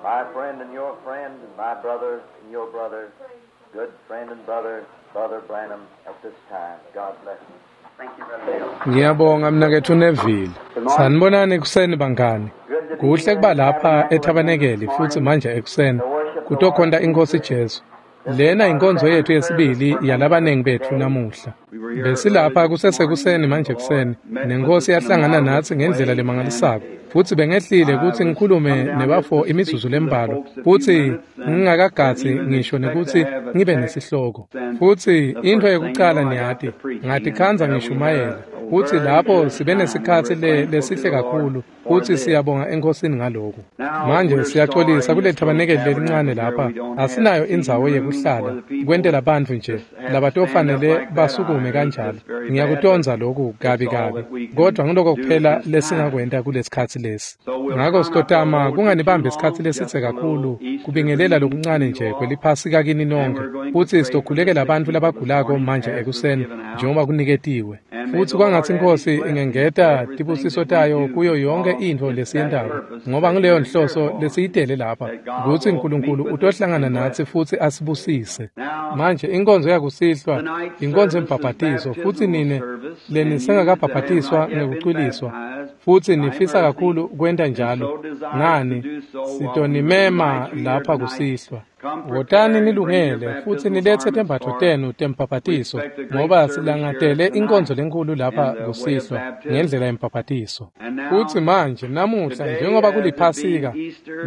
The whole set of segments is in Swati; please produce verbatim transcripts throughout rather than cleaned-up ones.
My friend and your friend, and my brother and your brother, good friend and brother, Brother Branham, at this time. God bless you. Thank you, Brother Bill. Ngiyabonga mnaketfu Neville. Sanibonani ekuseni bangani. Kuhle kuba lapha ethabanekeli futhi manje ekuseni kutokhonta inkosi Jesu. Lena inkonzo yethu yesibili yalabanengi bethu namuhla. Besilapha kusesekuseni manje ekuseni nenkosi yahlangana nathi ngendlela lemangalisako. Futhi bengehlile ukuthi ngikhulume nebafo imizuzu lembalwa futhi ngingakagathi ngisho nekuthi ngibe nesihloko. Futhi into yokuqala niyati ngatikhandza ngishumayela. Futhi lapho sibe nesikhathi le lesihle kakhulu futhi siyabonga enkosini ngalokho. Manje siyaxolisa kule thabanekeli lelincane lapha asinayo indzawo yekuhlala kwentela bantfu nje labatofanele basukume kanjalo. Ngiyakutonza lokhu kabi kabi kodwa ngiloko kuphela lesingakwenta kulesikhathi lesi. Ngakho sitotama kunganibambi isikhathi lesitse kakhulu kubingelela lokuncane nje kweliphasika kini nonke futhi sitokhulekela abantu labagulako manje ekuseni njengoba kuniketiwe. Futhi kwangathi inkosi ingengeta tibusiso tayo kuyo yonke intfo lesiyentako ngoba ngileyo nhloso lesiyitele lapha kutsi uNkulunkulu utohlangana nathi futhi asibusise. Manje inkonzo yakusihlwa inkonzo yembhabhatiso futhi nine lenisengakabhabhatiswa ngekucwiliswa futhi nifisa kakhulu kwenta njalo ngani sitonimema lapha kusihlwa. Wotani nilungele futhi nilethe tembatfo tenu tembhabhatiso ngoba silangatele inkonzo lenkulu lapha kusihlwa ngendlela yembhabhatiso. Futhi manje namuhla njengoba kuliphasika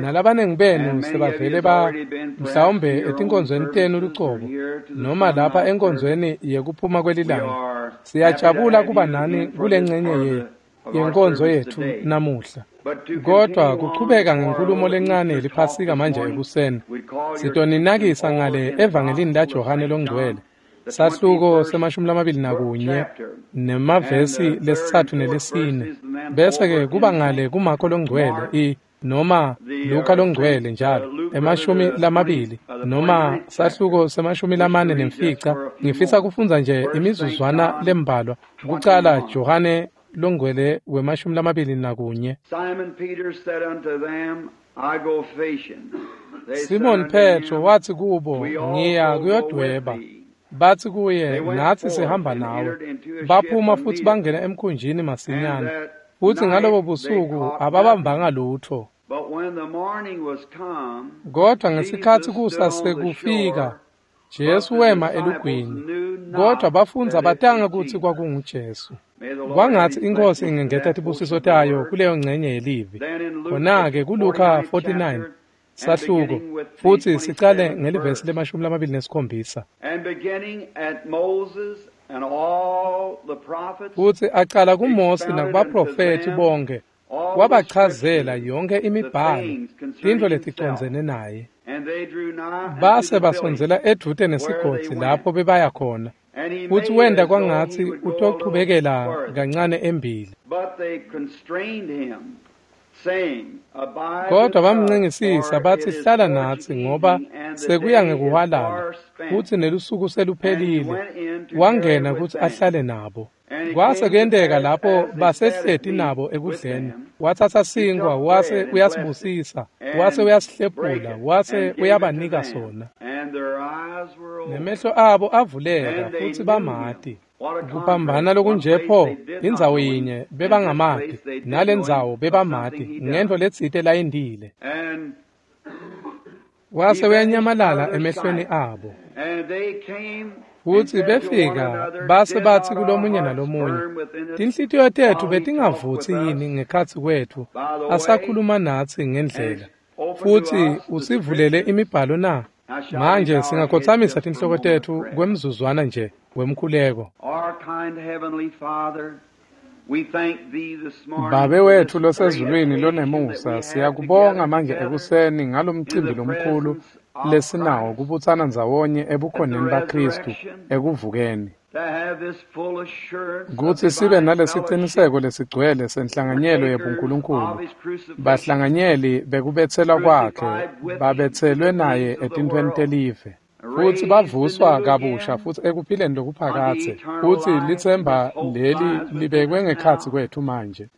nalabanengi benu sebavele ba mhlawumbe etinkonzweni tenu lucobo noma lapha enkonzweni yekuphuma kwelilanga siyajabula kuba nani kule ngcenye ye yenkonzo yethu namuhla. Kodwa kuchubeka ngenkulumo lencane yeliphasika manje ekuseni sitoninakisa ngale evangelini laJohane longcwele sahluko semashumi lamabili nakunye nemavesi lesitsatfu nelesine bese ke kuba ngale kuMakho longcwele i noma Luka longcwele njalo emashumi lamabili noma sahluko semashumi lamane nemfica. Ngifisa kufundza nje imizuzwana lembalwa kucala Johane longcwele wemashumi lamabili nakunye. Simon Peter said unto them, I go fishing. They said Simon unto Petro him, wathi kubo We ngiya also go with kuyodweba. thee. Bathi kuye They went nathi forth sihamba and nawe. entered into a ship Baphuma futhi immediately. bangena emkhunjini And masinyane. that Futhi ngalobo night they busuku caught nothing. ababambanga lutho. But when the morning was come, Kodwa ngesikhathi Jesus kusa stood on the sekufika shore, but Jesu the wema disciples elugwini. knew Kodwa not bafundza that it batanga was kutsi Jesus. kwakunguJesu. May the Lord add Kwangathi his inkosi blessings to ingengeta that tibusiso portion of the tayo word. kuleyo ngcenye yelivi. Then in Luke the Khona-ke kuLuka forty-ninth forty-nine chapter, and sahluko beginning with the futhi sicale twenty-seventh ngelivesi verse, lemashumi lamabili nesikhombisa. and beginning at Moses and all the prophets, Futhi acala kuMose expounded unto nakubaprofethi them bonke all the wabachazela scriptures, yonke the imibhalo things concerning tintfo himself. leticondzene naye. And they drew nigh unto Base the village basondzela edvute where they nesigodzi went. lapho bebaya khona. And he Futhi made wenta as though he kwangatsi would go a little utochubekela further. kancane embili. But they constrained him, saying, Abide Kodwa with us, bamncengisisa for it bathi is hlala towards natsi ngoba evening, and the sekuya day is ngekuhwalala far spent. futsi nelusuku And he seluphelile. went in to tarry Wangena with kutsi them. ahlale nabo. And it Kwase came to kuyenteka pass, lapho as they sat at basehleti meat nabo with ekudleni them, watsatsa he sinkhwa took wase bread and blessed it, uyasibusisa wase and brake uyasihlephula it, wase and gave it to uyabanika them. sona. And their eyes were opened, Nemehlo abo avuleka and they futhi knew him. bamati. What a Kuphambana contrast. One lokunje place pho they did not indzawo know him, yinye and this bebangamati place they did nale know him ndzawo of something bebamati he ngentfo done. letsite layendile. And Wase he vanished out uyanyamalala of their emehlweni sight. abo. And they came and Futhi said to one befika another, base Did bathi not our kulomunye hearts nalomunye, burn within us tinhlitiyo tethu while he talked with betingavutsi yini us ngekhatsi kwethu by the way, asakhuluma natsi and ngendlela opened to futhi us the usivulele scriptures? imibhalo na? Now shall we Manje bow our heads singakhothamisa just for a tinhloko moment of tethu prayer? kwemzuzwana nje wemkhuleko. Our kind heavenly Father, we thank thee this morning Babe for wethu this great losezulwini occasion that lonemusa we have siyakubonga together manje together ekuseni in ngalomcimbi the lomkhulu presence of lesinawo Christ kubutsana ndzawonye at the ebukhoneni baKristu resurrection, ekuvukeni. to have this full assurance of Kutsi sibe divine fellowship, nalesiciniseko lesigcwele senhlanganyelo partakers of yebuNkulunkulu, his crucifixion, bahlanganyeli bekubetselwa kwakhe, crucified with him to babetselwe the naye things of the etintfweni world, telive. Futsi bavuswa kabusha futsi ekuphileni lokuphakadze, futsi litsemba leli libekwe ngekhatsi kwethu manje.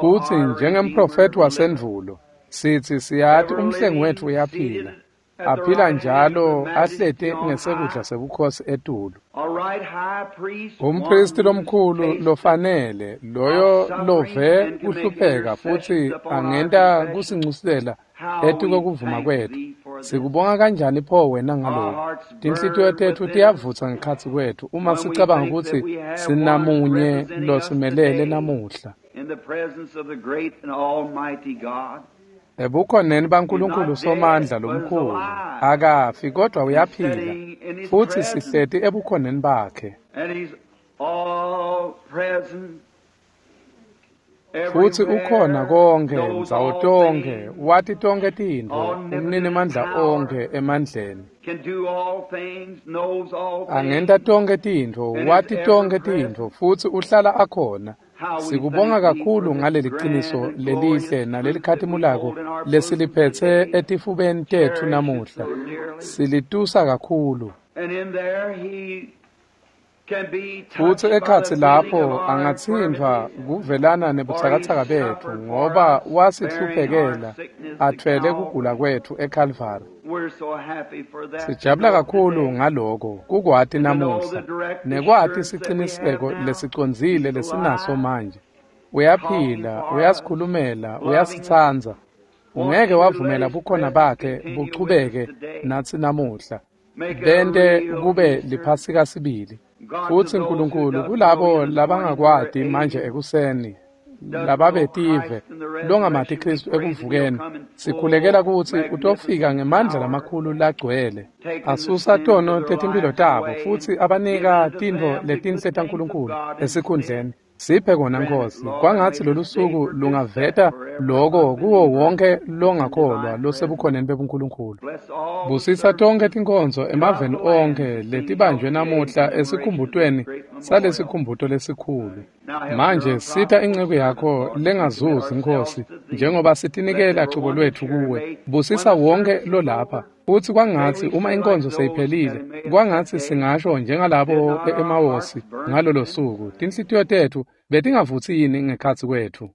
Futsi njengemprofethi wasendvulo, sitsi siyati umhlengi wetfu uyaphila, aphila njalo ahleti ngesekudla sebukhosi etulu. Umpristi lomkhulu lofanele, loyo love kuhlupheka futsi angenta kusincusela etikokuvuma kwetfu. Sikubonga kanjani pho wena ngalokhu? Tinhlitiyo tetfu tiyavutsa ngekhatsi kwetfu uma sicabanga kutsi sinamunye losimelele namuhla. Ebukhoneni baNkulunkulu Somandla lomkhulu, akafi kodwa uyaphila, futsi sihleti ebukhoneni bakhe. Futsi ukhona konke, ndzawo tonkhe, wati tonkhe tintfo, umninimandla onkhe emandleni. Angenta tonkhe tintfo, wati tonkhe tintfo, futsi uhlala akhona. Sikubonga kakhulu ngaleli qiniso lelihle nalelikhatimulako lesiliphetse etifubeni tetfu namuhla. Silitusa kakhulu. Futsi ekhatsi lapho angatsintfwa kuvelana nebutsakatsaka betfu, ngoba wasihluphekela atfwele kugula kwetfu eKhalvari. Sijabula kakhulu ngaloko kukwati namuhla, nekwati siciniseko lesicondzile lesinaso manje. Uyaphila, uyasikhulumela, uyasitsandza. Ungeke wavumela bukhona bakhe buchubeke natsi namuhla. Bente kube liphasika sibili. Futsi Nkulunkulu kulabo labangakwati manje ekuseni, lababetive longamati Kristu ekuvukeni, sikhulekela kutsi utofika ngemandla lamakhulu lagcwele, asusa tono tetimphilo tabo futsi abanika tintfo letinhle taNkulunkulu esikhundleni. Siphe kona Nkosi, kwangatsi lolusuku lungaveta loko kuwo wonke longakholwa losebukhoneni bebuNkulunkulu. Busisa tonkhe tinkonzo emaveni onkhe letibanjwe namuhla esikhumbutweni salesikhumbuto lesikhulu. Manje sita inceku yakho lengazuzi Nkosi, njengoba sitinikela cubo lwetfu kuwe. Busisa wonke lolapha. Futsi kwangatsi uma inkonzo seyiphelile, kwangatsi singasho njengalabo e-Emawosi ngalolo suku, tinhlitiyo tetfu betingavutsi yini ngekhatsi kwetfu.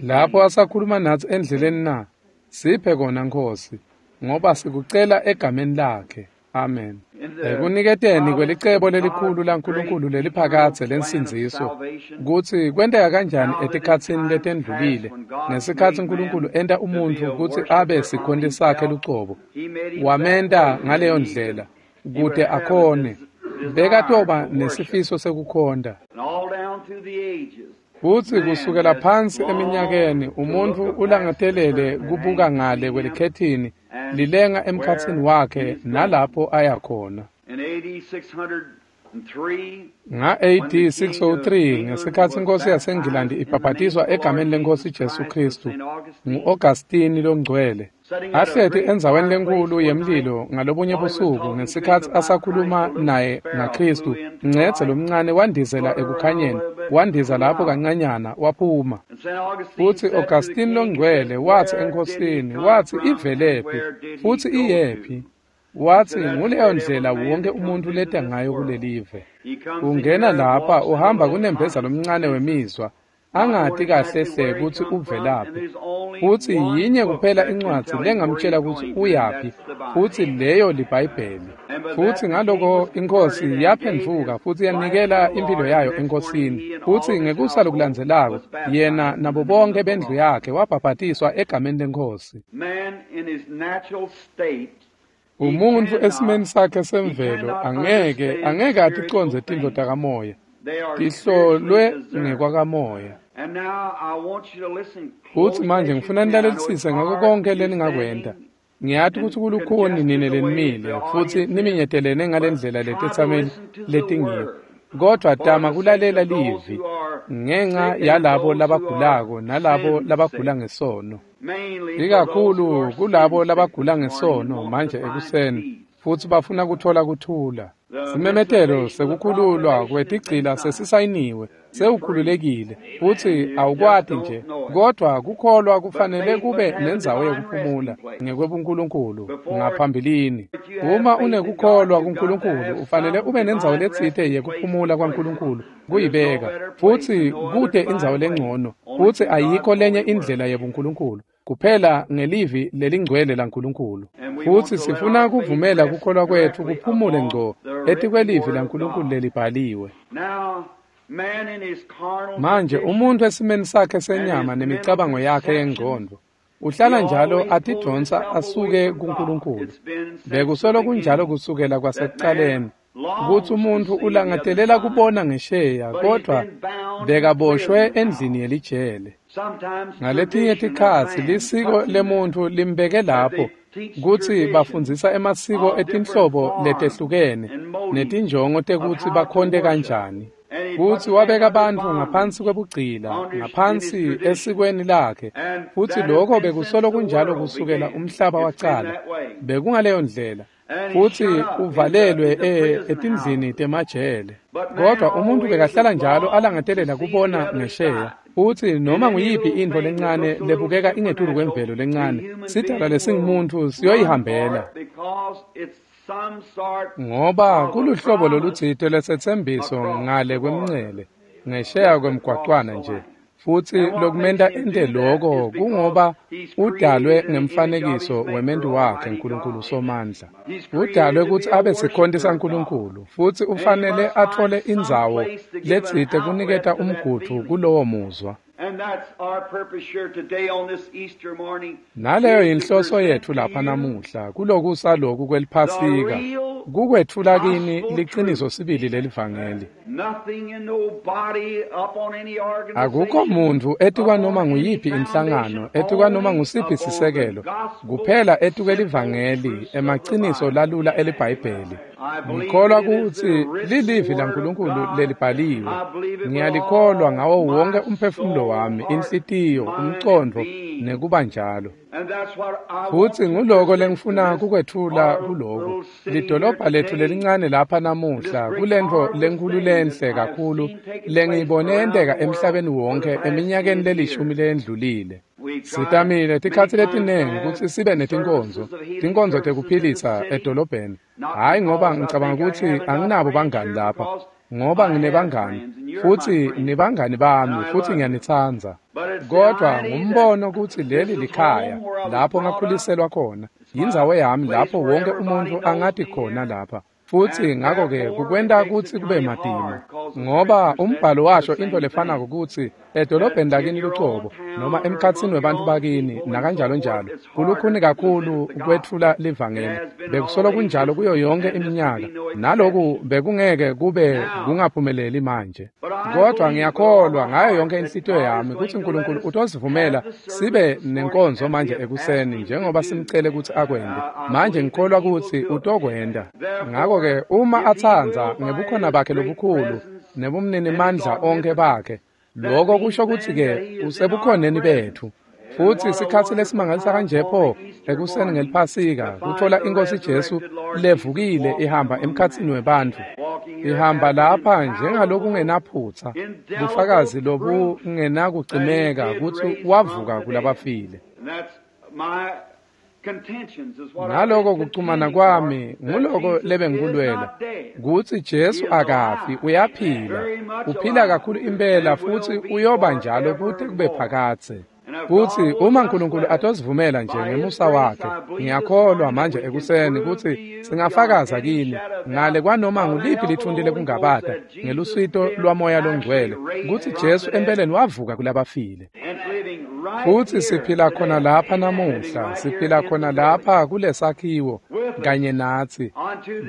Lapho asakhuluma natsi endleleni na, siphe kona Nkosi, ngoba sikucela egameni lakhe. Amen. Ekuniketeni kwelicebo lelikhulu laNkulunkulu leliphakadze lensindziso, kutsi kwenteka kanjani etikhatsini letendlulile, ngesikhatsi Nkulunkulu enta umuntfu kutsi abe sikhonti sakhe lucobo, wamenta ngaleyo ndlela kute akhone, bekatoba nesifiso sekukhonta. Futsi kusukela phansi eminyakeni umuntfu ulangatelele kubuka ngale kwelikhethini lilenga emkhatsini wakhe nalapho aya khona. Nga A D six oh three ngesikhatsi inkosi yaseNgilandi ibhabhatiswa egameni lenkosi Jesu Kristu ngu-Augustine longcwele, ahleti endzaweni lenkhulu yemlilo ngalobunye busuku ngesikhatsi asakhuluma naye ngaKristu, Ncedze lomncane wandizela ekukhanyeni, wandiza lapho kancanyana waphuma. Futsi Augustine longcwele watsi enkosini, watsi ivelephi futsi iyephi? Watsi nguleyo ndlela wonke umuntu leta ngayo kulelive. Ungena lapha uhamba kunembeza lomncane wemizwa, angati kahle hle kutsi uvelaphi. Futsi yinye kuphela incwadzi lengamtshela kutsi uyaphi, futsi leyo liBhayibheli. Futsi ngaloko inkosi yaphendvuka futsi yanikela impilo yayo enkosini. Futsi ngekusa lokulandzelako, yena nabo bonke bendlu yakhe wabhabhatiswa egameni lenkosi. Umuntfu esimeni sakhe semvelo angeke angeke aticondze tintfo takamoya, tihlolwe ngekwakamoya. Futsi manje ngifuna nilalelisise ngako konke leningakwenta. Ngiyati kutsi kulukhuni nine lenimile futsi niminyetelene ngalendlela letetsameli letingiyo, kodvwa tama kulalela livi ngenca yalabo labagulako nalabo labagula ngesono. Ikakhulu kulabo labagula ngesono manje ekuseni futsi bafuna kuthola kuthula. Simemetelo sekukhululwa kwetigcila sesisayiniwe. Sewukhululekile futsi awukwati nje, kodvwa kukholwa kufanele kube nendzawo yekuphumula ngekwebuNkulunkulu ngaphambilini. Uma unekukholwa kuNkulunkulu, ufanele ube nendzawo letsite yekuphumula kwaNkulunkulu kuyibeka, futsi kute indzawo lengcono, futsi ayikho lenye indlela yebuNkulunkulu kuphela ngelivi lelingcwele laNkulunkulu. Futsi sifuna kuvumela kukholwa kwetfu kuphumule ngco etikwelivi laNkulunkulu lelibhaliwe. Manje umuntu esimeni sakhe senyama nemicabango yakhe yengqondo uhlala njalo atidonsa asuke kuNkulunkulu. Bekusolo kunjalo kusukela kwasekucaleni kutsi umuntu ulangatelela kubona ngesheya, kodvwa bekaboshwe endlini yelijele. Ngaletinye tikhatsi lisiko lemuntfu limbeke lapho kutsi bafundzisa emasiko etinhlobo letehlukene netinjongo tekutsi bakhonte kanjani. Kutsi wabeka bantfu ngaphansi kwebugcila, ngaphansi esikweni lakhe, futsi lokho bekusolo kunjalo kusukela umhlaba wacala. Bekungaleyo ndlela, futsi uvalelwe etindlini temajele. Kodwa umuntu bekahlala njalo alangatelela kubona ngesheya, futsi noma nguyiphi intfo lencane lebukeka ingetulu kwemvelo lencane, sidalwa lesingumuntu siyoyihambela, ngoba kuluhlobo lolutsite lesetsembiso ngale kwemncele, ngesheya kwemgwacwana nje. Futsi lokumenta ente loko kungoba udalwe ngemfanekiso wementu wakhe Nkulunkulu Somandla. Udalwe kutsi abe sikhonti saNkulunkulu, futsi ufanele atfole indzawo letsite kuniketa umgudvu kulowo muzwa. Naleyo yinhloso yetfu lapha namuhla kulokusa loku kweliphasika, kukwetfula kini liciniso sibili lelivangeli. Akukho muntfu etikwanoma nguyiphi inhlangano, etikwanoma ngusiphi sisekelo, kuphela etikwelivangeli, emaciniso lalula eliBhayibheli. Ngikholwa kutsi lilivi laNkulunkulu lelibhaliwe. Ngiyalikholwa ngawo wonke umphefumulo wami, inhlitiyo, umcondvo nekuba njalo. Futsi nguloko lengifuna kukwetfula kuloku. Lidolobha letfu lelincane lapha namuhla kulentfo lenkhulu lenhle kakhulu lengiyibone yenteka emhlabeni wonke eminyakeni lelishumi leyendlulile. Sitamile tikhatsi letinengi kutsi sibe netinkonzo, tinkonzo tekuphilisa edolobheni. Hhayi ngoba ngicabanga kutsi anginabo bangani lapha, ngoba nginebangani, futsi nibangani bami, futsi ngiyanitsandza. Kodwa ngumbono kutsi leli likhaya lapho ngakhuliselwa khona, yindzawo yami lapho wonke umuntu angati khona lapha. Futsi ngako-ke kukwenta kutsi kube matima, ngoba umbhalo washo into lefanako kutsi edolobheni lakini lucobo noma emkhatsini webantfu bakini nakanjalo njalo kulukhuni kakhulu kwetfula livangeli. Bekusolo kunjalo kuyo yonke iminyaka, naloku bekungeke kube kungaphumeleli manje. Kodwa ngiyakholwa ngayo yonke inhlitiyo yami kutsi Nkulunkulu utosivumela sibe nenkonzo manje ekuseni njengoba simcele kutsi akwente. Manje ngikholwa kutsi utokwenta. Ngako-ke uma atsandza ngebukhona bakhe lobukhulu nebumninimandla onke bakhe, lokho kusho kutsi-ke usebukhoneni betfu. Futsi sikhatsi lesimangalisa kanje pho ekuseni ngeliphasika kutfola iNkhosi Jesu levukile ihamba emkhatsini webantfu, ihamba lapha njengalokungenaphutsa, bufakazi lobungenakucimeka kutsi wavuka kulabafile. Ngaloko kuchumana kwami nguloko lebengikulwela, kutsi Jesu akafi, uyaphila, uphila kakhulu impela futsi uyoba njalo kute kube phakadze. Futsi uma Nkulunkulu atosivumela nje ngemusa wakhe, ngiyakholwa manje ekuseni kutsi singafakaza kini ngale kwanoma nguliphi lithunti lekungabata ngelusito lwaMoya Longcwele kutsi Jesu empeleni wavuka kulabafile. Futsi siphila khona lapha namuhla, siphila khona lapha kulesakhiwo kanye natsi,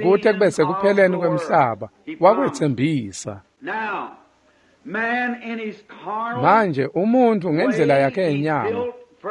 kute kube sekupheleni kwemhlaba. Wakwetsembisa. Manje umuntu ngendlela yakhe yenyama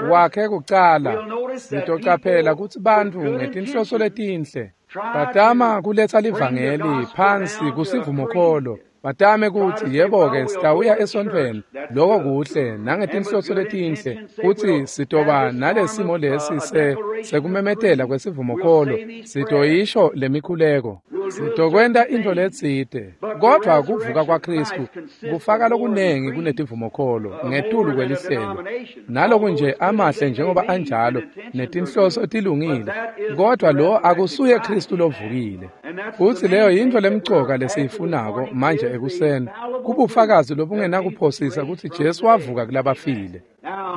wakhe kucala, sitocaphela kutsi bantfu ngetinhloso letinhle batama kuletsa livangeli phansi kusivumokholo, batame kutsi yebo-ke sitawuya esontfweni, loko kuhle nangetinhloso letinhle, kutsi sitoba nalesimo lesi se sekumemetela kwesivumokholo, sitoyisho lemikhuleko. Sitokwenta intfo letsite, kodvwa kuvuka kwaKhristu kufaka lokunengi kunetivumokholo ngetulu kwelihlelo. Naloku nje amahle njengoba anjalo netinhloso tilungile, kodvwa lo akusuye Khristu lovukile. Futsi leyo yintfo lemcoka lesiyifunako manje ekuseni, kubufakazi lobungenakuphosisa kutsi Jesu wavuka kulabafile.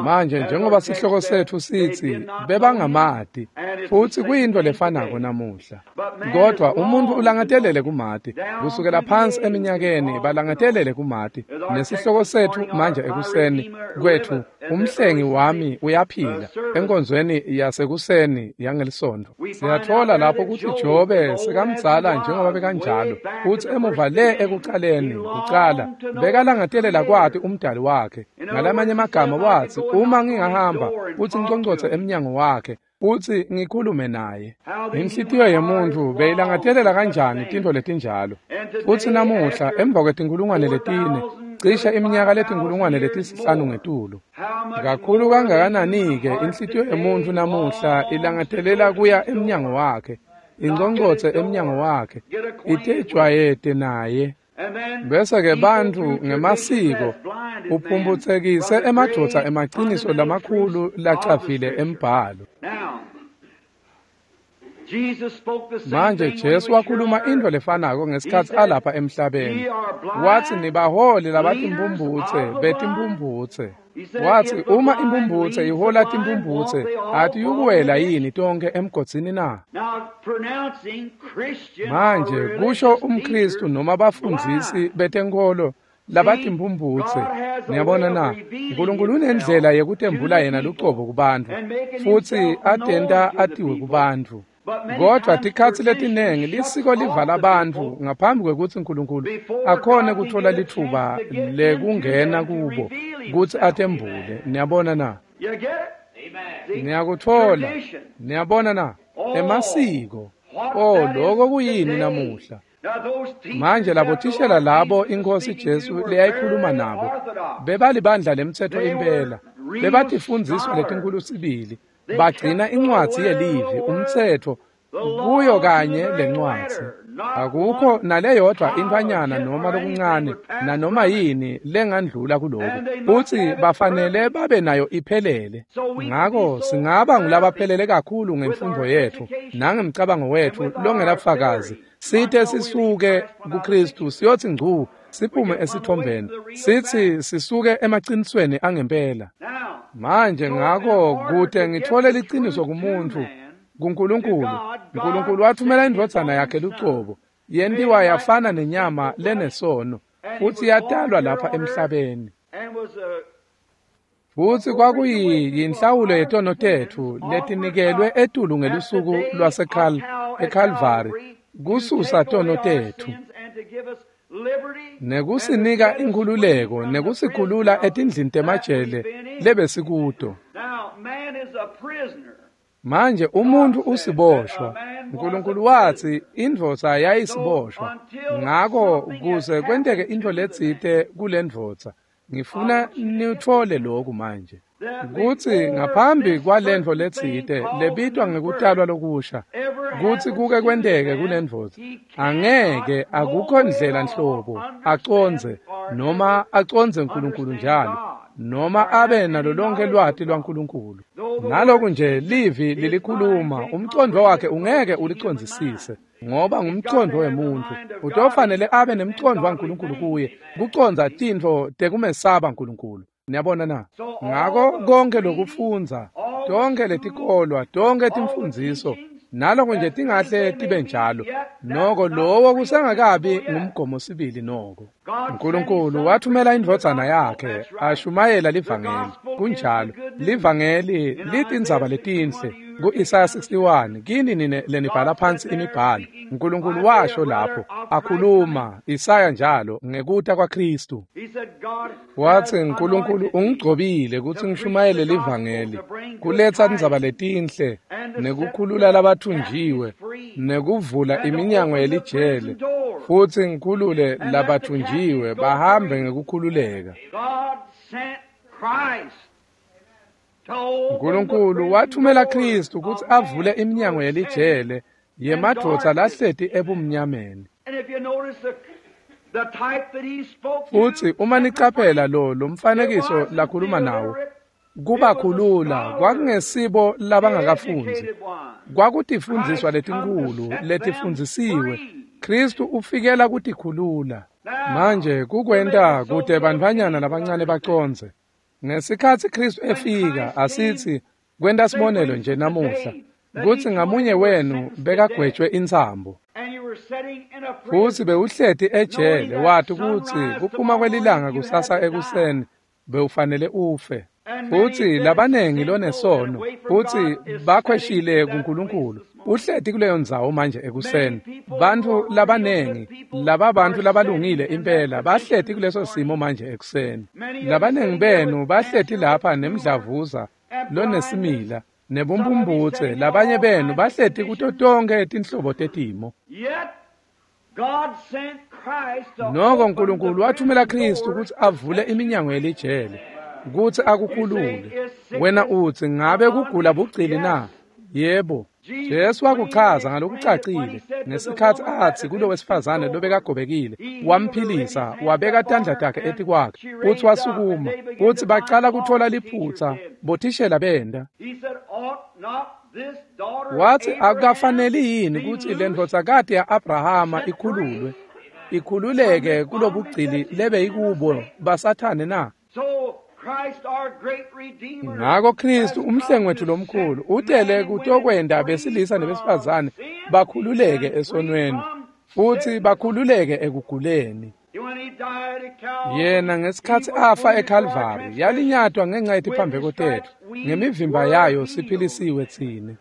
Manje njengoba sihloko setfu sitsi bebangamati, futsi kuyintfo lefanako namuhla. Kodvwa umuntfu ulangatelele kumati, kusukela phansi eminyakeni balangatelele kumati. Nesihloko setfu manje ekuseni kwetfu, umhlengi wami uyaphila, enkonzweni yasekuseni yangelisonto. Siyatfola lapho kutsi Jobe sekamdzala njengoba bekanjalo, futsi emuva le ekucaleni kucala bekalangatelela kwati umdali wakhe. Ngalamanye amagama wathi, uma ngingahamba futsi ngiconcotse emnyango wakhe futsi ngikhulume naye. Inhlitiyo yemuntfu beyilangatelela kanjani tintfo letinjalo? Futsi namuhla emva kwetinkulungwane letine, cishe iminyaka letinkulungwane letisihlanu ngetulu, kakhulu kangakanani-ke inhlitiyo yemuntfu namuhla ilangatelela kuya emnyango wakhe, inconcotse emnyango wakhe, itejwayete naye. Bese-ke bantfu ngemasiko uphumputsekise emadvodza emaciniso lamakhulu lacavile embhalo. Manje Jesu wakhuluma intfo lefanako ngesikhatsi alapha emhlabeni. Watsi nibaholi labatimphumphutse betimphumphutse. Watsi uma imphumphutse ihola timphumphutse, atiyukuwela yini tonkhe emgodzini na? Manje kusho umKhristu noma bafundzisi betenkholo labatimphumphutse. Niyabona na? Nkulunkulu unendlela yekutembula yena lucobo kubantfu, futsi atenta atiwe kubantfu. Kodvwa tikhatsi letinengi lisiko livala bantfu ngaphambi kwekutsi Nkulunkulu akhone kutfola litfuba lekungena kubo kutsi atembule. Niyabona na? Niyakutfola. Niyabona na? Emasiko. Oh, loko kuyini namuhla? Manje labothishela labo iNkhosi Jesu leyayikhuluma nabo bebalibandla lemtsetfo impela, bebatifundziswa letinkhulu sibili, bagcina incwadzi yelivi, umtsetfo, kuyo kanye lencwadzi. Akukho naleyodvwa intfwanyana noma lokuncane nanoma yini lengandlula kuloku, futsi bafanele babe nayo iphelele. Ngako singaba ngulabaphelele kakhulu ngemfundvo yetfu nangemcabango wetfu longenabufakazi, site sisuke kuKhristu siyotsi ngcu siphume esitfombeni, sitsi sisuke emacinisweni angempela. Manje ngako kute ngitfole liciniso kumuntfu, kuNkulunkulu, Nkulunkulu wathumela indvodzana yakhe lucobo, yentiwa yafana nenyama lenesono, futsi yatalwa lapha emhlabeni. Futsi kwakuyinhlawulo yetono tetfu letinikelwe etulu ngelusuku lwaseKhal eKalvari kususa tono tetfu, nekusinika inkhululeko nekusikhulula etindlini temajele lebesikuto. Manje umuntfu usiboshwa. Nkulunkulu watsi indvodza yayisiboshwa. Ngako kuze kwenteke intfo letsite kulendvodza, ngifuna nitfole lokhu manje, kutsi ngaphambi kwalentfo letsite lebitwa ngekutalwa lokusha, kutsi kuke kwenteke kulendvodza, angeke akukho ndlela nhlobo acondze noma acondze Nkulunkulu njalo, noma abe nalo lonke lwati lwaNkulunkulu. Naloku nje livi lilikhuluma, umcondvo wakhe ungeke ulicondzisise, ngoba ngumcondvo wemuntfu. Utofanele abe nemcondvo waNkulunkulu kuye, kucondza tintfo tekumesaba Nkulunkulu. Niyabona na? Ngako konke lokufundza, tonke letikolwa, tonke timfundziso, naloko nje tingahle tibe njalo, noko lowo kusengakabi ngumgomo sibili noko. Nkulunkulu wathumela indvodzana yakhe ashumayela livangeli. Kunjalo, livangeli litindzaba letinhle. Ku-Isaya sixty-one, kini nine lenibhala phansi imibhalo, Nkulunkulu washo lapho akhuluma Isaya njalo ngekuta kwaKhristu. Watsi Nkulunkulu ungigcobile kutsi ngishumayele livangeli, kuletsa tindzaba letinhle, nekukhulula labathunjiwe, nekuvula iminyango yelijele, futsi ngikhulule labathunjiwe bahambe ngekukhululeka. Nkulunkulu wathumela Khristu kutsi avule iminyango yelijele Yemadvodza lahleti ebumnyameni. Futsi uma nicaphela lo lomfanekiso lakhuluma nawo, kubakhulula kwakungesibo labangakafundzi, kwakutifundiswa letinkulu letifundzisiwe. Kristu ufikela kutikhulula. Manje kukwenta kute bantfwanyana labancane bacondze. Ngesikhatsi Kristu efika, asitsi kwenta sibonelo nje namuhla, kutsi ngamunye wenu bekagwetjwe intsambo. Futsi bewuhleti ejele wati kutsi kuphuma kwelilanga kusasa ekuseni bewufanele ufe. Futsi labanengi lonesono futsi bakhweshile kuNkulunkulu uhleti kuleyo ndzawo manje ekuseni. Bantfu labanengi laba bantfu labalungile impela bahleti kuleso simo manje ekuseni. Labanengi benu bahleti lapha nemdlavuza lonesimila nebumpumputse, labanye benu bahleti kuto tonkhe tinhlobo tetimo. Noko Nkulunkulu wathumela Kristu kutsi avule iminyango yelijele, kutsi akukhulule. Wena utsi, ngabe kugula bugcili na? Yebo. Jesu wakuchaza ngalokucacile ngesikhatsi atsi kulo wesifazane lobekagobekile, wamphilisa, wabeka tandla takhe etikwakhe, futsi wasukuma, futsi bacala kutfola liphutsa, bothishela benda. Watsi akukafaneli yini kutsi lendvodzakati ya-Abrahama ikhululwe, ikhululeke kulobugcili lebeyikubo baSathane na? Ngako Kristu umhlengi wetfu lomkhulu utele kutokwenta besilisa nebesifazane bakhululeke esonweni futsi bakhululeke ekuguleni. Yena ngesikhatsi afa eKalvari yalinyatwa ngenxa yetiphambeko tetfu, ngemivimba yayo siphilisiwe tsine.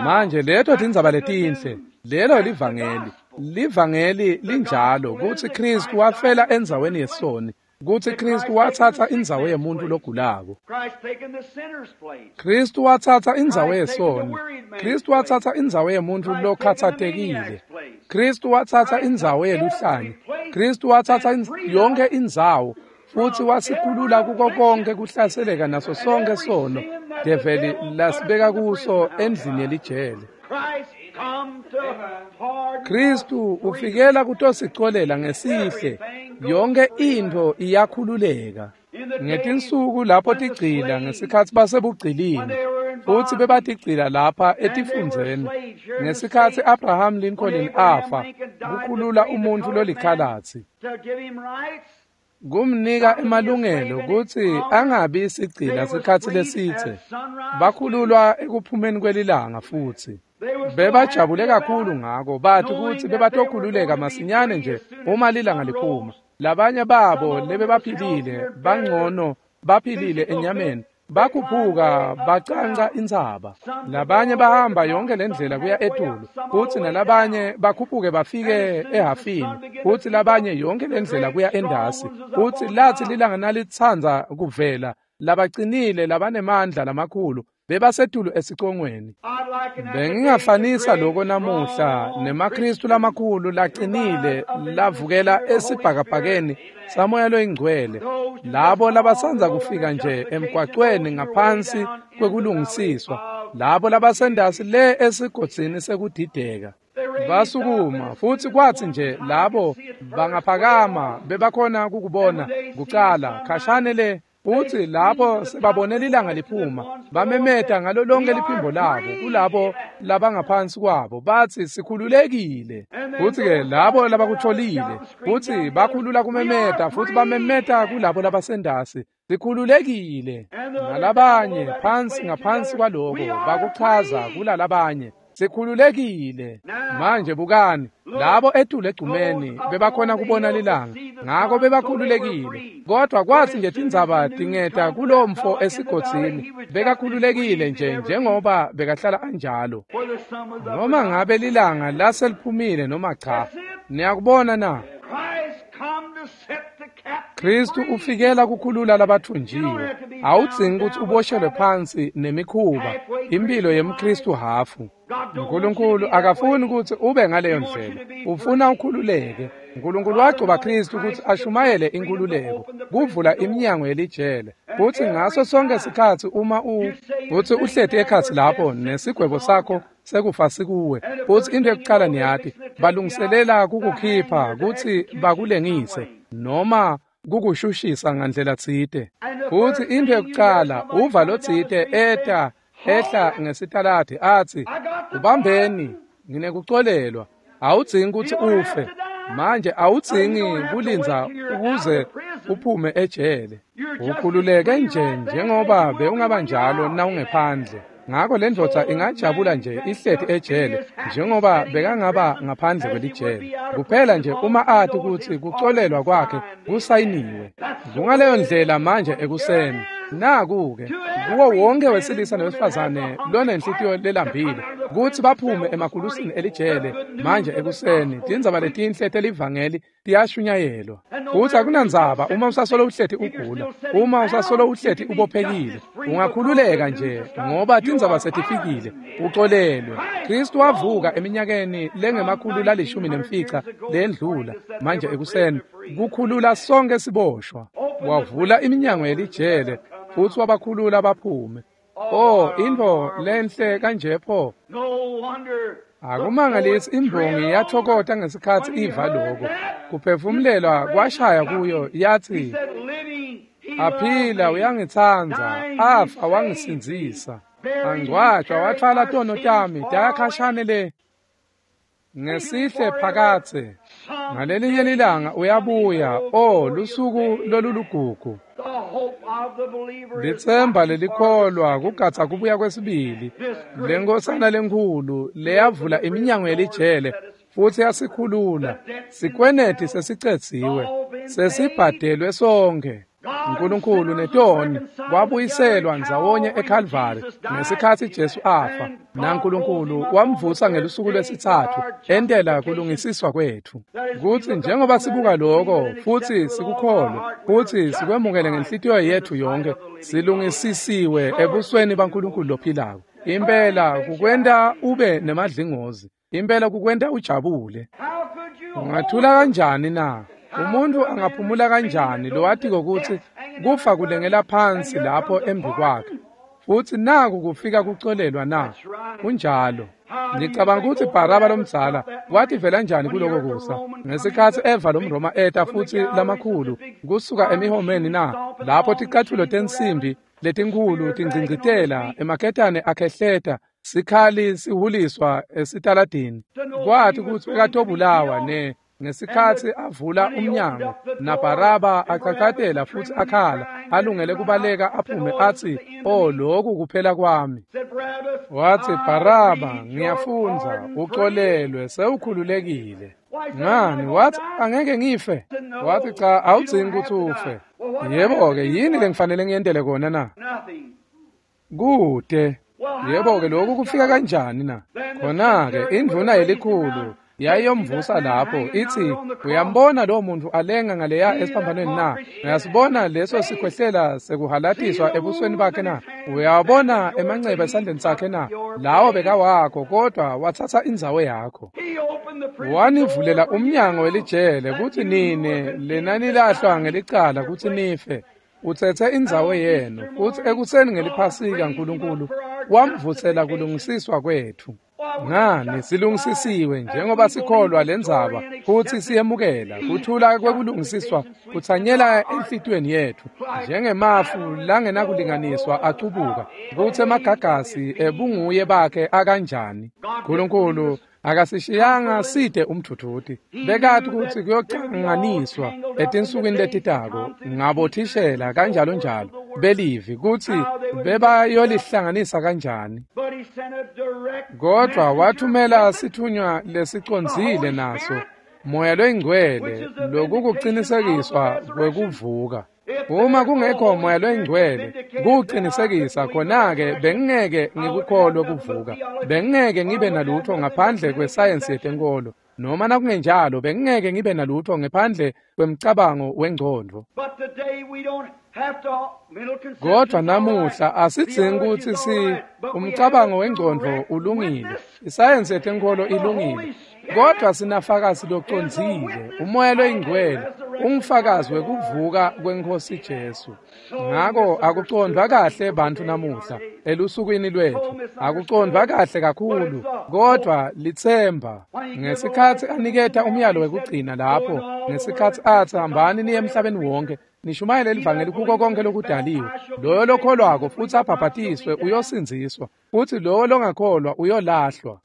Manje leto tindzaba letinhle, lelo livangeli. Livangeli linjalo kutsi Kristu wafela endzaweni yesoni, kutsi Kristu watsatsa indzawo yemuntu logulako. Kristu watsatsa indzawo yesoni. Kristu watsatsa indzawo yemuntu lokhatsatekile. Kristu watsatsa indzawo yeluhlanya. Kristu watsatsa yonke indzawo futsi wasikhulula kuko konke kuhlaseleka naso sonke sono develi lasibeka kuso endlini yelijele. Kristu ufikela kutosicolela ngesihle, yonke intfo iyakhululeka. Ngetinsuku lapho tigcila ngesikhatsi basebugcilini, futsi bebatigcila lapha etifundzeni, ngesikhatsi Abraham Lincoln afa, kukhulula umuntfu lolikhalatsi, kumnika emalungelo kutsi angabi sigcila sikhatsi lesitse. Bakhululwa ekuphumeni kwelilanga futsi bebajabule kakhulu ngako, bathi kutsi bebatokhululeka masinyane nje uma lilanga liphuma. Labanye babo lebebaphilile bangcono baphilile enyameni, bakhuphuka bacanca intsaba. Labanye bahamba yonke lendlela kuya etulu, futsi nalabanye bakhuphuke bafike ehafini, futsi labanye yonke lendlela kuya endasi. Futsi lathi lilanga nalitsandza kuvela, labacinile labanemandla lamakhulu bebasetulu esicongweni. Bengingafanisa loko namuhla nemaKristu lamakhulu lacinile lavukela esibhakabhakeni saMoya loyiNgcwele, labo labasandza kufika nje emgwacweni ngaphansi kwekulungisiswa, labo labasendasi le esigodzini sekudideka. Basukuma futsi kwatsi nje labo bangaphakama bebakhona kukubona kucala khashane le, futsi lapho sebabone lilanga liphuma bamemeta ngalo lonke liphimbo labo kulabo labangaphansi kwabo, batsi sikhululekile. Futsi-ke labo labakutfolile futsi bakhulula kumemeta futsi bamemeta kulabo labasendasi, sikhululekile. Nalabanye phansi ngaphansi kwaloko bakuchaza kulalabanye, sikhululekile. Manje bukani, labo etulu egcumeni bebakhona kubona lilanga, ngako bebakhululekile. Kodwa kwatsi nje tindzaba tingeta kulomfo esigodzini, bekakhululekile nje njengoba bekahlala anjalo. Noma ngabe lilanga laseliphumile noma cha, niyakubona na? Kristu ufikela kukhulula labathunjiwe. Awudzingi kutsi uboshelwe phansi nemikhuba, impilo yemKristu hafu. Nkulunkulu akafuni kutsi ube ngaleyo ndlela, ufuna ukhululeke. Nkulunkulu wagcoba Kristu kutsi ashumayele inkhululeko, kuvula iminyango yelijele. Kutsi ngaso sonke sikhatsi uma u kutsi uhleti ekhatsi lapho nesigwebo sakho sekufa sikuwe. Futsi into yekucala niyati, balungiselela kukukhipha kutsi bakulengise noma kukushushisa ngandlela tsite. Futsi into yekucala uva lotsite eta ehla ngesitaladi atsi, "Ubambeni, nginekucolelwa." Awudzingi kutsi ufe. Manje awudzingi kulindza ukuze uphume ejele. Ukhululeke nje njengoba bewungaba njalo nawungephandle. Ngako le ndvodza ingajabula nje ihleti ejele njengoba bekangaba ngaphandle kwelijele. Kuphela nje uma ati kutsi kucolelwa kwakhe kusayiniwe. Kungaleyo ndlela manje ekuseni. Naku-ke kuwo wonke wesilisa nowesifazane lonenhlitiyo lelambile kutsi baphume emagulusini elijele manje ekuseni. Tindzaba letinhle telivangeli tiyashunyayelwa. Futsi akunandzaba uma usasolo uhleti ugula, uma usasolo uhleti ubophekile, ungakhululeka nje ngoba tindzaba setifikile, ucolelwe. Kristu wavuka eminyakeni lengemakhulu lalishumi nemfica lendlula manje ekuseni kukhulula sonke siboshwa. Wavula iminyango yelijele futsi wabakhulula baphume. Oh, intfo lenhle kanje pho. Akumangalisi imbongi yathokota ngesikhatsi iva loko. Kuphefumulelwa kwashaya kuyo yathi, "Aphila uyangitsandza, afa wangisindzisa. Angcwatshwa wathwala tono tami tayakhashane le ngesihle phakatse. Ngalelinye lilanga uyabuya, oh lusuku lolulugugu." Litsemba lelikholwa kugatsa kubuya kwesibili. Lenkosana lenkhulu leyavula iminyango yelijele futsi yasikhulula. Sikweneti sesicedziwe, sesibhadelwe sonke. Nkulunkulu netoni kwabuyiselwa ndzawonye eKalvari ngesikhatsi Jesu afa, naNkulunkulu wamvusa ngelusuku lwesitsatfu entela kulungisiswa kwetfu. Kutsi njengoba sibuka loko futsi sikukholwe futsi sikwemukele ngenhlitiyo yetfu yonke, silungisisiwe ebusweni baNkulunkulu lophilako. Impela kukwenta ube nemadlingozi, impela kukwenta ujabule. Ungathula kanjani na? Umuntu angaphumula kanjani lowatiko kutsi kufa kulengela phansi lapho embi kwakhe, futsi naku kufika kucolelwa na? Kunjalo. Ngicabanga kutsi Baraba lomdzala wativela njani kuloko kusa ngesikhatsi eva lomRoma eta futsi lamakhulu kusuka emihomeni na, lapho ticatfulo tensimbi letinkhulu tingcingcitela, emaketane akhehleta, sikhali sihuliswa esitaladini. Kwathi kutsi bekatobulawa ne ngesikhatsi avula umnyango naBaraba acacatela futsi akhala alungele kubaleka aphume atsi, "Oh, lokhu kuphela kwami." Wathi, "Baraba, ngiyafundza ucolelwe, sewukhululekile." Ngani? Wathi, "Angeke ngife." Wathi, "Cha, awudzingi kutsi ufe." Yebo-ke, yini lengifanele ngiyentele kona na? Kude. Yebo-ke, lokhu kufika kanjani na? Khona-ke indvuna yelikhulu yayiyomvusa lapho ithi, "Uyambona lo muntu alenga ngaleya esiphambanweni na? Uyasibona leso sikhwehlela sekuhalatiswa ebusweni bakhe na? Uyabona emanceba esandleni sakhe na? Lawo bekawakho, kodwa wathatha indzawo yakho. Wanivulela umnyango welijele kutsi nine lenanilahlwa ngelicala kutsi nife. Utsetse indzawo yenu." Futsi ekuseni ngeliphasika Nkulunkulu wamvutsela kulungisiswa kwetfu. Ngani silungisisiwe njengoba sikholwa lendzaba futsi siyemukela kuthula kwekulungisiswa kutsanyela enhlitiyweni yetfu njengemafu langenakulinganiswa acubuka kutsi emagagasi ebunguye bakhe akanjani. Nkulunkulu akasishiyanga side umthuthuti. Bekati kutsi kuyocanganiswa etinsukwini letitako ngabothishela kanjalo njalo belivi kutsi bebayolihlanganisa kanjani. Kodwa wathumela sithunywa lesicondzile naso, Moya loyingcwele, lokukucinisekiswa kwekuvuka. Uma kungekho Moya loyingcwele kucinisekisa, khona-ke bengingeke ngikukholwe kuvuka. Bengingeke ngibe nalutho ngaphandle kwesayensi yetenkolo, noma nakungenjalo bengingeke ngibe nalutho ngephandle kwemcabango wengcondvo. Kodwa namuhla asidzingi kutsi si umcabango wengcondvo ulungile, isayensi yetenkolo ilungile, kodwa sinafakazi locondzile, uMoya loyingcwele Ungufakazi wekuvuka kweNkhosi Jesu. Ngako akucondvwa kahle bantfu namuhla elusukwini lwetfu, akucondvwa kahle kakhulu, kodvwa litsemba. Ngesikhatsi aniketa umyalo wekugcina lapho, ngesikhatsi atsi hambani niye emhlabeni wonke, nishumayele livangeli kuko konke lokudaliwe, loyo lokholwako futsi abhabhatiswe uyosindziswa, futsi lowo longakholwa uyolahlwa.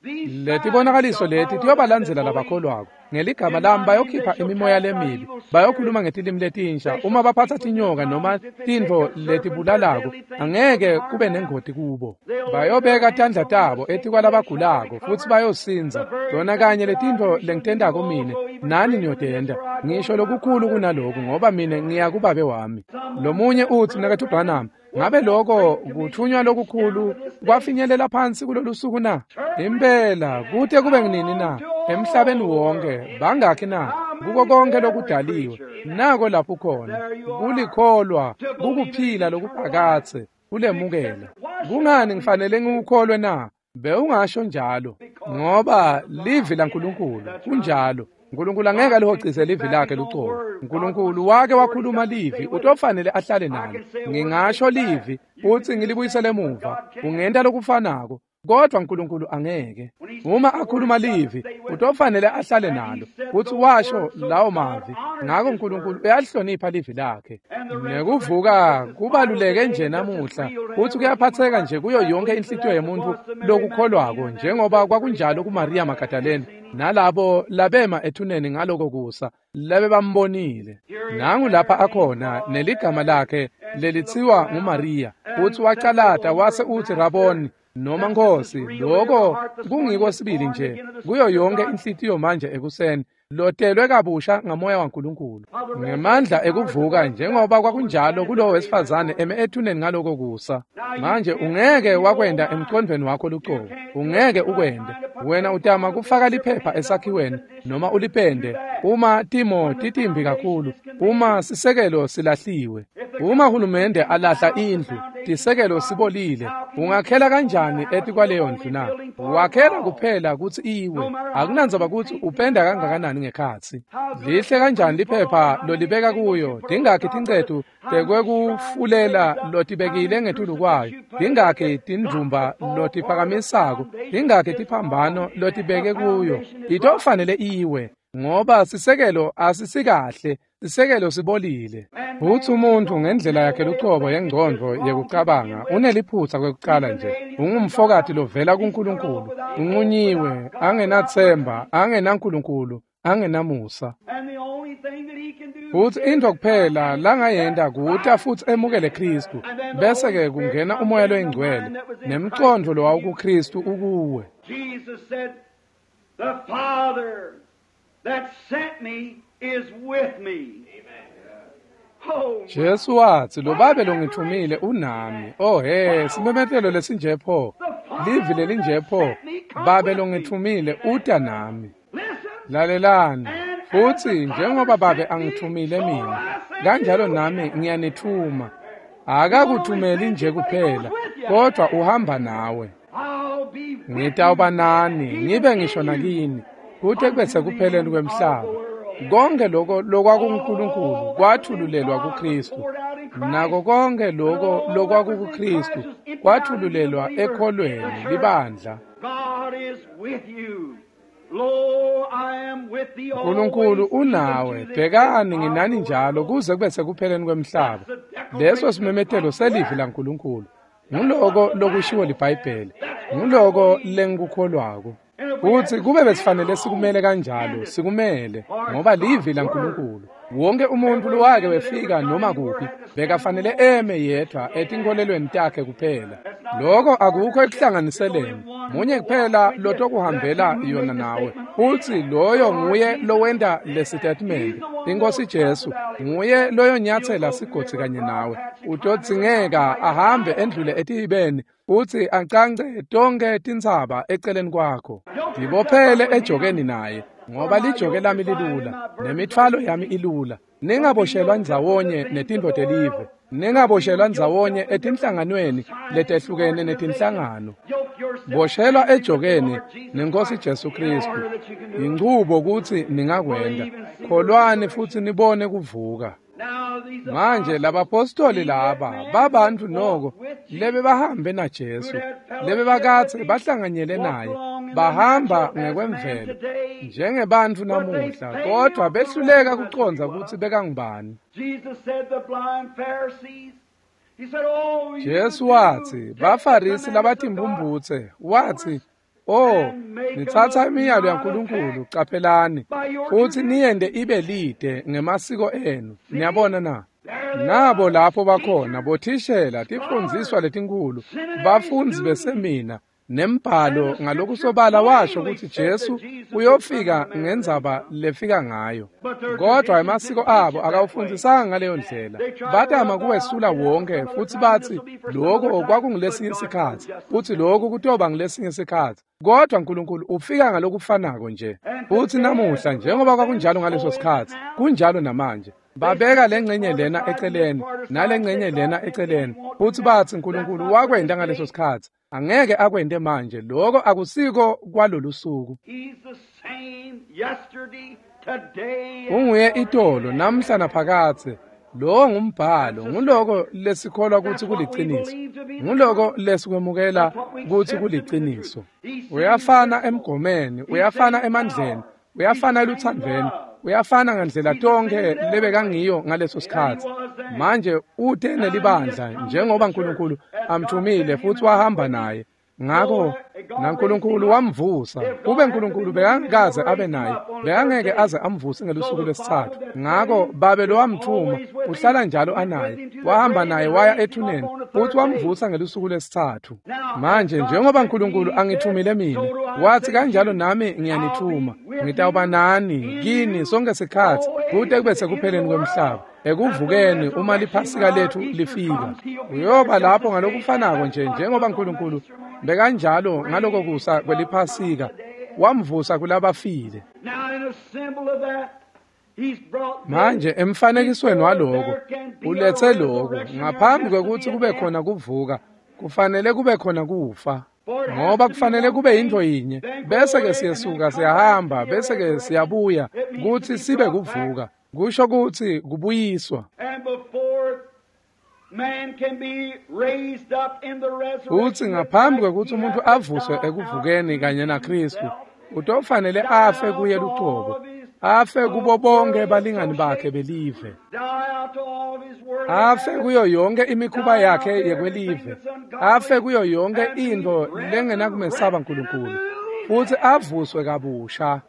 Letibonakaliso leti tiyobalandzela labakholwako. Ngeligama lami bayokhipha imimoya lemibi, bayokhuluma ngetilimi letinsha, uma baphatsa tinyoka noma tintfo letibulalako, angeke kube nengoti kubo. Bayobeka tandla tabo etikwalabagulako futsi bayosindza. Tona kanye letintfo lengitentako mine, nani niyotenta, ngisho lokukhulu kunaloku, ngoba mine ngiya kuBabe wami. Lomunye utsi, Mnaketfu Branham, ngabe loko kuthunywa lokukhulu kwafinyelela phansi kulolu suku na? Impela, kute kube nginini na? Emhlabeni wonke, bangakhi na? Kuko konke lokudaliwe. Nako lapho khona, kulikholwa, kukuphila lokuphakadze, kulemukela. Kungani ngifanele ngikukholwe na? Bewungasho njalo, ngoba livi laNkulunkulu kunjalo. Nkulunkulu angeke alihocise livi lakhe lucobo. Nkulunkulu wake wakhuluma livi, utofanele ahlale nalo. Ngingasho livi futsi ngilibuyisele emuva, ungenta lokufanako, kodvwa Nkulunkulu angeke. Uma akhuluma livi, utofanele ahlale nalo, futsi washo lawo mavi. Ngako Nkulunkulu uyalihlonipha livi lakhe. Nekuvuka kubaluleke nje namuhla, futsi kuyaphatseka nje kuyo yonke inhlitiyo yemuntfu lokukholwako, njengoba kwakunjalo kuMaria Magdalene nalabo labema ethuneni ngaloko kusa labe bambonile. Nangu lapha akhona neligama lakhe lelitsiwa nguMaria, futsi wacalata wase utsi Raboni, noma Nkhosi. Loko kungiko sibili nje kuyo yonke inhlitiyo manje ekuseni, lotelwe kabusha ngamoya waNkulunkulu ngemandla ekuvuka, njengoba kwakunjalo kulowo wesifazane eme ethuneni ngaloko kusa. Manje ungeke wakwenda emcondvweni wakho lucobo, ungeke ukwende. Wena utama kufaka liphepha esakhiweni noma ulipende uma timo titimbi kakhulu, uma sisekelo silahliwe, uma hulumende alahla indlu, tisekelo sibolile, ungakhela kanjani etikwaleyo ndlu na? Wakhela kuphela kutsi iwe, akunandzaba kutsi upenda kangakanani ngekhatsi. Lihle kanjani liphepha lolibeka kuyo, tingakhi tincetu tekwekufulela lotibekile ngetulu kwayo, tingakhi tindvumba lotiphakamisako, tingakhi tiphambano lotibeke kuyo, itofanele iwe, ngoba sisekelo asisikahle, sisekelo sibolile. Futsi umuntfu ngendlela yakhe lucobo yengcondvo yekucabanga uneliphutsa kwekucala nje, ungumfokati lovela kuNkulunkulu, unqunyiwe, angenatsemba, angenaNkulunkulu, angenamusa. Futsi intfo kuphela langayenta kuta futsi emukele Khristu, bese-ke kungena umoya loyingcwele nemcondvo lowawukuKhristu ukuwe. Jesus said, "The Father that sent me is with me." Amen. Jesu watsi, "Lo Babe longithumile unami." Oh he, simemetelo lesinje pho, livi lelinje pho, Babe longithumile uta nami. Lalelani, futsi njengoba Babe angithumile mina, kanjalo nami ngiyanithuma. Akakuthumeli nje kuphela, kodwa uhamba nawe. Ngitawuba nani, ngibe ngisho nakini, kute kube sekupheleni kwemhlaba. Konke lokho lokwakuNkulunkulu kwathululelwa kuKristu, nako konke lokho lokwakukuKristu kwathululelwa ekholweni libandla. Nkulunkulu unawe, bhekani nginani njalo kuze kube sekupheleni kwemhlaba. Leso simemetelo selivi laNkulunkulu. Nguloko lokushiwo liBhayibheli, nguloko lengikukholwako. Futsi kube besifanele sikumele kanjalo, sikumele, ngoba livi laNkulunkulu. Wonke umuntu lowake wefika noma kuphi bekafanele eme yedvwa etinkholelweni takhe kuphela. Loko akukho ekuhlanganiseleni, munye kuphela lotokuhambela yona nawe, futsi loyo nguye lowenta lesitatimende. Inkosi Jesu nguye loyonyatsela sigodzi kanye nawe. Utodzingeka ahambe endlule etihibeni futsi acance tonkhe tintsaba eceleni kwakho. Tibophele ejokeni naye, Ngoba lijoke lami lilula, nemithwalo yami ilula. Ningaboshelwa ndzawonye netintfo telive. Ningaboshelwa ndzawonye etinhlanganweni letehlukene netinhlangano. Boshelwa ejokeni nenkosi Jesu Kristu. Inchubo kutsi ningakwenda. Kholwani futhi nibone kuvuka. Manje labapostoli laba babantu noko lebe bahambe na Jesu, lebe bakatse bahlanganyele naye, bahamba ngekwemvelo njengebantfu namuhla, kodwa behluleka kucondza kutsi bekangubani. Jesu watsi baFarisi labatimphumphutse, watsi, "Oh, nitsatsa imiyalo yaNkulunkulu, caphelani, futhi niyente ibe lide ngemasiko enu." Niyabona na? Nabo lapho bakhona bothishela tifundziswa letinkhulu, bafundzi besemina nembhalo ngalokusobala washo kutsi Jesu uyofika ngendzaba lefika ngayo. Kodwa emasiko abo akawufundzisanga ngaleyo ndlela. Batama kuwesula wonke futhi batsi lokho kwakungulesinye sikhatsi, futhi lokho kutoba ngulesinye sikhatsi. Kodwa uNkulunkulu ufika ngalokufanako nje. Futhi namuhla njengoba kwakunjalo ngaleso sikhatsi, kunjalo namanje. Babeka lengcenye lena eceleni nalengcenye lena eceleni, futhi batsi uNkulunkulu wakwenta ngaleso sikhatsi, angeke akwente manje. Lokho akusiko kwalolu suku. Unguye itolo namhla naphakathe. Lo ngumbhalo, nguloko lesikholwa kutsi kuliciniso, nguloko lesikwemukela kutsi kuliciniso. Uyafana emgomeni, uyafana emandleni, uyafana eluthandvweni, uyafana ngandlela tonke lebekangiyo ngaleso sikhatsi. Manje ute nelibandla njengoba uNkulunkulu amthumile futhi wahamba naye. Ngakho naNkulunkulu wamvusa. Kube uNkulunkulu bekangakaze abe naye, bekangeke aze amvuse ngelusuku lwesithathu. Ngakho babe lo wamthuma uhlala njalo anaye, wahamba naye waya ethuneni futhi wamvusa ngelusuku lwesithathu. Manje njengoba uNkulunkulu angithumile mina, wathi kanjalo nami ngiyanithuma, ngitawuba nani kini sonke sikhatsi kute kube sekupheleni kwemhlaba. Ekuvukeni uma liphasika lethu lifika, uyoba lapho ngalokufanako nje njengoba uNkulunkulu bekanjalo ngaloko kusa kweliphasika wamvusa kulabafile. Manje emfanekisweni waloko uletse lokho ngaphambi kwekutsi kube khona kuvuka, kufanele kube khona kufa. Ngoba kufanele kube yintfo yinye, bese ke siyesuka siyahamba, bese ke siyabuya kutsi sibe kuvuka. Kusho kutsi kubuyiswa. Futsi ngaphambi kwekutsi umuntu avuswe ekuvukeni kanye naKristu, utofanele afe kuye lucobo, afe kubo bonke balingani bakhe belive, afe kuyo yonke imikhuba yakhe yekwelive, afe kuyo yonke intfo lengenakumesaba uNkulunkulu, futsi avuswe kabusha.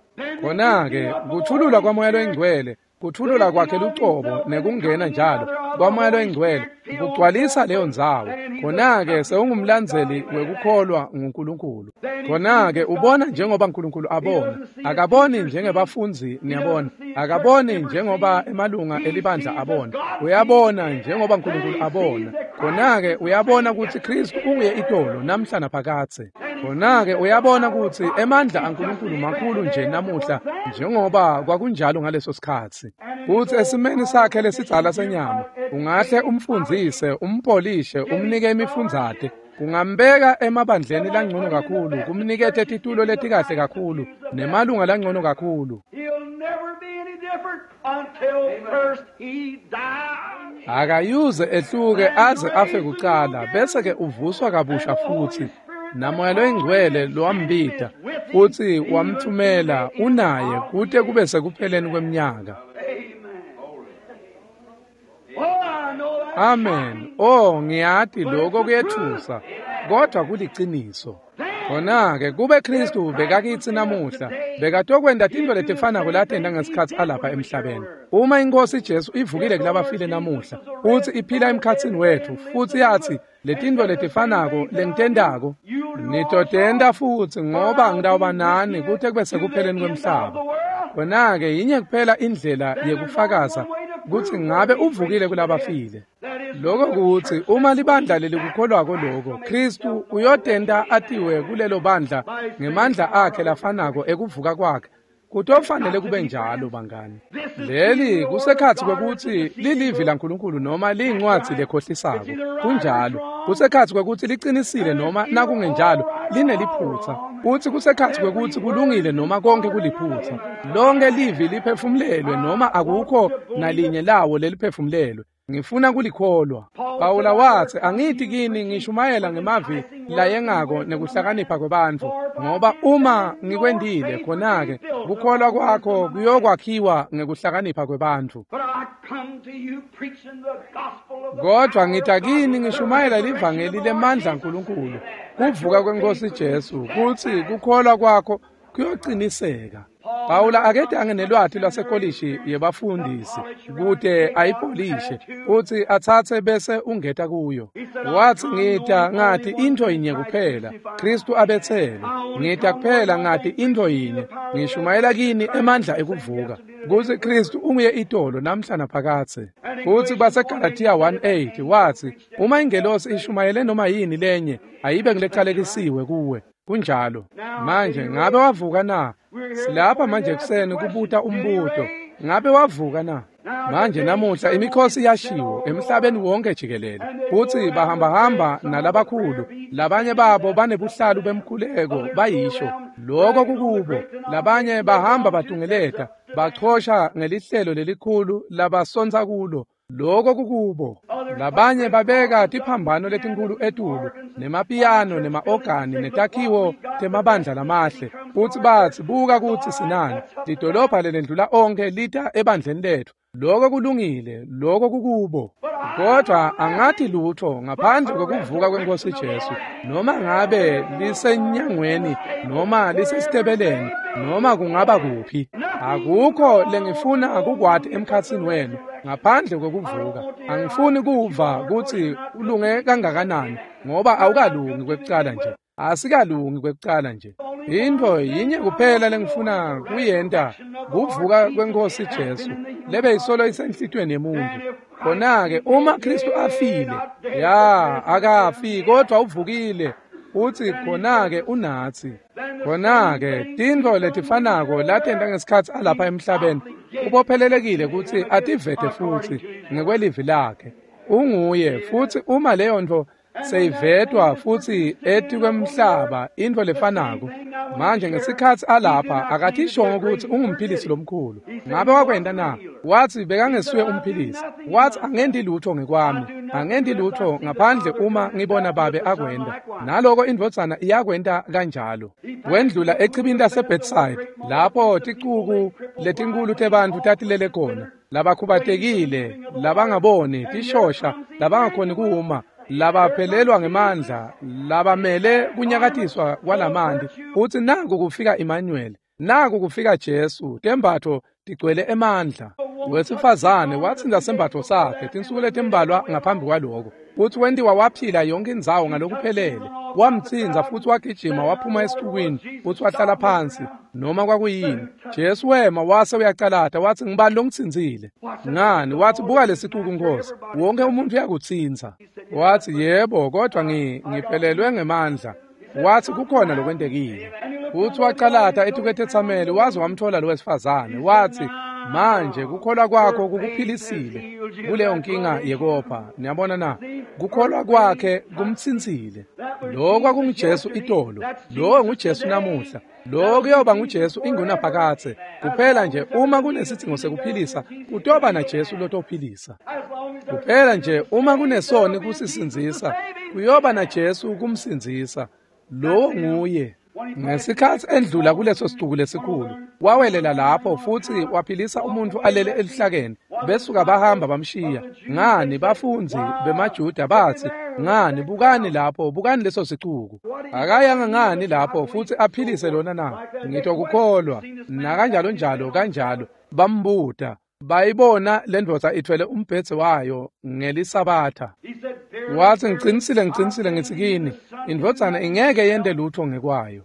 Khona-ke kuthululwa kwaMoya loyiNgcwele, kuthulula kwakhe lucobo nekungena njalo kwaMoya loyiNgcwele kugcwalisa leyo ndzawo. Khona-ke sewungumlandzeli wekukholwa nguNkulunkulu. Khona-ke ubona njengoba uNkulunkulu abona. Akaboni njengebafundzi, niyabona. Akaboni njengoba emalunga elibandla abona. Uyabona njengoba uNkulunkulu abona. Khona-ke uyabona kutsi Kristu unguye itolo namhla naphakathe. Khona-ke uyabona kutsi emandla aNkulunkulu makhulu nje namuhla njengoba kwakunjalo ngaleso sikhatsi. Kutsi esimeni sakhe lesidzala senyama ungahle umfundzise, umpolishe, umnike imifundzate, kungambeka emabandleni langcono kakhulu, kumnikete titulo letikahle kakhulu nemalunga langcono kakhulu. Akayuze ehluke aze afe kucala, bese ke uvuswa kabusha futsi. NaMoya loyiNgcwele lowambita futsi wamthumela unaye kute kube sekupheleni kweminyaka. Amen. Oh, ngiyati lokho kuyethusa, kodwa kuliciniso. Khona-ke kube Kristu bekakitsi namuhla, bekatokwenta tintfo letifanako latenta ngesikhatsi alapha emhlabeni. Uma iNkhosi Jesu ivukile kulabafile namuhla, futsi iphila emkhatsini wetfu, futsi yatsi letintfo letifanako lengitentako nitotenta futsi, ngoba ngitawuba nani kute kube sekupheleni kwemhlaba. Khona-ke yinye kuphela indlela yekufakaza kutsi ngabe uvukile kulabafile. Lokho kutsi uma libandla lelikukholwako lokho, Kristu uyotenta atiwe kulelo bandla ngemandla akhe lafanako ekuvuka kwakhe Kutofanele kube njalo bangani. Leli kusekhatsi kwekutsi lilivi laNkulunkulu noma liyincwadzi lekhohlisako. Kunjalo. Kusekhatsi kwekutsi liqinisile noma nakungenjalo lineliphutsa. Futsi kusekhatsi kwekutsi kulungile noma konke kuliphutsa. Lonke livi liphefumulelwe noma akukho nalinye lawo leliphefumulelwe. Ngifuna kulikholwa. Pawula watsi, angithi kini ngishumayela ngemavi layengako nekuhlakanipha kwebantfu, ngoba uma ngikwendile khona-ke kukholwa kwakho kuyokwakhiwa ngekuhlakanipha kwebantfu. Kodwa ngita kini ngishumayela livangeli lemandla aNkulunkulu, kuvuka kweNkosi Jesu, kutsi kukholwa kwakho kuyociniseka. Pawula akedange nelwati lwasekolishi yebafundisi kute ayipolishe futsi atsatse bese ungeta kuyo. Watsi ngita ngati intfo yinye kuphela, Kristu abetselwe. Ngita kuphela ngati intfo yinye, ngishumayela kini emandla ekuvuka, kutsi Kristu unguye itolo namhla naphakadze. Futsi baseGalatiya one eight watsi, uma ingelosi ishumayele noma yini lenye, ayibe ngilecalekisiwe kuwe. Kunjalo. Manje ngabe wavuka na? Silapha manje ekuseni kubuta umbuto. Ngabe wavuka na? Manje namuhla imikhosi iyashiwo emhlabeni wonke jikelele. Futsi bahambahamba nalabakhulu, labanye babo banebuhlalu bemkhuleko bayisho. Lokho kukubo. Labanye bahamba batungeleta, bachosha ngelihlelo lelikhulu labasontsa kulo. Lokho kukubo. Labanye babeka tiphambano letinkulu etulu, nemapiyano nema-ogani netakhiwo temabandla lamahle. Futsi batsi, buka kutsi sinani, lidolobha lelendlula onke lita ebandleni letfu. Lokho kulungile, lokho kukubo. Kodwa angathi lutho ngaphandle kwekuvuka kweNkosi Jesu, noma ngabe lisenyangweni noma lisesitebeleni noma kungaba kuphi. Akukho lengifuna kukwati emkhatsini wenu ngaphandle kwekuvuka. Angifuni kuva kutsi ulunge kangakanani, ngoba awukalungi kwekucala nje. Asikalungi kwekucala nje. Intfo yinye kuphela lengifuna kuyenta, kuvuka kweNkosi Jesu lebe isolo isenhlitiyweni yemuntu. Khona-ke uma Kristu afile, ya akafi kodwa uvukile, utsi khona-ke unatsi. Khona-ke tintfo letifanako latenta ngesikhatsi alapha emhlabeni, ubophelelekile kutsi ativete futsi ngekwelivi lakhe. Unguye futsi uma leyo ntfo seyivetwa futsi etikwemhlaba, intfo lefanako. Manje ngesikhatsi alapha akathishongo kutsi ungumphilisi lomkhulu. Ngabe wakwenta na? Watsi bekangesuye umphilisi. Watsi angendi lutho ngekwami, angendi lutho ngaphandle uma ngibona Babe akwenta. Naloko indvodzana iyakwenta kanjalo. Wendlula echibini laseBethsaida, lapho ticuku letinkulu tebantfu tatilele khona, labakhubatekile, labangaboni, tishosha, labangakhoni kuma, labaphelelwa ngemandla, labamele kunyakatiswa kwalamanti. Utsi naku kufika Emmanuel, naku kufika Jesu, tembatfo tigcwele emandla. Wesifazane watsinda sembatfo sakhe tinsuku letimbalwa ngaphambi kwaloko. Futsi wentiwa waphila yonke indzawo ngalokuphelele. Wamtsinza futsi wagijima waphuma esicukwini futsi wahlala phansi noma kwakuyini. Jesu wema wase uyacalata watsi, ngibani longitsinzile? Ngani? Watsi, buka lesicuku Nkosi, wonke umuntu uyakutsinza. Watsi, yebo, kodwa ngi ngiphelelwe ngemandla. Watsi kukhona lokwentekile. Futsi wacalata etikwetetsameli waze wamthola lo wesifazane. Watsi, manje kukholwa kwakho kukuphilisile kuleyo nkinga yekopha. Niyabona na? Kukholwa kwakhe kumtsintsile. Lokho kwakunguJesu itolo, lowo nguJesu namuhla, lokho kuyoba nguJesu ingunaphakadze. Kuphela nje uma kunesidzingo sekuphilisa, kutoba naJesu lotophilisa. Kuphela nje uma kunesoni kusisindzisa, kuyoba naJesu kumsindzisa. Lowo nguye. Ngesikhatsi endlula kuleso sicuku lesikhulu, wawelela lapho futsi waphilisa umuntfu alele elihlakeni. Besuka bahamba bamshiya. Ngani? Bafundzi bemaJuda batsi, ngani, bukani lapho, bukani leso sicuku. Akayanga ngani lapho futsi aphilise lona na? Ngitokukholwa. Nakanjalo njalo kanjalo bambuta. Bayibona lendvodza ithwele umbhedze wayo ngelisabatha. Watsi, ngicinisile ngicinisile ngitsi kini, indvodzana ingeke yente lutho ngekwayo.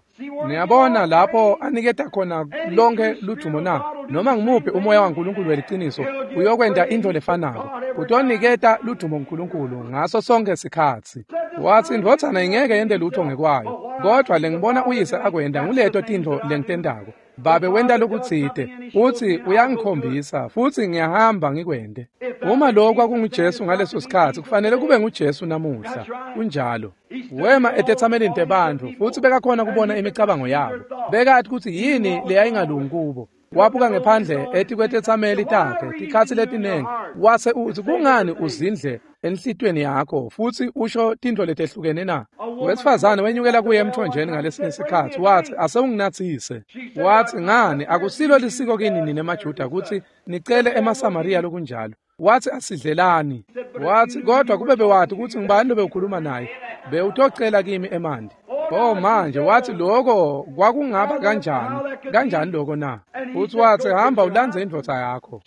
Niyabona lapho aniketa khona lonke ludumo na? Noma ngimuphi umoya waNkulunkulu weliciniso uyokwenta intfo lefanako. Utoniketa ludumo kuNkulunkulu ngaso sonke sikhatsi. Watsi indvodzana ingeke yente lutho ngekwayo, kodwa lengibona uyise akwenta nguleto tintfo lengitentako. Babe wenta lokutsite utsi uyangikhombisa futsi ngiyahamba ngikwente. Uma lokho kwakunguJesu ngaleso sikhatsi kufanele kube nguJesu namuhla. Kunjalo. Wema etetsamelini tebantfu futsi bekakhona kubona imicabango yabo. Bekati kutsi yini leyayingalungi kubo. Wabuka ngephandle etikwetetsameli takhe tikhatsi letinengi wase utsi kungani uzindle enhlitiyweni yakho futsi usho tintfo letehlukene na? Wesifazane wenyukela kuye emthonjeni ngalesinye sikhatsi watsi asewunginatsise. Watsi ngani akusilo lisiko kini nine maJuda kutsi nicele emaSamariya lokunjalo. Watsi asidlelani. Watsi kodwa kube bewati kutsi ngubani lobewukhuluma naye bewutocela kimi emanti. Oh manje wathi lokho kwakungaba kanjani kanjani lokho na? Futhi wathi hamba ulandze indvodza yakho.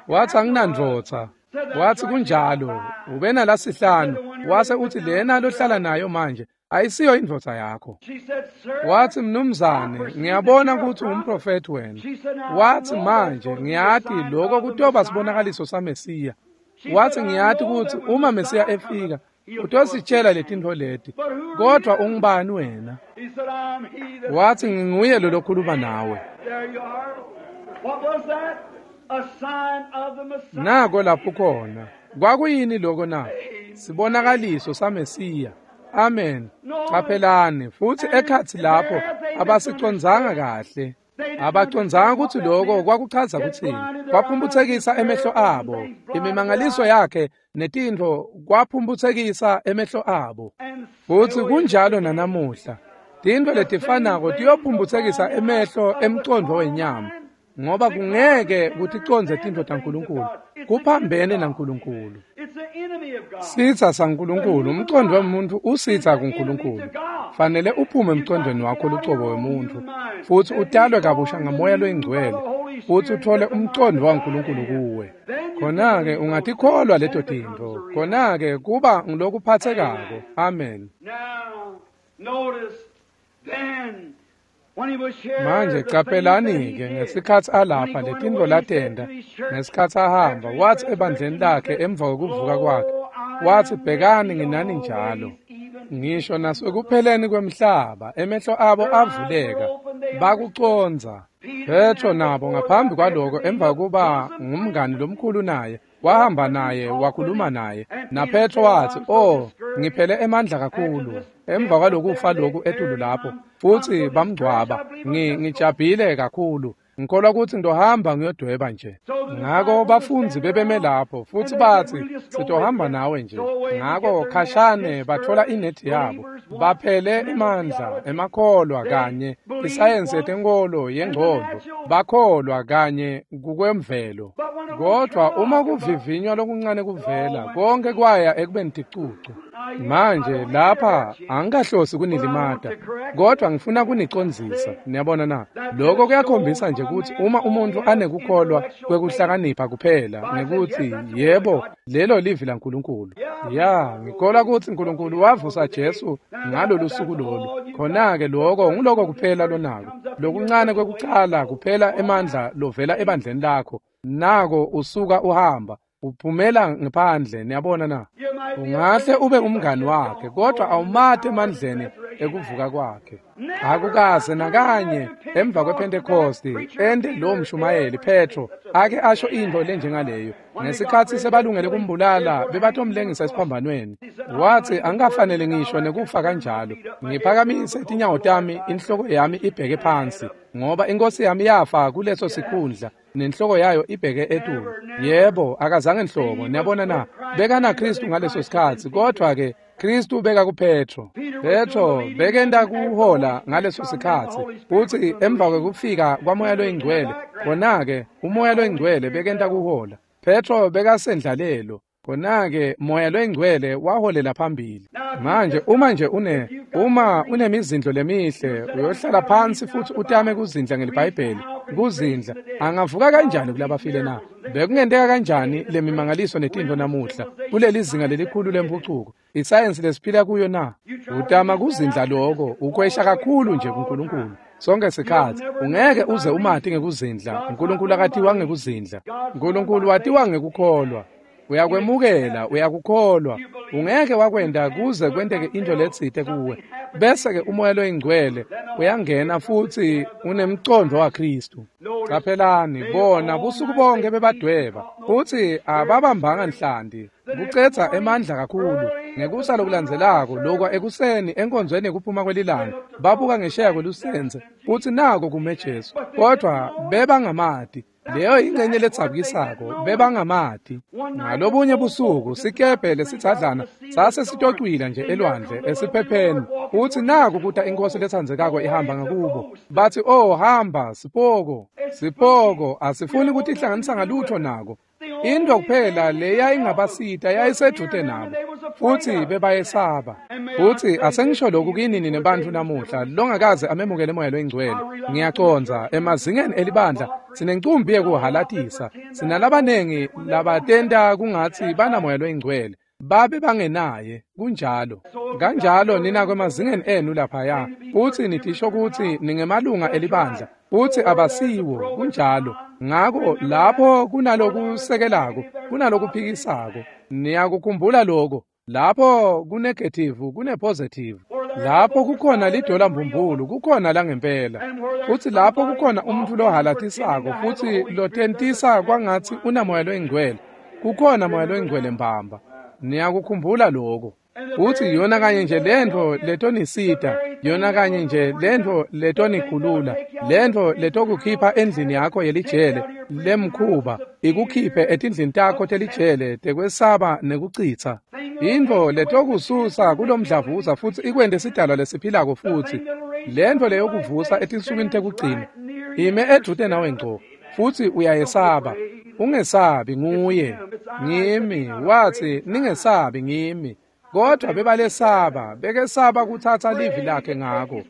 Wathi anginandvodza. Wathi kunjalo ube nalasihlanu. Wase uthi lena lohlala nayo manje ayisiyo indvodza yakho. Wathi mnumzane ngiyabona ukuthi ungumprofeti wena. Wathi manje ngiyati lokho kutoba sibonakaliso saMesiya. Wathi ngiyati ukuthi uma Mesiya efika utositshela letintfo leti, kodwa ungubani wena? Wathi nginguye lo lokhuluma nawe. Nako lapho khona. Kwakuyini lokho na? Sibonakaliso saMesiya. Amen. Qaphelani futhi ekhatsi lapho abasicondzanga kahle. Abacondzanga ukuthi lokho kwakuchaza kuthini. Kwaphumphutsekisa emehlo abo. Imimangaliso yakhe netintfo kwaphumphutsekisa emehlo abo. Futhi kunjalo nanamuhla. Tintfo letifanako tiyophumphutsekisa emehlo emcondvo wenyama, ngoba kungeke kuticondze tintfo taNkulunkulu. Kuphambene naNkulunkulu. Sitsa saNkulunkulu, umcondvo wemuntfu usitsa kuNkulunkulu. Fanele uphume emcondvweni wakho lucobo wemuntfu futsi utalwe kabusha ngamoya loyingcwele futsi uthole umcondvo waNkulunkulu kuwe. Khona-ke ungatikholwa leto tintfo. Khona-ke kuba ngulokuphatsekako. Amen. Manje caphelani-ke ngesikhatsi alapha letintfo latenta, ngesikhatsi ahamba, wathi ebandleni lakhe emva kwekuvuka kwakhe, wathi bhekani nginani njalo. Ngisho nasekupheleni kwemhlaba, emehlo abo avuleka, bakucondza. Petro nabo ngaphambi kwaloko emva kuba ngumngani lomkhulu naye, wahamba naye, wakhuluma naye. NaPetro wathi, "Oh, ngiphele emandla kakhulu emva kwalokufa lokhu etulu lapho, futhi bamgcwaba, ngijabhile kakhulu. Ngikholwa ukuthi ngizohamba ngiyodweba nje." Ngako bafundzi bebeme lapho futhi bathi sitohamba nawe nje. Ngako khashane bathola inethi yabo, baphele emandla emakholwa kanye isayensi yetenkolo yengcondvo, bakholwa kanye kukwemvelo. Kodwa uma kuvivinywa lokuncane kuvela, konke kwaya ekubeni ticucu. Manje lapha angikahlosi kunilimata, kodwa ngifuna kunicondzisa. Niyabona na? Lokho kuyakhombisa nje ukuthi uma umuntu anekukholwa kwekuhlakanipha kuphela ngekuthi yebo lelo livi laNkulunkulu. Ya, ngikholwa ukuthi uNkulunkulu wavusa Jesu ngalolu suku lolu. Khona-ke lokho nguloko kuphela lonako. Lokuncane kwekucala kuphela emandla lovela ebandleni lakho. Nako usuka uhamba uphumela ngaphandle. Niyabona na? Ungahle ube umngani wakhe, kodwa awumati emandleni ekuvuka kwakhe. Akukaze nakanye emva kwePhentekosti ende lo mshumayeli Petro ake asho into lenjengaleyo. Ngesikhatsi sebalungele kumbulala bebatomlengisa esiphambanweni, wathi angikafanele ngisho nekufa kanjalo. Ngiphakamise tinyawo tami, inhloko yami ibheke phansi, ngoba inkosi yami yafa kuleso sikhundla nenhloko yayo ibheke etulu. Yebo, akazange nhlobo. Niyabona na? Bekana Kristu ngaleso sikhatsi, kodwa ke Kristu beka kuPetro. Petro bekenda kuhola ngaleso sikhatsi, futhi emva kwekufika kwaMoya loyiNgcwele, khona-ke uMoya loyiNgcwele bekenda kuhola. Petro bekasendlalelo, khona-ke Moya loyiNgcwele waholela phambili. Manje uma nje une uma unemizindlo lemihle, uyohlala phansi futhi utame kuzindla ngeliBhayibheli. Kuzindla angavuka kanjani kulabafile na? Bekungenteka kanjani lemimangaliso netintfo namuhla kuleli zinga lelikhulu lempucuko, isayensi lesiphila kuyo na? Utama kuzindla lokho ukwesha kakhulu nje kuNkulunkulu sonke sikhatsi. Ungeke uze umati ngekuzindla. uNkulunkulu akatiwa ngekuzindla. uNkulunkulu watiwa ngekukholwa. Uyakwemukela, uyakukholwa. Ungeke wakwenta kuze kwenteke into letsite kuwe. Bese-ke uMoya loyiNgcwele uyangena futsi unemcondvo waKhristu. Caphelani, bona busuku bonke bebadweba futsi ababambanga nhlanti. Kucedza emandla kakhulu. Ngekusa lokulandzelako lokwa ekuseni enkonzweni yekuphuma kwelilanga babuka ngesheya kwelusentse futsi nako kume Jesu, kodvwa bebangamati. Leyo ingcenye ledzabukisako, bebangamati. Ngalobunye busuku sikebhe lesidzadlana sase sitocwila nje elwandle esiphepheni, futsi naku kuta inkosi letsandzekako ihamba ngakubo. Batsi, "Oh, hamba sipoko, sipoko, asifuni kutihlanganisa ngalutho nako." Into kuphela leyayingabasita yayisedvute nabo, futsi bebayesaba. Futsi asengisho lokhu kini nine bantfu namuhla longakaze amemukele Moya loyiNgcwele. Ngiyacondza emazingeni elibandla sinencumbi yekuhalatisa, sinalabanengi labatenta kungatsi banaMoya loyiNgcwele babe bangenaye. Kunjalo kanjalo nina kwemazingeni enu laphaya, futsi nitisho kutsi ningemalunga elibandla, futsi abasiwo. Kunjalo. Ngako lapho kunalokusekelako, kunalokuphikisako. Niyakukhumbula lokho. Lapho kunegative, kunepositive. Lapho kukhona lidola mbumbulu, kukhona langempela. Futsi lapho kukhona umuntu lohalatisako futsi lotentisa kwangatsi unaMoya loyiNgcwele, kukhona Moya loyiNgcwele mbamba. Niyakukhumbula lokho. Futsi yona kanye nje lentfo letonisita, yona kanye nje lentfo letonikhulula, lentfo letokukhipha endlini yakho yelijele lemkhuba, ikukhiphe etindlini takho telijele tekwesaba nekucitsa. Intfo letokususa kulomdlavuza futsi ikwente sidalwa lesiphilako futsi. Lentfo leyokuvusa etinsukwini tekugcina ime edvute nawe ngco, futsi uyayesaba. Ungesabi, nguye. Ngimi, watsi, ningesabi, ngimi. Kodwa bebalesaba, bekesaba kutsatsa livi lakhe ngako.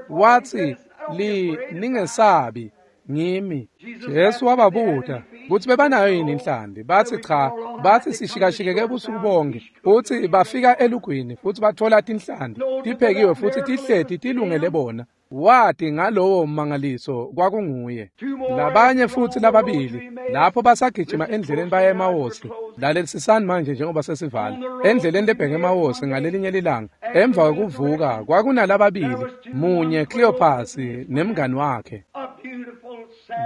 Watsi, li ningesabi, ngimi. Jesu wababuta kutsi bebanayo yini inhlanti. Batsi cha, batsi sishikashikeke busuku bonke. Futsi bafika elugwini futsi batfola tinhlanti tiphekiwe futsi tihleti tilungele bona. Wati ngalowo mmangaliso kwakunguye. Labanye futsi lababili lapho basagijima endleleni baya eMawosi. Lalelisisani manje njengoba sesivala. Endleleni lebheke eMawosi ngalelinye lilanga emva kwekuvuka kwakunalababili, munye Cleopas nemngani wakhe.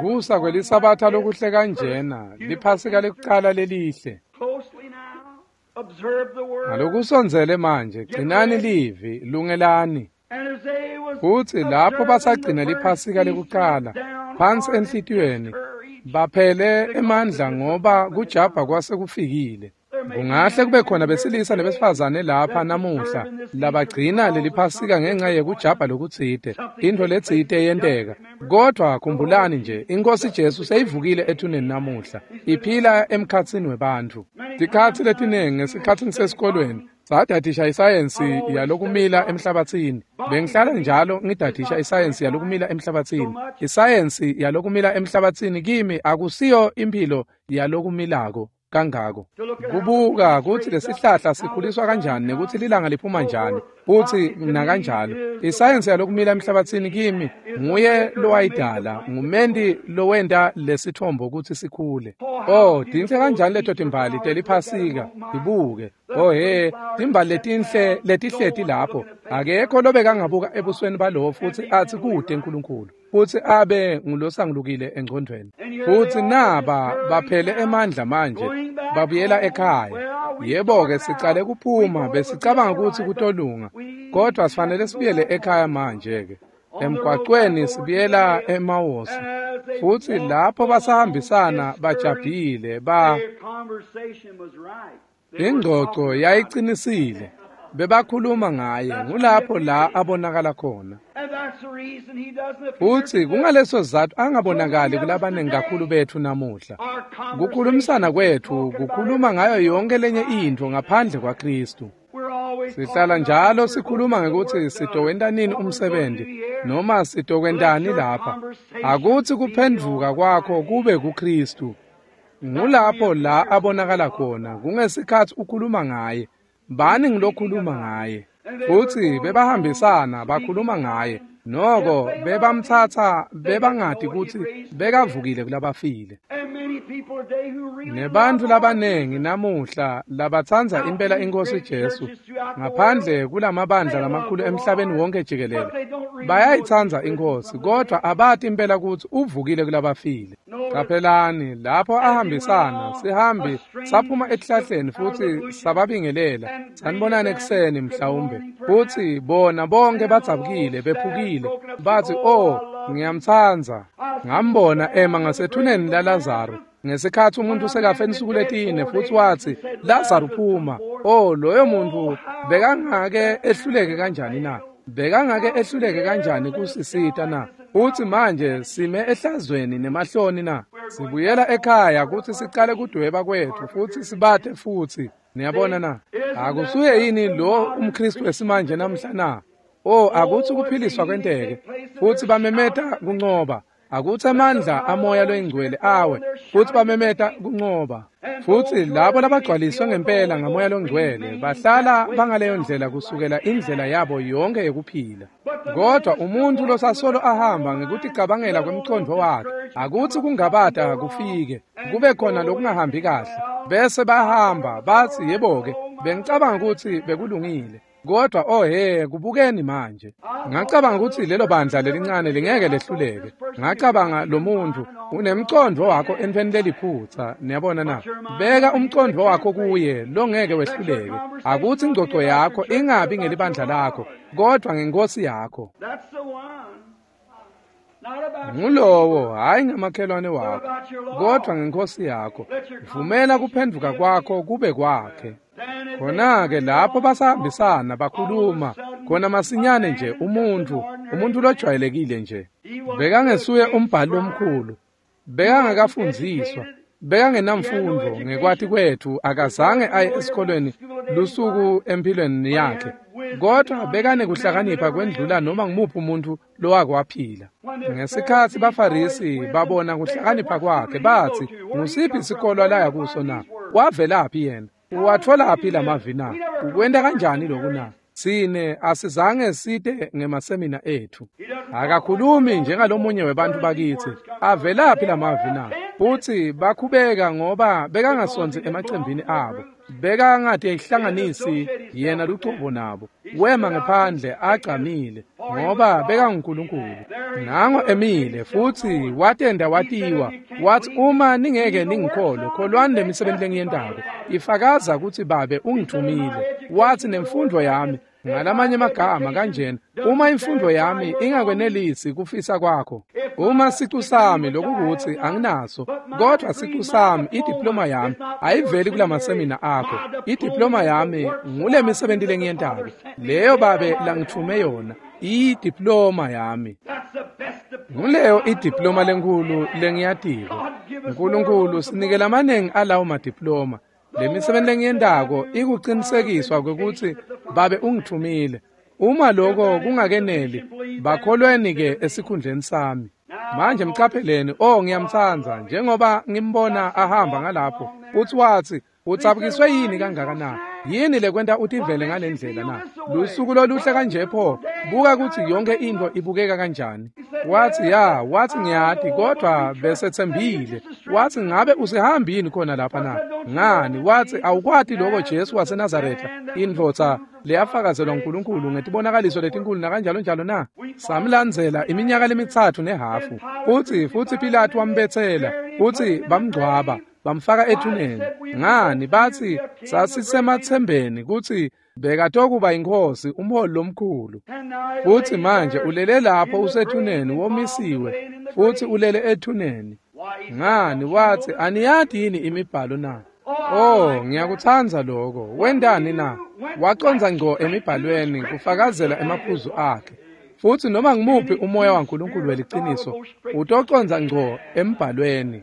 Kusa kwelisabatha lokuhle kanjena, liphasika lekucala lelihle. Ngalokusondzele manje, gcinani livi, lungelani. Futsi lapho basagcina liphasika lekucala phansi enhlitiyweni, baphele emandla ngoba kujabha kwase kufikile. Kungahle kube khona besilisa nebesifazane lapha namuhla labagcina leliphasika ngenxa yekujabha lokutsite, intfo letsite yenteka. Kodvwa khumbulani nje, iNkosi Jesu seyivukile ethuneni namuhla, iphila emkhatsini webantfu. Tikhatsi letinengi ngesikhatsi ngisesikolweni sadadisha isayensi yalokumila emhlabatsini. Bengihlala njalo ngidadisha isayensi yalokumila emhlabatsini. Isayensi yalokumila emhlabatsini kimi akusiyo impilo yalokumilako kangako. Kubuka kutsi lesihlahla sikhuliswa kanjani nekutsi lilanga liphuma njani futsi nakanjalo. Isayensi yalokumila emhlabatsini kimi nguye lowayidala, ngumenti lowenta lesithombo kutsi sikhule. Oh, tinhle kanjani leto timbali teliphasika, tibuke. Oh he, timbali letinhle letihleti lapho. Akekho lobekangabuka ebusweni balowo futsi atsi kude Nkulunkulu, futsi abe ngulosangulukile engcondvweni. Futsi naba baphele emandla manje, babuyela ekhaya. Yebo-ke, sicale kuphuma, besicabanga kutsi kutolunga, kodvwa sifanele sibuyele ekhaya manje-ke. Emgwacweni sibuyela eMawosi. Futsi lapho basahambisana bajabhile ba ingcoco yayicinisile. Bebakhuluma ngaye, ngulapho la abonakala khona. Futsi kungaleso sizatfu angabonakali kulabanengi kakhulu betfu namuhla. Kukhulumisana kwetfu kukhuluma ngayo yonke lenye intfo ngaphandle kwaKhristu. Sihlala njalo sikhuluma ngekutsi sitowenta nini umsebenzi noma sitokwentani lapha. Akutsi kuphendvuka kwakho kube kuKhristu. Ngulapho la abonakala khona, kungesikhatsi ukhuluma ngaye. Bani ngilokhuluma ngaye. Futsi bebahambisana bakhuluma ngaye. Noko bebamtsatsa bebangati kutsi bekavukile kulabafile. Nebantfu labanengi namuhla labatsandza impela iNkhosi Jesu ngaphandle kulamabandla lamakhulu emhlabeni wonke jikelele bayayitsandza iNkhosi, kodvwa abati impela kutsi uvukile kulabafile. Qaphelani lapho ahambisana sihambi saphuma etihlahleni futsi sababingelela, sanibonani ekuseni mhlawumbe, futsi bona bonke badzabukile bephukile batsi, "Oh, ngiyamtsandza." Ngambona ema ngasethuneni laLazaro ngesikhatsi umuntu sekafe insuku letine, futsi watsi, "Lazaro phuma." Oh, loyo muntu bekangake ehluleke kanjani na? Bekangake ehluleke kanjani kusisita na? Futsi manje sime ehlazweni nemahloni na? Sibuyela ekhaya kutsi sicale kudweba kwetfu futsi sibate futsi. Niyabona na? Akusuye yini lo umKristu esimanje namhla na? Oh, akutsi kuphiliswa kwenteke futsi bamemeta kuncoba. Akutsi amandla amoya loyingcwele awe futsi bamemeta kuncoba. Futsi labo labagcwaliswe ngempela ngamoya longcwele bahlala bangaleyo ndlela kusukela indlela yabo yonke yekuphila. Kodwa umuntu losasolo ahamba ngekuticabangela kwemcondvo wakhe, akutsi kungabata kufike kube khona lokungahambi kahle, bese bahamba batsi, "Yebo-ke, bengicabanga kutsi bekulungile." Kodwa oh he, kubukeni manje. Ngacabanga kutsi lelo bandla lelincane lingeke lehluleke. Ngacabanga lo muntu unemcondvo wakho entfweni leliphutsa. Niyabona na? Beka umcondvo wakho kuye longeke wehluleke. Akutsi ingcoco yakho ingabi ngelibandla lakho, kodwa ngenkosi yakho. Ngulowo, hayi ngamakhelwane wakho, kodwa ngenkosi yakho. Vumela kuphendvuka kwakho kube kwakhe. Khona-ke lapho basahambisana bakhuluma khona masinyane nje umuntu umuntu lojwayelekile nje bekangesuye umbhali lomkhulu, bekangakafundziswa, bekangenamfundo ngekwati kwetfu, akazange aye esikolweni lusuku empilweni yakhe, kodwa bekanekuhlakanipha kwendlula noma ngumuphi umuntu lowake waphila. Ngesikhatsi baFarisi babona kuhlakanipha kwakhe batsi, "Ngusiphi isikolo laya kuso na? Wavelaphi yena? Uwatfolaphi lamavi na? Ukwenta kanjani lokhu na? Sine asizange site ngemasemina ethu. Akakhulumi njengalomunye webantu bakithi. Avelaphi lamavi na?" Futsi bakhubeka ngoba bekangasonzi emacembini abo. Bekangatihlanganisi yena lucobo nabo. Wema ngephandle agcamile ngoba bekanguNkulunkulu. Nango emile futsi watenda watiwa. Wathi, "Uma ningeke ningikholwe, kholwani lemisebenti lengiyentako. Ifakaza kutsi Babe ungithumile." Wathi, "Nemfundo yami," ngalamanye amagama kanjena, "uma imfundo yami ingakwenelisi kufisa kwakho, uma sicu sami lokukuthi anginaso, kodwa sicu sami, idiploma yami ayiveli kulamasemina akho. Idiploma yami ngule misebenti lengiyentako, leyo Babe langithume yona, idiploma yami. Nguleyo idiploma lenkhulu lengiyatiko. Nkulunkulu sinike lamanengi alawo madiploma. Le misebenti lengiyentako ikucinisekiswa kwekutsi Babe ungithumile. Uma lokho kungakeneli, bakholweni ke esikhundleni sami." Manje mcapheleni, oh ngiyamtsandza njengoba ngimbona ahamba ngalapho. Uthi wathi, "Utsabukiswe yini kangaka na? Yini lekwenta utivele ngalendlela na? Lusuku loluhle kanje pho, buka kutsi yonke into ibukeka kanjani." Wathi, "Ya," wathi, "ngiyati, kodwa besethembile." Wathi, "Ngabe usihambi yini khona lapha na? Ngani?" Wathi, "Awukwati lokho Jesu waseNazaretha, indvodza leyafakazelwa uNkulunkulu ngetibonakaliso letinkulu nakanjalo njalo na? Samlandzela iminyaka lemitsatfu nehafu. Futsi futsi Pilatu wambetsela, futsi bamngcwaba, bamfaka ethuneni. Ngani, bathi sasisemathembeni kutsi bekatokuba inkosi, umholi lomkhulu. Futsi manje ulele lapho usethuneni, womisiwe, futsi ulele ethuneni. Ngani, wathi, aniyati yini imibhalo na? Oh, ngiyakutsandza lokho. Wentani na? Wacondza ngco emibhalweni kufakazela emaphuzu akhe. Futsi noma ngimuphi umoya waNkulunkulu weliciniso utocondza ngco embhalweni.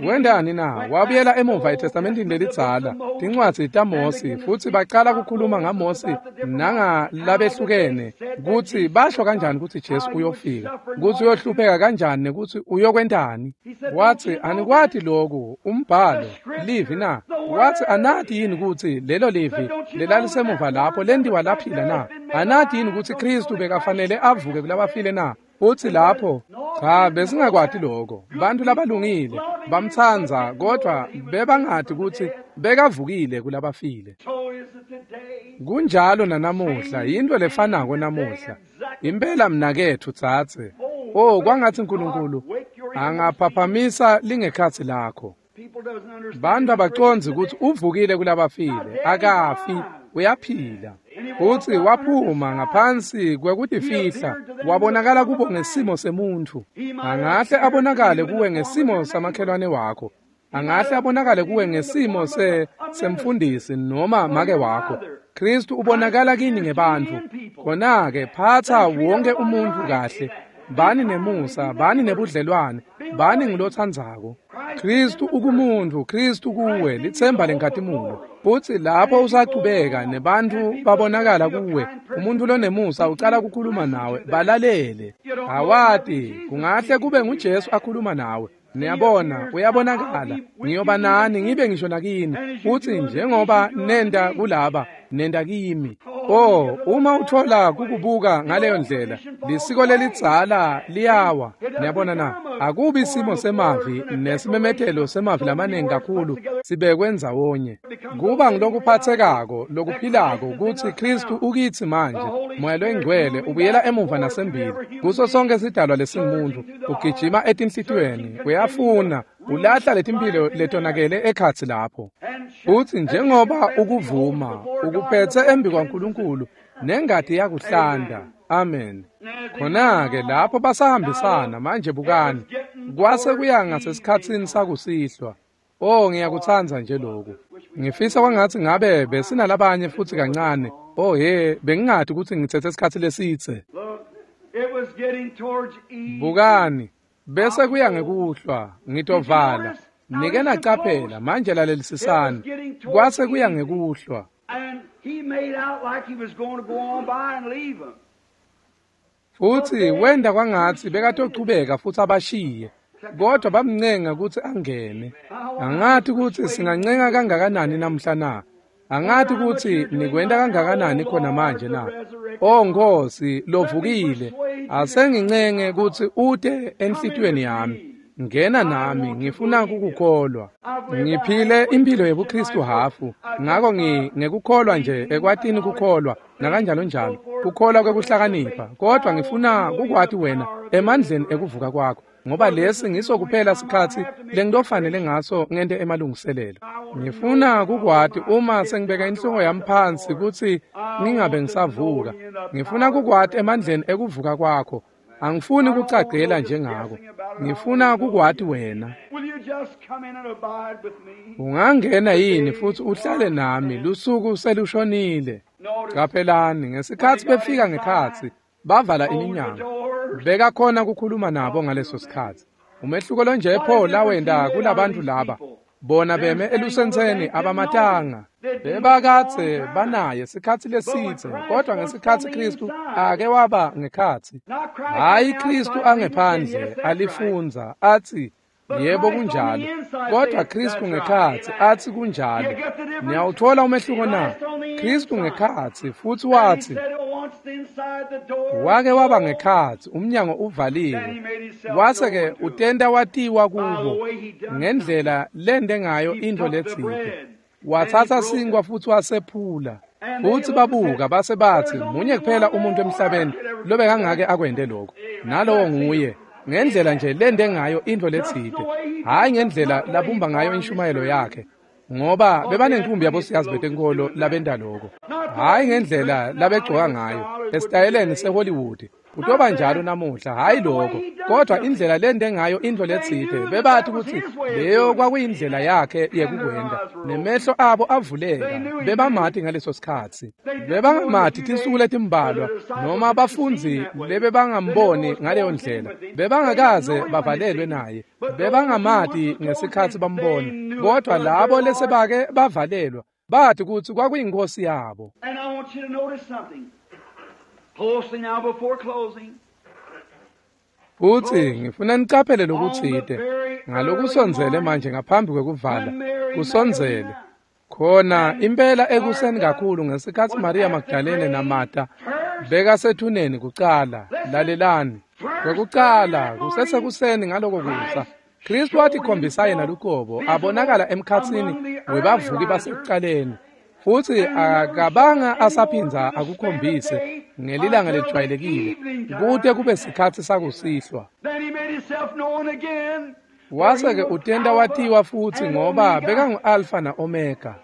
Wendani na? Wabuyela emuva eTestamentini lelidzala, tincwadzi taMosi, futsi bacala kukhuluma ngaMosi nangalabehlukene kutsi basho kanjani kutsi Jesu uyofika, kutsi uyohlupheka kanjani nekutsi uyokwentani. Watsi, anikwati loku, umbhalo, livi na? Watsi, anati yini kutsi lelo livi lelalisemuva lapho lentiwa laphila na? Anati yini kutsi Khristu bekafanele avuke kulabafile na? Utsi lapho, cha, besingakwati lokho. Bantu labalungile bamtsandza, kodwa bebangati kutsi bekavukile kulabafile. Kunjalo nanamuhla, yinto lefanako namuhla. Impela mnaketfu tsatse. Oh, kwangatsi Nkulunkulu angaphaphamisa lingekhatsi lakho. Bantu abacondzi kutsi uvukile kulabafile, akafi, uyaphila. Futsi waphuma ngaphansi kwekutifihla, wabonakala kubo ngesimo semuntfu. Angahle abonakale kuwe ngesimo samakhelwane wakho. Angahle abonakale kuwe ngesimo se semfundisi noma make wakho. Kristu ubonakala kini ngebantfu. Khona-ke phatsa wonke umuntfu kahle. Bani nemusa, bani nebudlelwane, bani ngulotsandzako. Kristu ukumuntfu, Kristu kuwe, litsemba lenkhatimulo. Futsi lapho usachubeka nebantfu babonakala kuwe, umuntfu lonemusa ucala kukhuluma nawe, balalele. Awati, kungahle kube nguJesu akhuluma nawe. Niyabona, uyabonakala, ngiyoba nani ngibe ngisho nakini, futsi njengoba nenda kulaba, nenda kimi. Oh, uma uthola kukubuka ngaleyo ndlela, lisiko lelidzala liyawa. Niyabona na? Akubi isimo semavi nesimemetelo semavi lamaningi kakhulu sibekwe ndzawonye. Kuba ngilokuphathekako, lokuphilako kutsi Kristu ukitsi manje. Moya loyingcwele ubuyela emuva nasembili kuso sonke sidalwa lesingumuntu, ugijima etinhlitiyweni, uyafuna, ulahla letimphilo letonakele ekhatsi lapho. Futsi njengoba ukuvuma, ukuphethe embi kwaNkulunkulu, nengati yakuhlanda. Amen. Khona-ke lapho basahambisana manje bukani, kwase kuya ngasesikhatsini sakusihlwa. Oh, ngiyakutsandza nje lokhu. Ngifisa kwangatsi ngabe besinalabanye futsi kancane. Oh he, bengingati kutsi ngitsetse isikhatsi lesitse. Bukani, bese kuya ngekuhlwa, ngitovala. Nike nacaphela, manje lalelisisani. Kwase kuya ngekuhlwa. Futsi wenda kwangatsi bekatochubeka futsi abashiye, kodwa bamncenga kutsi angene. Angati kutsi singancenga kangakanani namhla na? Angati kutsi nikwenta kangakanani khona manje na? Oh Nkosi lovukile, asengincenge kutsi ute enhlitiyweni yami. Ngena nami, ngifuna kukukholwa. Ngiphile impilo yebuKristu hafu, ngako ngi ngekukholwa nje ekwatini kukholwa nakanjalo njalo, kukholwa kwekuhlakanipha, kodwa ngifuna kukwati wena emandleni ekuvuka kwakho, ngoba lesi ngiso kuphela sikhatsi lengitofanele ngaso ngente emalungiselelo. Ngifuna kukwati uma sengibeka inhloko yami phansi kutsi ngingabe ngisavuka. Ngifuna kukwati emandleni ekuvuka kwakho. Angifuni kucagela njengako. Ngifuna kukwati wena. Ungangena yini futsi uhlale nami lusuku selushonile? Qaphelani, ngesikhatsi befika ngekhatsi, bavala iminyango. Bekakhona kukhuluma nabo ngaleso sikhatsi. Umehluko lonje pho lawenta kulabantu laba. Bona beme elusentseni abamatanga. Bebakadze banaye sikhatsi lesitse, kodwa ngesikhatsi Kristu ake waba ngekhatsi. Hayi Kristu angephandle alifundza atsi yebo kunjalo, kodwa Kristu ngekhatsi atsi kunjalo. Niyawuthola umehluko na? Kristu ngekhatsi futsi watsi wake waba ngekhatsi, umnyango uvaliwe. Wase-ke utenta watiwa kubo ngendlela lende ngayo intfo letsite. Watsatsa sinkwa futsi wasephula. Futsi babuka base batsi munye kuphela umuntu emhlabeni lobekangake akwente lokho, nalowo nguye. Ngendlela nje lende ngayo intfo letsite, hhayi ngendlela labumba ngayo inshumayelo yakhe, ngoba bebanenkumbi yabosiyazi betenkolo labenta lokho. Hhayi ngendlela labegcoka ngayo esitayeleni seHollywood, Kutoba njalo namuhla, hhayi lokho, kodwa indlela lente ngayo intfo letsite. Bebati kutsi leyo kwakuyindlela yakhe yekukwenta, nemehlo abo avuleka. Bebamati ngaleso sikhatsi. Bebangamati tinsuku letimbalwa, noma bafundzi lebebangamboni ngaleyo ndlela. Bebangakaze bavalelwe naye. Bebangamati ngesikhatsi bambona, kodwa labo lesebake bavalelwa bathi kutsi kwakuyinkosi yabo. And I want you to notice something closely now before closing. Futsi ngifuna nicaphele lokutsite ngalokusondzele manje ngaphambi kwekuvala. Kusondzele khona impela ekuseni kakhulu ngesikhatsi Maria Magdalene naMartha bekasethuneni kucala. Lalelani, kwekucala kusesekuseni ngaloko kusa, Kristu watikhombisa yena luqobo abonakala emkhatsini webavuki basekucaleni, futsi akabanga asaphindza akukhombise ngelilanga lelijwayelekile kute kube sikhatsi sakusihlwa. Then he made himself known again. Wase-ke utenta watiwa futsi ngoba bekangu-Alfa na-Omega.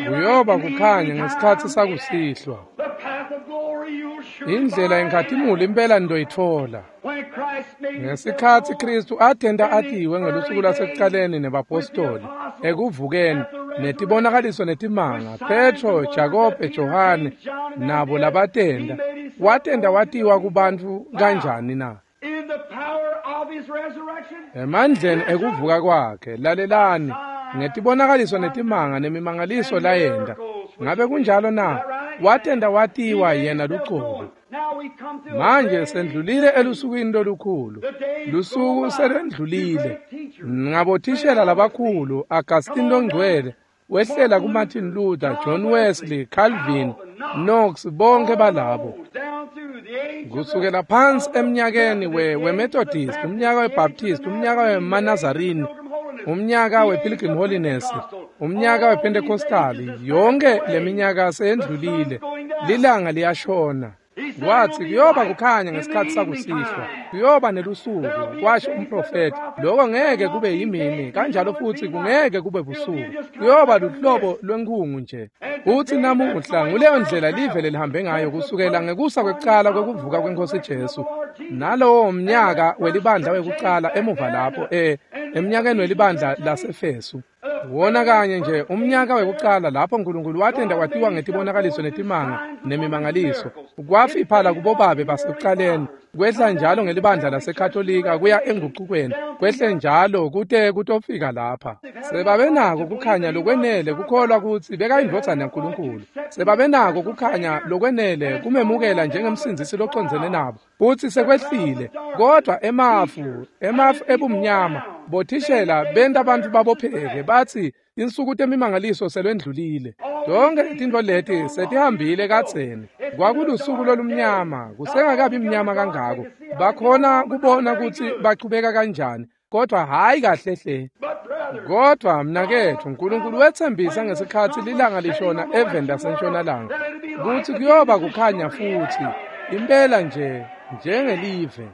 Kuyoba kukhanya ngesikhatsi sakusihlwa. The path of glory you'll surely Indlela yenkhatimulo impela niyoyitfola. When Christ made Ngesikhatsi Kristu atenta atiwe ngelusuku lwasekucaleni nebapostoli ekuvukeni netibonakaliso netimanga, Petro, Jakobe, Johane nabo labatenda, watenta watiwa kubantfu kanjani na? in the power of his resurrection, Emandleni ekuvuka kwakhe. Lalelani, ngetibonakaliso netimanga nemimangaliso layenta. Ngabe kunjalo na? Watenta watiwa yena luqobo. now we come to a Manje great sendlulile elusukwini lolukhulu. Lusuku selwendlulile. Ngabothishela labakhulu, Augustine longcwele wehlela kuMartin Luther, John Wesley, Calvin, Knox, bonke balabo. down through the age of Kusukela phansi eminyakeni we weMethodist, umnyaka weBaptist, umnyaka wemaNazarene, umnyaka wePilgrim Holiness, umnyaka wePentecostal, yonke leminyaka seyendlulile. Lilanga liyashona. Wathi kuyoba kukhanya ngesikhatsi sakusihlwa, kuyoba nelusuku, kwasho umprofethi. Lokho ngeke kube yimini, kanjalo futhi kungeke kube busuku. Kuyoba luhlobo lwenkhungu nje. Futhi namuhla nguleyo ndlela live lelihambe ngayo kusukela ngekusa kwekucala kwekuvuka kweNkosi Jesu. Nalowo mnyaka welibandla wekucala emuva lapho eh emnyakeni welibandla laseFesu. Wona kanye nje umnyaka wekucala lapho uNkulunkulu watenda kwatiwa ngetibonakaliso netimanga nemimangaliso. Kwafiphala kubobabe basekucaleni, kwehla njalo ngelibandla laseKatolika kuya engucukweni, kwehle njalo kute kutofika lapha. Sebabenako kukhanya lokwenele kukholwa kutsi bekayindvodzana yaNkulunkulu. Sebabenako kukhanya lokwenele kumemukela njengemsindzisi locondzene nabo. Futsi sekwehlile, kodwa emafu, emafu ebumnyama, bothishela benta bantfu babopheke bathi insuku temimangaliso selwendlulile. Tonke letintfo leti setihambile kadzeni. Kwakulusuku lolumnyama, kusengakabi mnyama kangako. Bakhona kubona kutsi bachubeka kanjani, kodwa hhayi kahle hle. Kodwa mnaketfu, uNkulunkulu wetsembisa ngesikhatsi lilanga lishona eveni lasentshonalanga kutsi kuyoba kukhanya futsi, impela nje njengelive.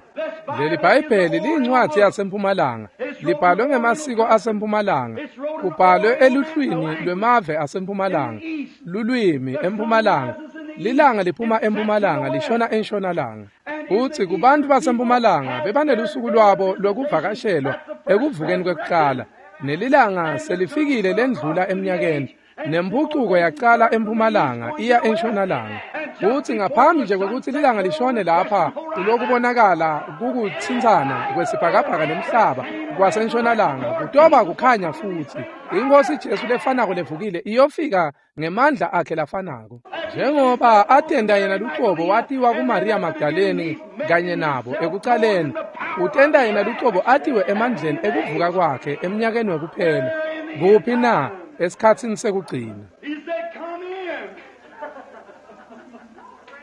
Leli Bhayibheli liyincwadzi yasempumalanga, libhalwe ngemasiko asempumalanga, kubhalwe eluhlwini lwemave asempumalanga, lulwimi empumalanga. Lilanga liphuma empumalanga lishona entshonalanga. Futsi kubantfu basempumalanga bebanelusuku lwabo lwekuvakashelwa ekuvukeni kwekucala, nelilanga selifikile lendlula eminyakeni, nemphucuko yacala empumalanga iya entshonalanga. Futsi ngaphambi nje kwekutsi lilanga lishone lapha kulokubonakala kukutsintsana kwesibhakabhaka nemhlaba kwasentshonalanga, kutoba kukhanya futsi. Inkosi Jesu lefanako levukile iyofika ngemandla akhe lafanako. Njengoba atenda yena luqobo watiwa kuMaria Magdalene kanye nabo ekucaleni, utenda yena luqobo atiwe emandleni ekuvuka kwakhe eminyakeni wekuphela. Kuphi na? Esikhatsini sekugcina. He said, come in.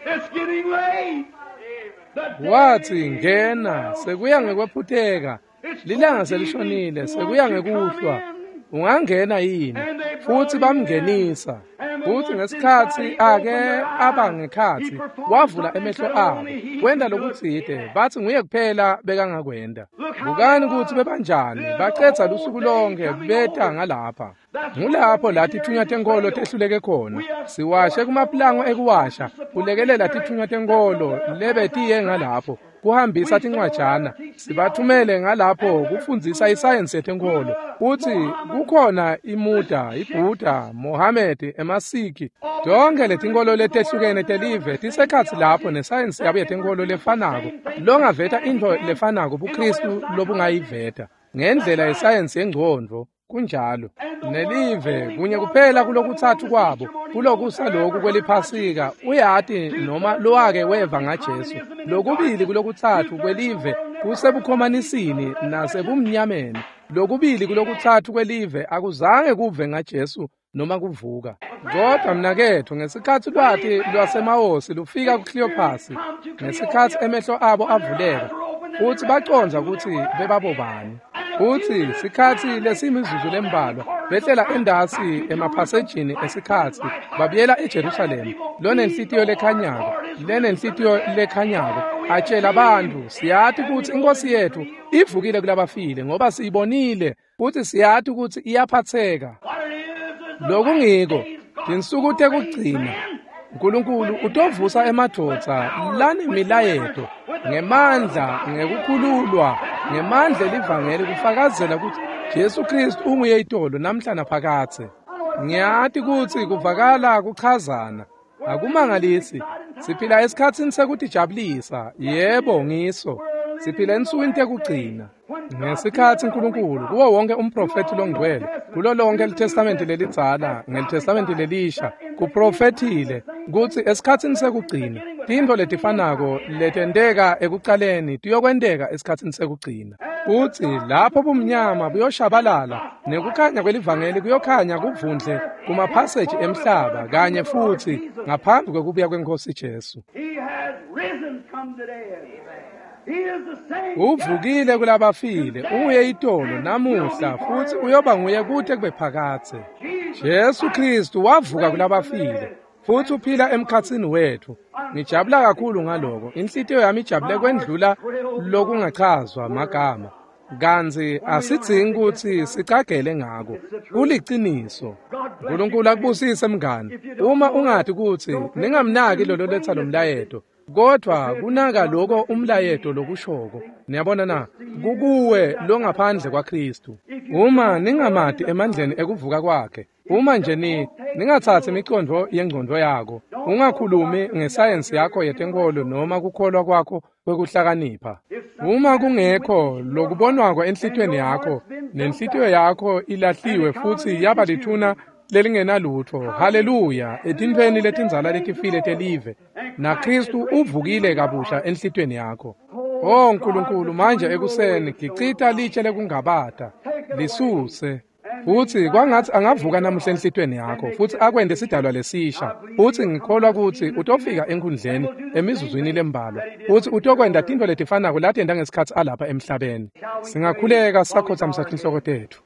It's getting late. The day Wathi ngena, sekuya ngekwephutheka. Lilanga selishonile, sekuya ngekuhlwa. Ungangena yini? Futsi bamngenisa. Futsi ngesikhatsi ake aba ngekhatsi, wavula emehlo abo, kwenta lokutsite, batsi nguye kuphela bekangakwenta. Bukani kutsi bebanjani, bacedza lusuku lonke beta ngalapha. Ngulapho la titfunywa tenkholo tehluleke khona. Siwashe kumapulango ekuwasha, kulekelela titfunywa tenkholo lebetiye ngalapho, kuhambisa tincwajana, sibathumele ngalapho kufundzisa isayensi yetenkholo. Utsi kukhona iMuda, iBuddha, Mohammed, emaSikhi, tonke letinkholo letehlukene telive tisekhatsi lapho nesayensi yabo yetenkholo lefanako, longaveta intfo lefanako buKristu lobungayiveta ngendlela yesayensi yengcondvo. Kunjalo nelive kunye kuphela kulokutsatfu kwabo kulokusa loku kweliphasika uyati noma lowake weva ngaJesu. Lokubili kulokutsatfu kwelive kusebukhomanisini nasebumnyameni. Lokubili kulokutsatfu kwelive akuzange kuve ngaJesu noma kuvuka. Kodwa mnaketfu, ngesikhatsi lwati lwasemawosi lufika kuCleopas, ngesikhatsi emehlo abo avuleka futsi bacondza kutsi bebabobani, futsi sikhatsi lesimizuzu lembalwa behlela endasi emaphasejini esikhatsi babuyela eJerusalema, lonenhlitiyo lekhanyako, lenenhlitiyo lekhanyako, atshela bantfu, siyati kutsi iNkhosi yetfu ivukile kulabafile ngoba siyibonile futsi siyati kutsi iyaphatseka. Lokungiko tinsuku tekugcina Nkulunkulu utovusa emadvodza lanemilayeto ngemandla, ngekukhululwa, ngemandla elivangeli kufakazela kutsi Jesu Kristu unguye itolo namhla naphakadze. Ngiyati kutsi kuvakala kuchazana, akumangalisi. Siphila esikhatsini sekutijabulisa, yebo ngiso. Siphila ensukwini tekugcina. Ngesikhatsi Nkulunkulu kuwo wonke umprofethi longcwele, kulo lonke liTestamenti lelidzala neliTestamenti lelisha, kuprofethile kutsi esikhatsini sekugcina tintfo letifanako letenteka ekucaleni tiyokwenteka esikhatsini sekugcina. Futsi lapho bumnyama buyoshabalala nekukhanya kwelivangeli kuyokhanya kuvundle kumaphaseji emhlaba kanye futsi ngaphambi kwekubuya kweNkhosi Jesu. Uvukile kulabafile, unguye itolo namuhla futsi uyoba nguye kute kube phakadze. Jesu Kristu wavuka kulabafile futsi uphila emkhatsini wetfu. Ngijabula kakhulu ngaloko. Inhlitiyo yami ijabule kwendlula lokungachazwa magama. Kantsi asidzingi kutsi sicagele ngako. Kuliciniso. Nkulunkulu akubusise mngani. Uma ungati kutsi ningamnaki lolo letsa lomlayeto, kodwa kunaka lokho umlayeto lokushoko. Niyabona na, kukuwe longaphandle kwaKristu. Uma ningamati emandleni ekuvuka kwakhe, uma nje ni ningatsatsi imicondvo yengcondvo yakho, ungakhulumi ngesayensi yakho yetenkholo noma kukholwa kwakho kwekuhlakanipha. Uma kungekho lokubonwako enhlitiyweni yakho, nenhlitiyo yakho ilahliwe futsi yaba lithuna lelingenalutfo, haleluya, etintfweni letindzala letifile telive, naKristu uvukile kabusha enhlitiyweni yakho. Oh Nkulunkulu, manje ekuseni gicita litshe lekungabata, lisuse. Futsi kwangatsi angavuka namuhla enhlitiyweni yakho futsi akwente sidalwa lesisha. Futsi ngikholwa kutsi utofika enkhundleni emizuzwini lembalwa futsi utokwenta tintfo letifanako latenta ngesikhatsi alapha emhlabeni. Singakhuleka sakhotsamisa tinhloko tetfu.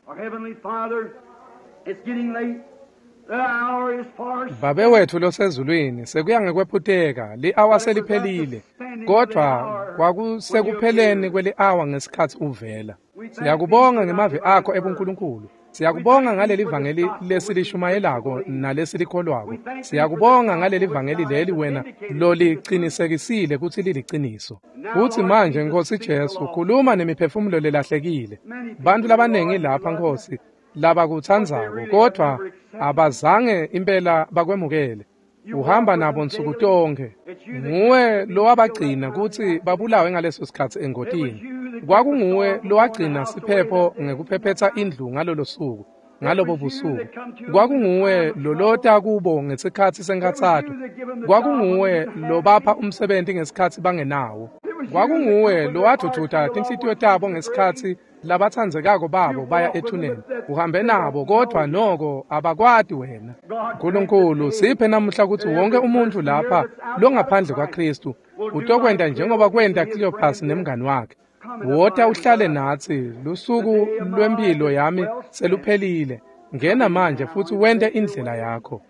Babe wetfu losezulwini, sekuya ngekwephuteka, li-awa seliphelile, kodvwa kwakusekupheleni kweli-awa ngesikhatsi uvela. Siyakubonga ngemavi akho ebuNkulunkulu. Siyakubonga ngaleli vangeli lesilishumayelako nalesilikholwako. Siyakubonga ngaleli vangeli leli wena lolicinisekisile kutsi liliciniso. Futsi manje Nkhosi Jesu, khuluma nemiphefumulo lelahlekile. Bantfu labanengi lapha Nkhosi labakutsandzako, kodvwa abazange impela bakwemukele. Uhamba nabo nsuku tonkhe. Nguwe lowabagcina kutsi babulawe ngaleso sikhatsi engotini. Kwakunguwe lowagcina siphepho ngekuphephetsa indlu ngalolo suku, ngalobo busuku. Kwakunguwe lolota kubo ngesikhatsi senkhatsato. Kwakunguwe lobapha umsebenti ngesikhatsi bangenawo. Kwakunguwe lowadvudvuta tinhlitiyo tabo ngesikhatsi labatsandzekako babo baya ethuneni. Uhambe nabo kodvwa noko abakwati wena. Nkulunkulu, siphe namuhla kutsi wonke umuntfu lapha longaphandle kwaKristu utokwenta njengoba kwenta Cleopas nemngani wakhe. Wota uhlale natsi, lusuku lwempilo yami seluphelile. Ngena manje futsi wente indlela yakho.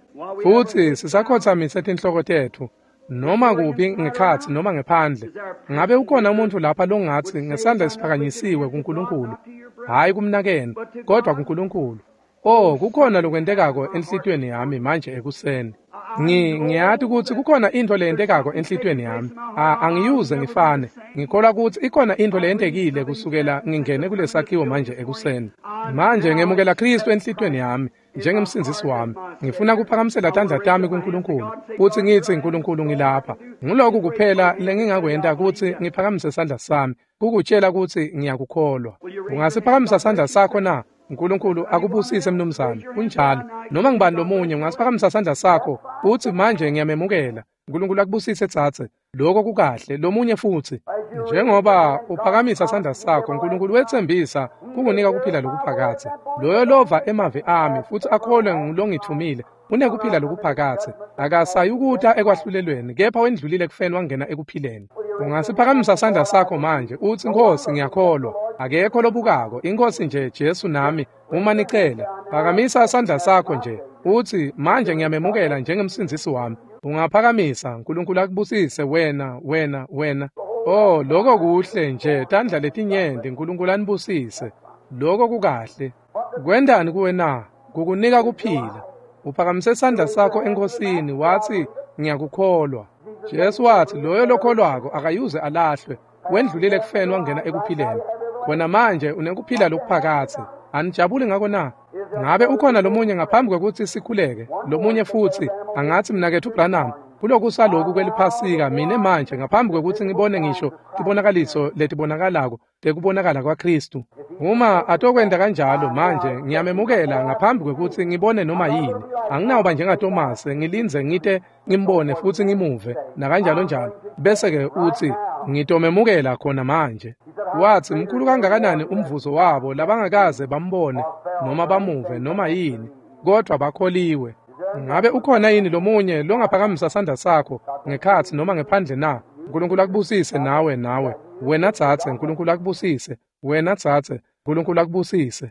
Futsi sisakhotsamise tinhloko tetfu, noma kuphi ngekhatsi noma ngephandle. Ngabe ukhona umuntfu lapha longatsi ngesandla esiphakanyisiwe kuNkulunkulu, hhayi kumnakenu, kodvwa kuNkulunkulu? Oh, kukhona lokwentekako enhlitiyweni yami manje ekuseni. Ngi ngiyati kutsi kukhona intfo leyentekako enhlitiyweni yami. Angiyuze ngifane. Ngikholwa kutsi ikhona intfo leyentekile kusukela ngingene kulesakhiwo manje ekuseni. Manje ngemukela Khristu enhlitiyweni yami njengemsindzisi wami. Ngifuna kuphakamisela tandla tami kuNkulunkulu futsi ngitsi, Nkulunkulu, ngilapha. Nguloku kuphela lengingakwenta kutsi ngiphakamise sandla sami kukutshela kutsi ngiyakukholwa. Ungasiphakamisa sandla sakho na? Nkulunkulu akubusise mnumzane. Kunjalo. Noma ngibani lomunye ungasiphakamisa sandla sakho utsi manje ngiyamemukela. Nkulunkulu akubusise tsatse. Lokho kukahle. Lomunye futsi. Njengoba uphakamisa sandla sakho, Nkulunkulu wetsembisa kukunika kuphila lokuphakadze. Loyo lova emavi ami futsi akholwe ngulongithumile unekuphila lokuphakadze. Akasayukuta ekwahlulelweni, kepha wendlulile ekufeni wangena ekuphileni. Ungasiphakamisa sandla sakho manje utsi, Nkhosi, ngiyakholwa. Akekho lobukako, iNkhosi nje Jesu nami. Uma nicela, phakamisa sandla sakho nje utsi manje ngiyamemukela njengemsindzisi wami. Ungaphakamisa. Nkulunkulu akubusise wena, wena, wena. Oh, lokho kuhle nje, tandla letinyenti. Nkulunkulu anibusise. Lokho kukahle. Kwentani kuwe na? Kukunika kuphila. Uphakamise sandla sakho eNkhosini watsi ngiyakukholwa. Jesu watsi loyo lokholwako akayuze alahlwe, wendlulile ekufeni wangena ekuphileni. Khona manje unekuphila lokuphakadze. Anijabuli ngako na? Ngabe ukhona lomunye ngaphambi kwekutsi sikhuleke? Lomunye futsi angatsi, mnaketfu Branham, kulokusaloku kweliphasika mine manje ngaphambi kwekutsi ngibone ngisho tibonakaliso letibonakalako tekubonakala kwaKhristu. Uma atokwenta kanjalo manje ngiyamemukela ngaphambi kwekutsi ngibone noma yini. Anginawuba njengaTomase ngilindze ngite ngimbone futsi ngimuve nakanjalo njalo. Bese-ke utsi ngitomemukela khona manje. Watsi mkhulu kangakanani umvuzo wabo labangakaze bambone noma bamuve noma yini, kodvwa bakholiwe. Ngabe ukhona yini lomunye longaphakamisa sandla sakho ngekhatsi noma ngephandle na? Nkulunkulu akubusise nawe, nawe. Wena tsatse, Nkulunkulu akubusise. Wena tsatse, Nkulunkulu akubusise.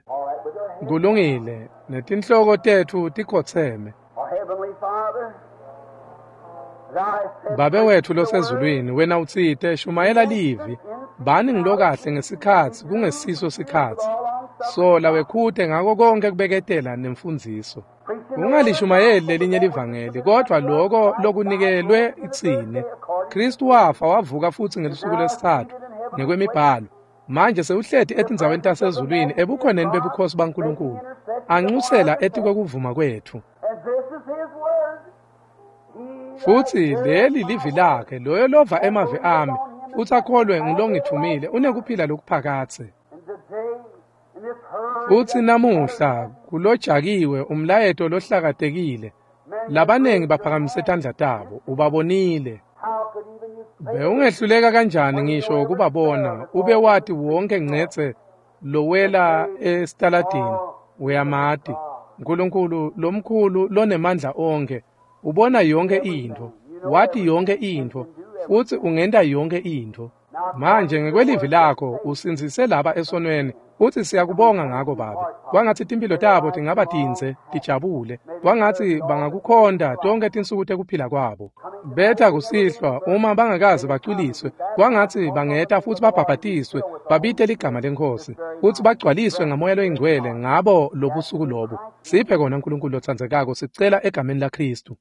Kulungile, netinhloko tetfu tikhotseme. Babe wetfu losezulwini, wena utsite shumayela livi. Bani ngilokahle ngesikhatsi kungesiso sikhatsi. Sola wekhute ngako konke kubeketela nemfundziso. Ungalishumayeli lelinye livangeli, kodvwa loko lokunikelwe itsine. Khristu wafa wavuka futsi ngelusuku lwesitsatfu ngekwemibhalo. Manje sewuhleti etindzaweni tasezulwini ebukhoneni bebukhosi baNkulunkulu, anxusela etikwekuvuma kwetfu. Futsi leli livi lakhe, loyo lova emavi ami futsi akholwe ngulongithumile unekuphila lokuphakadze. Futsi namuhla kulojakiwe umlayeto lohlakatekile. Labanengi baphakamise tandla tabo, ubabonile. Bewungehluleka kanjani ngisho kubabona, ube wati wonke ngcetse lowela esitaladini, uyamati. Nkulunkulu lomkhulu lonemandla onkhe, ubona yonke intfo, wati yonke intfo, futsi ungenta yonke intfo. Manje ngekwelivi lakho usindzise laba esonweni, futsi siyakubonga ngako Babe. Kwangatsi timphilo tabo tingaba tindze, tijabule. Kwangatsi bangakukhonta tonkhe tinsuku tekuphila kwabo. Betha kusihlwa uma bangakaze bacwiliswe, kwangatsi bangeta futsi babhabhatiswe, babite ligama leNkhosi, futsi bagcwaliswe ngaMoya loyiNgcwele ngabo lobusuku lobu. Siphe kona Nkulunkulu lotsandzekako, sicela egameni laKhristu.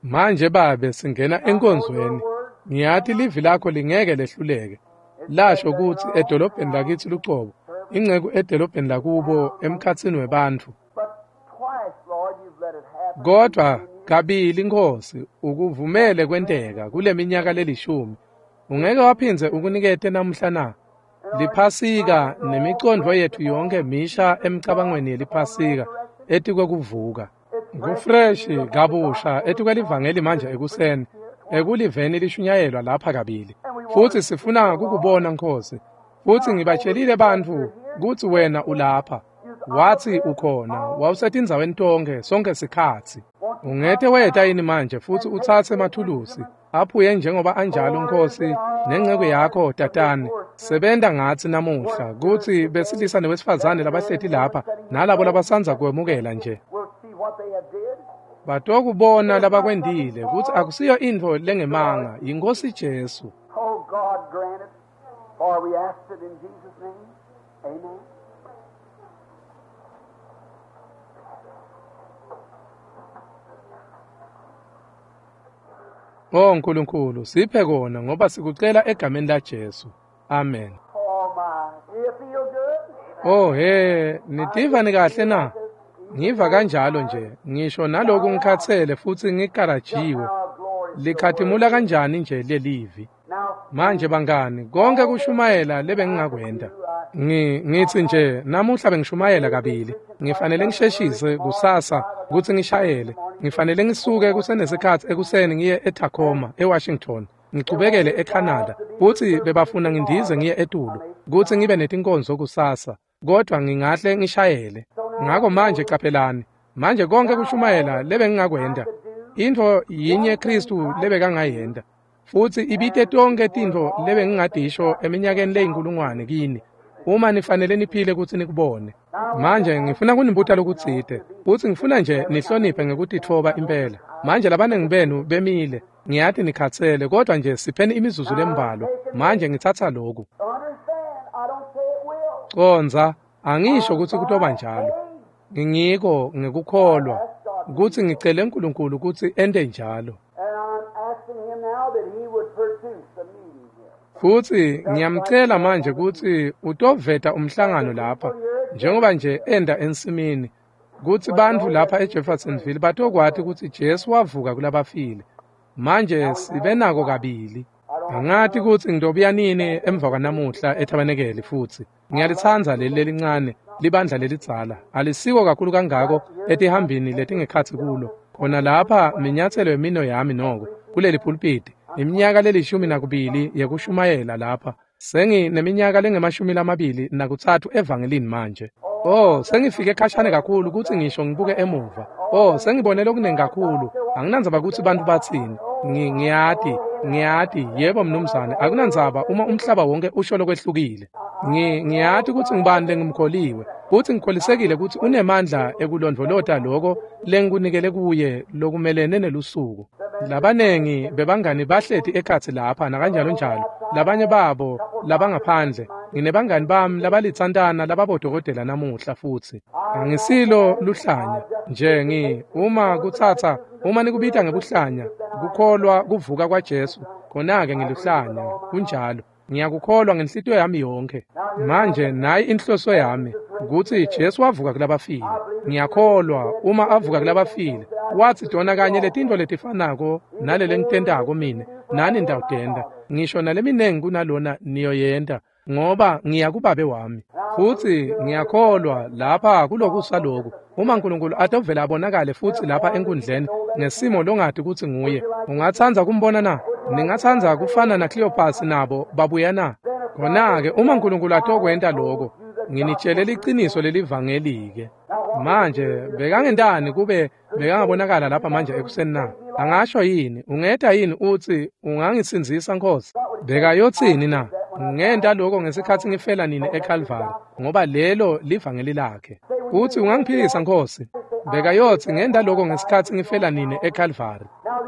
Manje Babe singena enkonzweni. Ngiyati livi lakho lingeke lehluleke. Lasho kutsi edolobheni lakitsi lucobo, inceku edolobheni lakubo emkhatsini webantfu. Kodvwa kabili Nkhosi ukuvumele kwenteka kuleminyaka lelishumi. Ungeke waphindze ukunikete namuhla na? Liphasika nemicondvo yetfu yonke misha emicabangweni yeliphasika etikwekuvuka. Kufreshi kabusha etikwelivangeli manje ekuseni, ekuliveni lishunyayelwa lapha kabili. Futsi sifuna kukubona Nkhosi. Futsi ngibatshelile bantfu kutsi wena ulapha. Watsi ukhona, wawusetindzaweni tonkhe sonke sikhatsi. Ungete weta yini manje futsi utsatse emathulusi aphuye njengoba anjalo Nkosi nenceku yakho tatane sebenta ngatsi namuhla kutsi besilisa newesifazane labahleti lapha nalabo labasandza kwemukela nje batokubona labakwendile kutsi akusiyo intfo lengemanga yiNkosi Jesu. Oh God, grant it, for we ask it in Jesus' name. Amen. Oh Nkulunkulu, siphe kona ngoba sikucela egameni la Jesu. Amen. Oh my, do you feel good? Oh he, nitiva nikahle na? Ngiva kanjalo nje, ngisho naloku ngikhatsele futsi ngikarajiwe. Likhatimula kanjani nje lelivi. Manje bangani, konke kushumayela lebengingakwenda. Ngi ngithi nje namuhla bengishumayela kabili. Ngifanele ngisheshise kusasa kutsi ngishayele. Ngifanele ngisuke kusenesikhatsi ekuseni ngiye eTacoma, eWashington. Ngichubekele eCanada. Futsi bebafuna ngindize ngiye etulu kutsi ngibe netinkonzo kusasa. Kodwa ngingahle ngishayele. Ngako manje caphelani. Manje konke kushumayela lebengingakwenda. Intfo yinye Kristu lebekangayenda. Futsi ibite tonke tintfo lebengingadisho eminyakeni leyinkulungwane kini. Uma nifanele niphile kutsi nikubone. Manje ngifuna kunibuta lokutsite. Futsi ngifuna nje nihloniphe ngekutitfoba impela. Manje labanengi benu bemile. Ngiyati nikhatsele kodwa nje sipheni imizuzu lembalwa. Manje ngitsatsa loku. Understand, I don't say it will. Condza, angisho kutsi kutoba njalo. Ngingiko ngekukholwa kutsi ngicele uNkulunkulu kutsi ente njalo. And I'm asking him now that he would produce a meeting here. Futsi ngiyamcela manje kutsi utoveta umhlangano lapha njengoba nje enda ensimini kutsi bantfu lapha eJeffersonville batokwati kutsi Jesu wavuka kulabafile. Manje sibe nako kabili. Angati kutsi ngitobuya nini emva kwanamuhla ethabanekeli futsi. Ngiyalitsandza leli lelincane libandla lelidzala. Alisiko kakhulu kangako etihambini letingekhatsi kulo. Khona lapha minyatselo yemino yami noko kuleli pulpiti. Iminyaka lelishumi nakubili yekushumayela lapha. Sengineminyaka lengemashumi lamabili nakutsatfu evangelini manje. Oh, sengifike khashane kakhulu kutsi ngisho ngibuke emuva. Oh, sengibone lokunengi kakhulu. Anginandzaba kutsi bantfu batsini. Ngi ngiyati, ngiyati, yebo mnumzane, akunandzaba uma umhlaba wonke usho lokwehlukile. Ngi ngiyati kutsi ngibani lengimkholiwe. Futsi ngikholisekile kutsi unemandla ekulondvolota loko lengikunikele kuye lokumelene nelusuku. Labanengi bebangani bahleti ekhatsi lapha nakanjalo njalo. Labanye babo labangaphandle. Nginebangani bami labalitsantana lababodokotela namuhla futsi. Angisilo luhlanya nje ngi uma kutsatsa uma nikubita ngebuhlanya kukholwa kuvuka kwaJesu khona-ke ngiluhlanya kunjalo. Ngiyakukholwa ngenhlitiyo yami yonke. Manje nayi inhloso yami kutsi Jesu wavuka kulabafile. Ngiyakholwa uma avuka kulabafile watsi tona kanye letintfo letifanako nalele ngitentako mine nani nitawutenta ngisho naleminengi kunalona niyoyenta ngoba ngiya kubabe wami. Futsi ngiyakholwa lapha kulokusa loku uma uNkulunkulu atovela abonakale futsi lapha enkundleni ngesimo longati kutsi nguye. Ungatsandza kumbona na? Ningatsandza kufana na Cleopas nabo babuya na? Khona-ke uma uNkulunkulu atokwenta loko nginitshele liciniso lelivangeli-ke. Manje bekangentani kube bekangabonakala lapha manje ekuseni na? Angasho yini? Ungeta yini utsi ungangisindzisa Nkosi? Bekayotsini na? Ngenta lokho ngesikhatsi ngifela nini eCalvary ngoba lelo livangeli lakhe. Uthi ungangiphilisa Nkosi? Bekayotsi ngenta lokho ngesikhatsi ngifela nini eCalvary.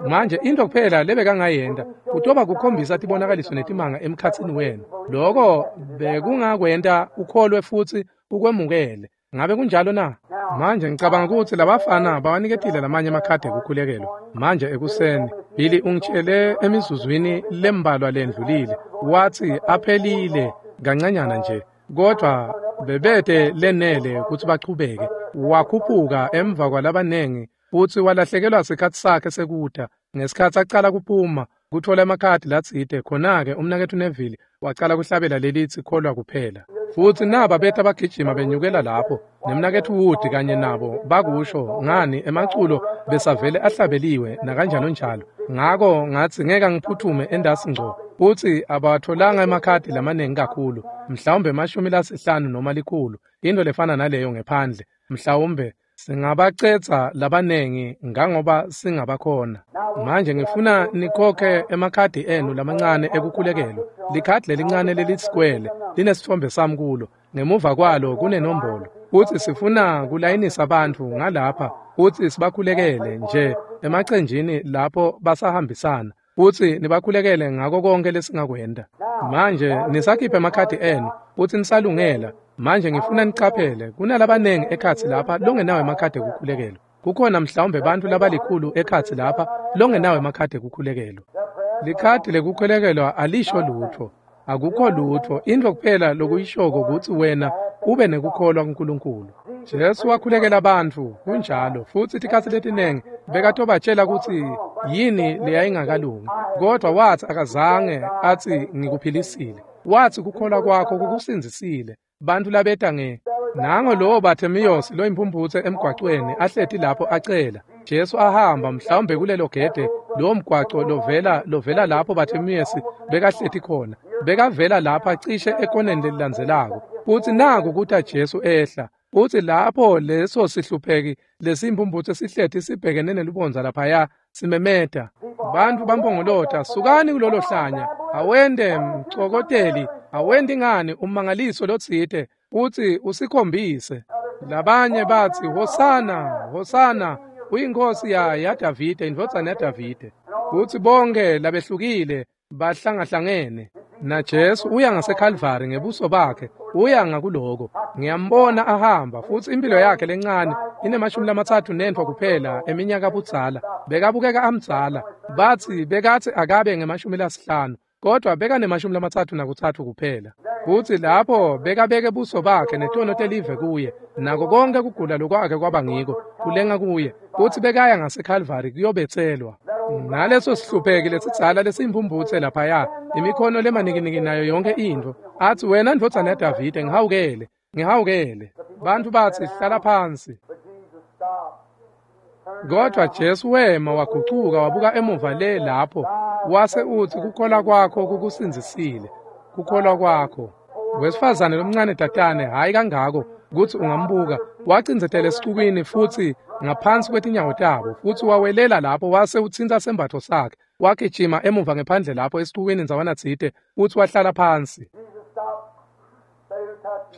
Manje into kuphela lebekangayenta kutoba kukhombisa tibonakaliso netimanga emkhatsini wenu. Lokho bekungakwenta ukholwe futsi ukwemukele. Ngabe kunjalo na? Manje ngicabanga kutsi labafana bawaniketile lamanye emakhadi ekukhulekelwa. Manje ekuseni Billy ungitshele emizuzwini lembalwa lendlulile watsi aphelile kancanyana nje kodwa bebete lenele kutsi bachubeke. Wakhuphuka emva kwalabanengi futsi walahlekelwa sikhatsi sakhe sekuta. Ngesikhatsi acala kuphuma kutfola emakhadi latsite khona-ke umnaketfu Neville wacala kuhlabela lelitsi kholwa kuphela. Futsi naba beta bagijima benyukela lapho nemnaketfu Wood kanye nabo bakusho ngani emaculo besavele ahlabeliwe nakanjalo njalo. Ngako ngatsi ngeke ngiphuthume endasi ngco futsi abawatholanga emakhadi lamanengi kakhulu mhlawumbe emashumi lasihlanu noma likhulu into lefana naleyo ngephandle mhlawumbe Singabacetsa labanengi ngangoba singabakhona. Manje ngifuna nikhokhe emakhadi enu lamancane ekukhulekelwa. Likhadi lelincane lelisikwele linesitfombe sami kulo. Ngemuva kwalo kunenombolo. Futsi sifuna kulayinisa bantfu ngalapha futsi sibakhulekele nje emacenjini lapho basahambisana. Futsi nibakhulekele ngako konke lesingakwenta. Manje nisakhiphe emakhadi enu futsi nisalungela. Manje ngifuna nicaphele kunalabanengi ekhatsi lapha longenawo emakhadi ekukhulekelwa. Kukhona mhlawumbe bantfu labalikhulu ekhatsi lapha longenawo emakhadi ekukhulekelwa. Likhadi lekukhulekelwa alisho lutfo. Akukho lutfo. Intfo kuphela lokuyishoko kutsi wena ube nekukholwa kuNkulunkulu. Jesu wakhulekela bantfu kunjalo futsi tikhatsi letinengi bekatobatshela kutsi yini leyayingakalungi. Kodwa watsi akazange atsi ngikuphilisile. Watsi kukholwa kwakho kukusindzisile. Bantfu labeta nge nango lowo Bartimaeus loyimphumputse emgwacweni ahleti lapho acela. Jesu ahamba mhlawumbe kulelo gede lowo mgwaco lovela lovela lapho Bartimaeus bekahleti khona. Bekavela lapha cishe ekoneni lelilandzelako. Futsi naku kuta Jesu ehla. Futsi lapho leso sihlupheki lesimphumputse sihleti sibhekene nelubondza laphaya simemeta. Bantfu bampongolota, sukani kulolo hlanya, awende mcokoteli, awendi ngani ummangaliso lotsite, futsi usikhombise. Labanye batsi, Hosana, Hosana, uyinkosi ya yaDavide, indvodzana yaDavide. Futsi bonke labehlukile bahlangahlangene. Na Jesu uya ngaseKalvari ngebuso bakhe, uya ngakuloko. Ngiyambona ahamba futsi impilo yakhe lencane inemashumi lamatsatfu nentfo kuphela eminyaka budzala. Bekabukeka amdzala. Batsi bekatsi akabe ngemashumi lasihlanu, kodwa bekanemashumi lamatsatfu nakutsatfu kuphela. Futsi lapho bekabeke buso bakhe netono telive kuye, nako konke kugula lokwakhe kwaba ngiko kulenga kuye. Futsi bekaya ngaseKalvari kuyobetselwa. Naleso sihlupheki lesidzala lesiyimphumputse laphaya, imikhono lemanikiniki nayo yonke intfo. Atsi wena ndvodzana yaDavide, ngihawukele, ngihawukele. Bantfu batsi hlala phansi. Kodwa Jesu wema wagucuka wabuka emuva le lapho, wase utsi kukholwa kwakho kukusindzisile. Kukholwa kwakho. Wesifazane lomncane tatane, hhayi kangako kutsi ungambuka, wacindzetela esicukwini futsi ngaphansi kwetinyawo tabo, futsi wawelela lapho wase utsintsa sembatfo sakhe. Wagijima emuva ngephandle lapho esicukwini ndzawana tsite futsi wahlala phansi.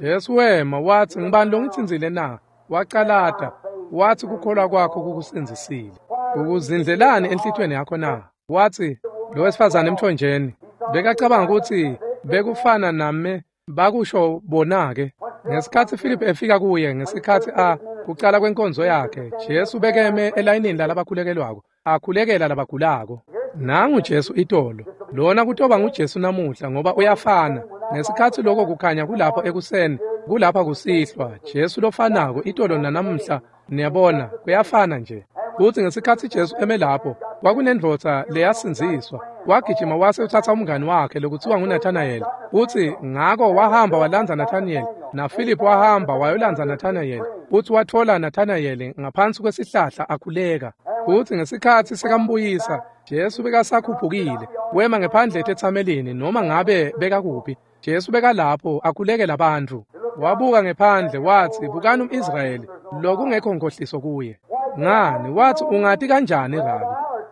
Jesu wema watsi, ngibani longitsintsile na? Wacalata watsi kukholwa kwakho kukusindzisile. Ukuzindlelani enhlitiyweni yakho na? Watsi lo wesifazane emthonjeni bekacabanga kutsi bekufana name bakusho bona-ke. Ngesikhatsi Philip efika kuye ngesikhatsi a kucala kwenkonzo yakhe, Jesu bekeme elayinini lalabakhulekelwako, akhulekela labagulako. Nangu Jesu itolo, lona kutoba nguJesu namuhla ngoba uyafana. Ngesikhatsi lokho kukhanya kulapho ekuseni, kulapha kusihlwa, Jesu lofanako itolo nanamuhla, niyabona, kuyafana nje. Futsi ngesikhatsi Jesu eme lapho, kwakunendvodza leyasindziswa. Wagijima wase utsatsa umngani wakhe lokutsiwa nguNathanael. Futsi ngako wahamba walandza Nathanael, naPhilip wahamba wayolandza Nathanael. Futsi watfola Nathanael ngaphansi kwesihlahla akhuleka. Futsi ngesikhatsi sekambuyisa, Jesu bekasakhuphukile, wema ngephandle etetsamelini noma ngabe bekakuphi. Jesu bekalapho akhulekela bantfu. Wabuka ngephandle watsi, bukani umIsrayeli, lokungekho nkohliso kuye. Ngani, watsi ungati kanjani Rabi,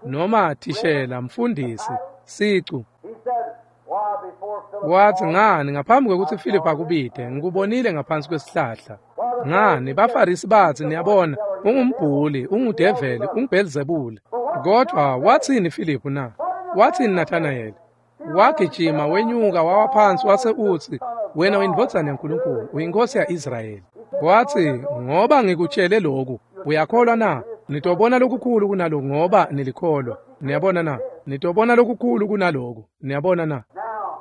noma thishela, mfundisi, sicu. Watsi ngani ngaphambi kwekutsi Philip akubite, ngikubonile ngaphansi kwesihlahla. Ngani, baFarisi batsi, niyabona, ungumbhuli, ungudeveli, unguBelzebule. Kodwa watsini Philip na? Watsini Nathanael? Wagijima wenyuka wawa phansi wase utsi, wena uyindvodzana yaNkulunkulu, uyinkosi ya-Israyeli. Watsi, ngoba ngikutshele lokhu, uyakholwa na? Nitobona lokukhulu kunaloku ngoba nilikholwa. Niyabona na? Nitobona lokukhulu kunaloku. Niyabona na?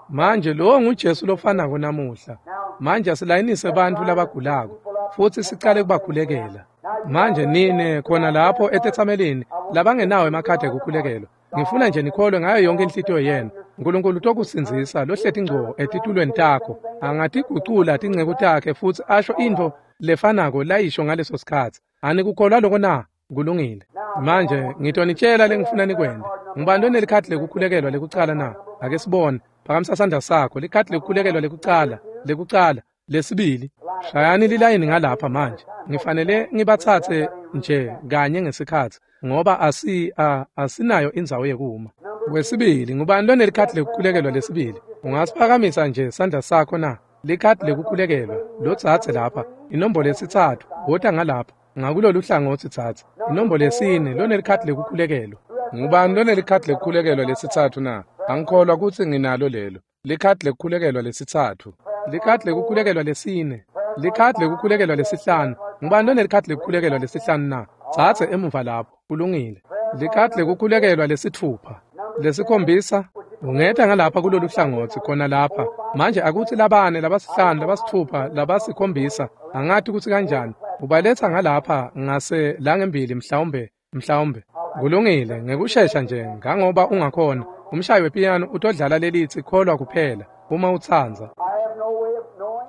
Manje lo nguJesu lofanako namuhla. Manje asilayinise bantfu labagulako futsi sicale kubakhulekela. Manje nine khona lapho etetsamelini labangenawo emakhadi ekukhulekelwa, ngifuna nje nikholwe ngayo yonke inhlitiyo yenu. Nkulunkulu utokusindzisa lohleti ngco etitulweni takho. Angatigucula tinceku takhe futsi asho intfo lefanako layisho ngaleso sikhatsi. Anikukholwa loko na? Kulungile. Manje ngitonitshela lengifuna nikwente. Ngubani lonelikhadi lekukhulekelwa lekucala na? Ake sibone. Phakamisa sandla sakho. Likhadi lekukhulekelwa lekucala, lekucala. Lesibili. Shayani lilayini ngalapha manje. Ngifanele ngibatsatse nje kanye ngesikhatsi ngoba asi a, asinayo indzawo yekuma. Wesibili, ngubani lonelikhadi lekukhulekelwa lesibili? Ungasiphakamisa nje sandla sakho na? Likhadi lekukhulekelwa lotsatse lapha. Inombolo yesitsatfu, wota ngalapha. Ngakulolu hlangotsi tsatsa. Inombolo yesine, lonelikhadi lekukhulekelwa. Ngubani lonelikhadi lekukhulekelwa lesitsatfu na? Angikholwa kutsi nginalo lelo. Likhadi lekukhulekelwa lesitsatfu. Likhadi lekukhulekelwa lesine. Likhadi lekukhulekelwa lesihlanu. Ngubani lonelikhadi lekukhulekelwa lesihlanu na? Tsatse emuva lapho. Kulungile. Likhadi lekukhulekelwa lesitfupha. Lesikhombisa. Ungeta ngalapha kulolu hlangotsi khona lapha. Manje akutsi labane, labasihlanu, labasitfupha, labasikhombisa. Angati kutsi kanjani. Ubaletsa ngalapha ngase langembili mhlawumbe, mhlawumbe. Kulungile, ngekushesha nje ngangoba ungakhona. Umshayi wepiyano utodlala lelitsi kholwa kuphela uma utsandza.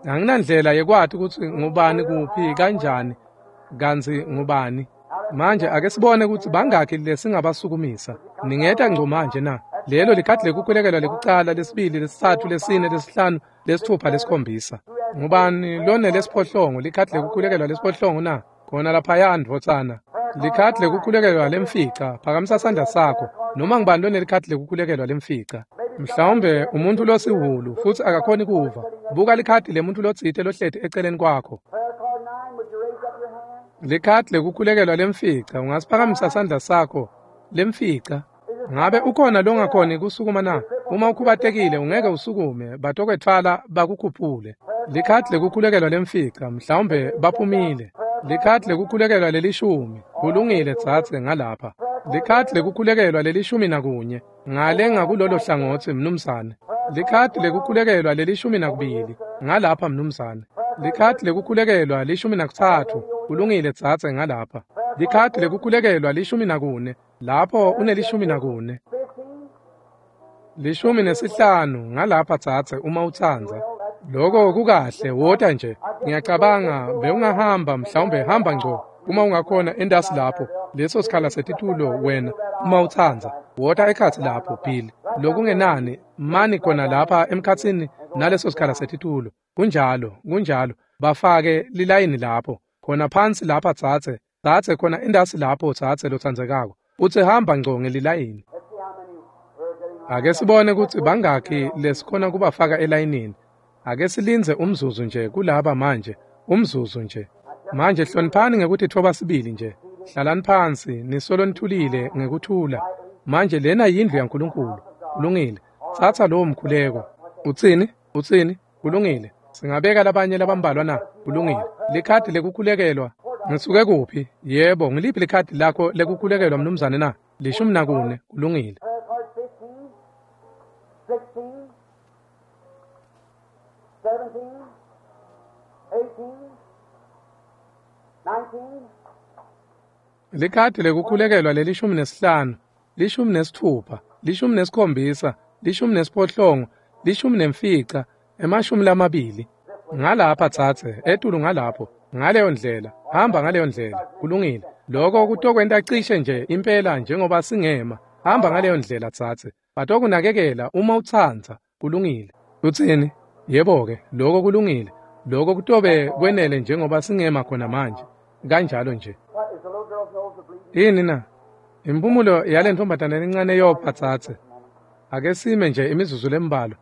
Anginandlela yekwati kutsi ngubani kuphi kanjani kantsi ngubani. Manje ake sibone kutsi bangakhi lesingabasukumisa. Ningeta ngco manje na? Lelo likhadi lekukhulekelwa lekucala, lesibili, lesitsatfu, lesine, lesihlanu, lesitfupha, lesikhombisa. Ngubani lonelesiphohlongo likhadi lekukhulekelwa lesiphohlongo na? Khona laphaya ndvodzana. Likhadi lekukhulekelwa lemfica, phakamisa sandla sakho. Noma ngubani lonelikhadi lekukhulekelwa lemfica? Mhlawumbe umuntu losihulu futsi akakhoni kuva. Buka likhadi lemuntu lotsite lohleti eceleni kwakho. Likhadi lekukhulekelwa lemfica, ungasiphakamisa sandla sakho lemfica. Ngabe ukhona longakhoni kusukuma na? Uma ukhubatekile ungeke usukume, batokwetfwala bakukhuphule. Likhadi lekukhulekelwa lemfica, mhlawumbe baphumile. Likhadi lekukhulekelwa lelishumi, kulungile tsatse ngalapha. Likhadi lekukhulekelwa lelishumi nakunye, ngale ngakulolo hlangotsi mnumzane. Likhadi lekukhulekelwa lelishumi nakubili, ngalapha mnumzane. Likhadi lekukhulekelwa lishumi nakutsatfu, kulungile tsatse ngalapha. Likhadi lekukhulekelwa lishumi nakune, lapho unelishumi nakune. Lishumi nesihlanu ngalapha tsatse uma utsandza. Loko kukahle, wota nje. Ngiyacabanga bewungahamba mhlawumbe hamba ngco uma ungakhona endasi lapho. Leso sikhala setitulo wena uma utsandza. Wota ekhatsi lapho Bill. Lokungenani mani khona lapha emkhatsini naleso sikhala setitulo. Kunjalo, kunjalo. Bafake lilayini lapho. Khona phansi lapha tsatse. Tsatse khona endasi lapho tsatse lotsandzekako. Utsi hamba ngco ngelilayini. Ake sibone kutsi bangakhi lesikhona kubafaka elayinini. Ake silindze umzuzu nje kulaba manje, umzuzu nje. Manje hloniphani ngekutitfoba sibili nje. Hlalani phansi, nisolo nithulile ngekuthula. Manje lena yindlu yaNkulunkulu. Kulungile. Tsatsa lowo mkhuleko. Utsini? Utsini? Kulungile. Singabeka labanye labambalwa na? Kulungile. Likhadi lekukhulekelwa. Ngisuke kuphi? Yebo, ngiliphi likhadi lakho lekukhulekelwa mnumzane na? Lishumi nakune. Kulungile. Likhadi lekukhulekelwa lelishumi nesihlanu, lishumi nesitfupha, lishumi nesikhombisa, lishumi nesiphohlongo, lishumi nemfica, emashumi lamabili. Ngalapha tsatse, etulu ngalapho, ngaleyo ndlela, hamba ngaleyo ndlela, kulungile. Loko kutokwenta cishe nje impela njengoba singema. Hamba ngaleyo ndlela tsatse. Batokunakekela uma utsandza, kulungile. Utsini? Yebo-ke, loko kulungile. Loko kutobe kwenele njengoba singema khona manje. Kanjalo nje. Yini na? Impumulo yale ntombazane lencane yopha tsatse. Ake sime nje imizuzu lembalwa.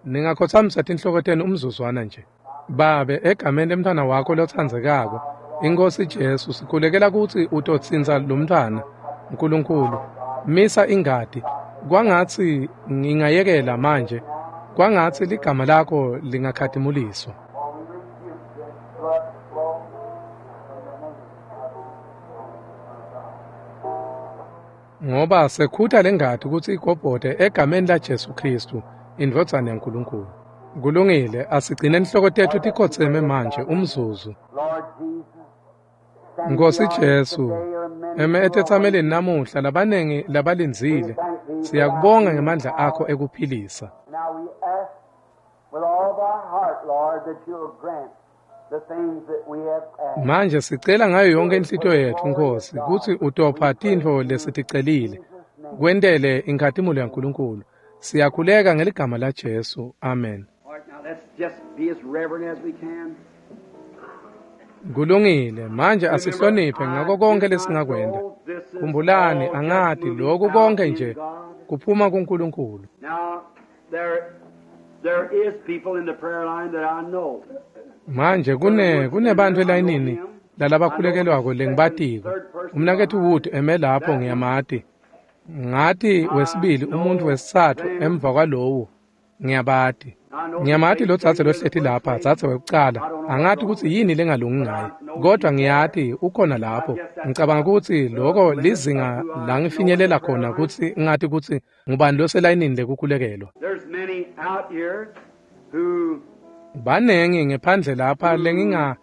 Ningakhothamisa tinhloko tenu umzuzwana nje. Babe, egameni lemntfwana wakho lotsandzekako, iNkhosi Jesu, sikhulekela kutsi utotsintsa lo mntfwana. Nkulunkulu, misa ingati. Kwangatsi ngingayekela manje. Kwangatsi ligama lakho lingakhatimuliswa. Ngoba sekhuta lengati kutsi igobhote egameni la Jesu Kristu, indvodzana yaNkulunkulu. Kulungile, asigcine inhloko tetfu tikhotseme manje umzuzu. Nkosi Jesu, eme etetsameleni namuhla labanengi labalindzile, siyakubonga ngemandla akho ekuphilisa. Manje sicela ngayo yonke inhlitiyo yetfu Nkosi kutsi utopha tintfo lesiticelile, kwentele inkhatimulo yaNkulunkulu. Siyakhuleka ngeligama la Jesu. Amen. All right, now let's just be as reverent as we can. Kulungile, manje asihloniphe ngako konke lesingakwenta. Khumbulani, angati lokhu konke nje kuphuma kuNkulunkulu. Now, there, there is people in the prayer line that I know. Manje kune kunebantfu elayinini lalabakhulekelwako lengibatiko. Umnaketfu Wood eme lapho ngiyamati. Ngati wesibili umuntfu wesitsatfu emva kwalowo ngiyabati. Ngiyamati lo dzadze lohleti lapha, dzadze wekucala. Angati kutsi yini lengalungi ngaye, kodwa ngiyati ukhona lapho. Ngicabanga kutsi loko lizinga la ngifinyelela khona kutsi ngati kutsi ngubani loselayinini lekukhulekelwa. There's many out here who Banengi ngephandle lapha lenginga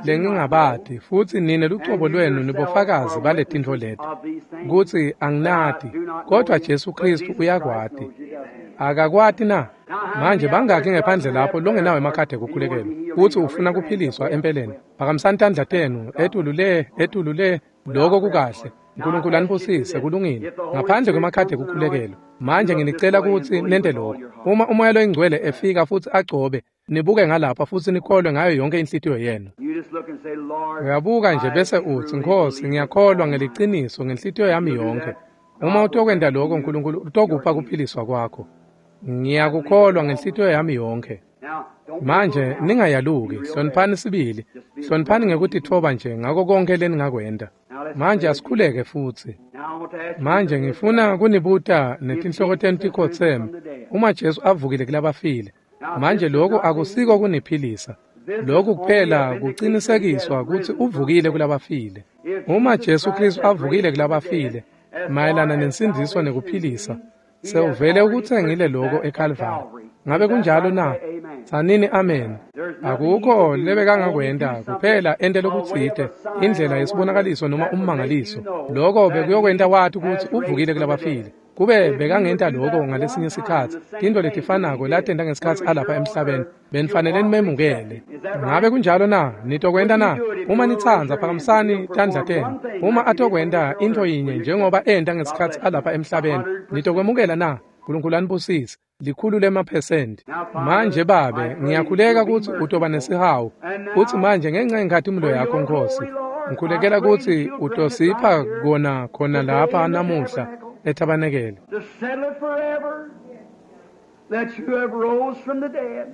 lengingabati futsi nine lucobo lwenu nibofakazi baletintfo leti kutsi anginati, kodwa Jesu Kristu uyakwati. Akakwati na? Manje bangaki ngephandle lapho longenawo emakhadi ekukhulekelwa kutsi ufuna kuphiliswa empeleni? Phakamisani tandla tenu etulu le, etulu le. Lokho kukahle. Nkulunkulu anibusise. Kulungile. Ngaphandle kwemakhadi ekukhulekelwa, manje nginicela kutsi nente lokho. Uma uMoya loyiNgcwele efika futsi agcobe, nibuke ngalapha futsi nikholwe ngayo yonke inhlitiyo yenu. you just look and say, Lord, Uyabuka nje bese utsi, Nkhosi, ngiyakholwa ngeliciniso ngenhlitiyo yami yonke. Uma utokwenta lokho, Nkulunkulu utokupha kuphiliswa kwakho. Ngiyakukholwa ngenhlitiyo yami yonke. now don't Manje ningayaluki, hloniphani sibili. Hloniphani ngekutitfoba nje ngako konke leningakwenta. Manje asikhuleke futsi. now I want to ask you Manje ngifuna kunibuta netinhloko tenu tikhotseme. Uma Jesu avukile kulabafile, manje lokho akusiko kuniphilisa. Lokhu kuphela kucinisekiswa kutsi uvukile kulabafile. Uma Jesu Kristu avukile kulabafile, mayelana nensindziso nekuphilisa, sewuvele ukutsengile lokho eKalvari. Ngabe kunjalo na? Tsanini amen. Akukho lebekangakwenta kuphela ente lokutsite, indlela yesibonakaliso noma ummangaliso. Lokho bekuyokwenta wati kutsi uvukile kulabafile. Kube bekangenta lokho ngalesinye sikhatsi, tintfo letifanako latenta ngesikhatsi alapha emhlabeni, benifanele nimemukele. Ngabe kunjalo na? Nitokwenta na? Uma nitsandza, phakamisani tandla tenu. Uma atokwenta intfo yinye njengoba enta ngesikhatsi alapha emhlabeni, nitokwemukela na? Nkulunkulu anibusise. Likhulu lemaphesenti. Manje Babe, ngiyakhuleka kutsi utoba nesihawu. Futsi manje ngenxa yenkhatimulo yakho Nkhosi, ngikhulekela kutsi utosipha kona khona lapha namuhla ethabanekele. to settle it forever that you have rose from the dead.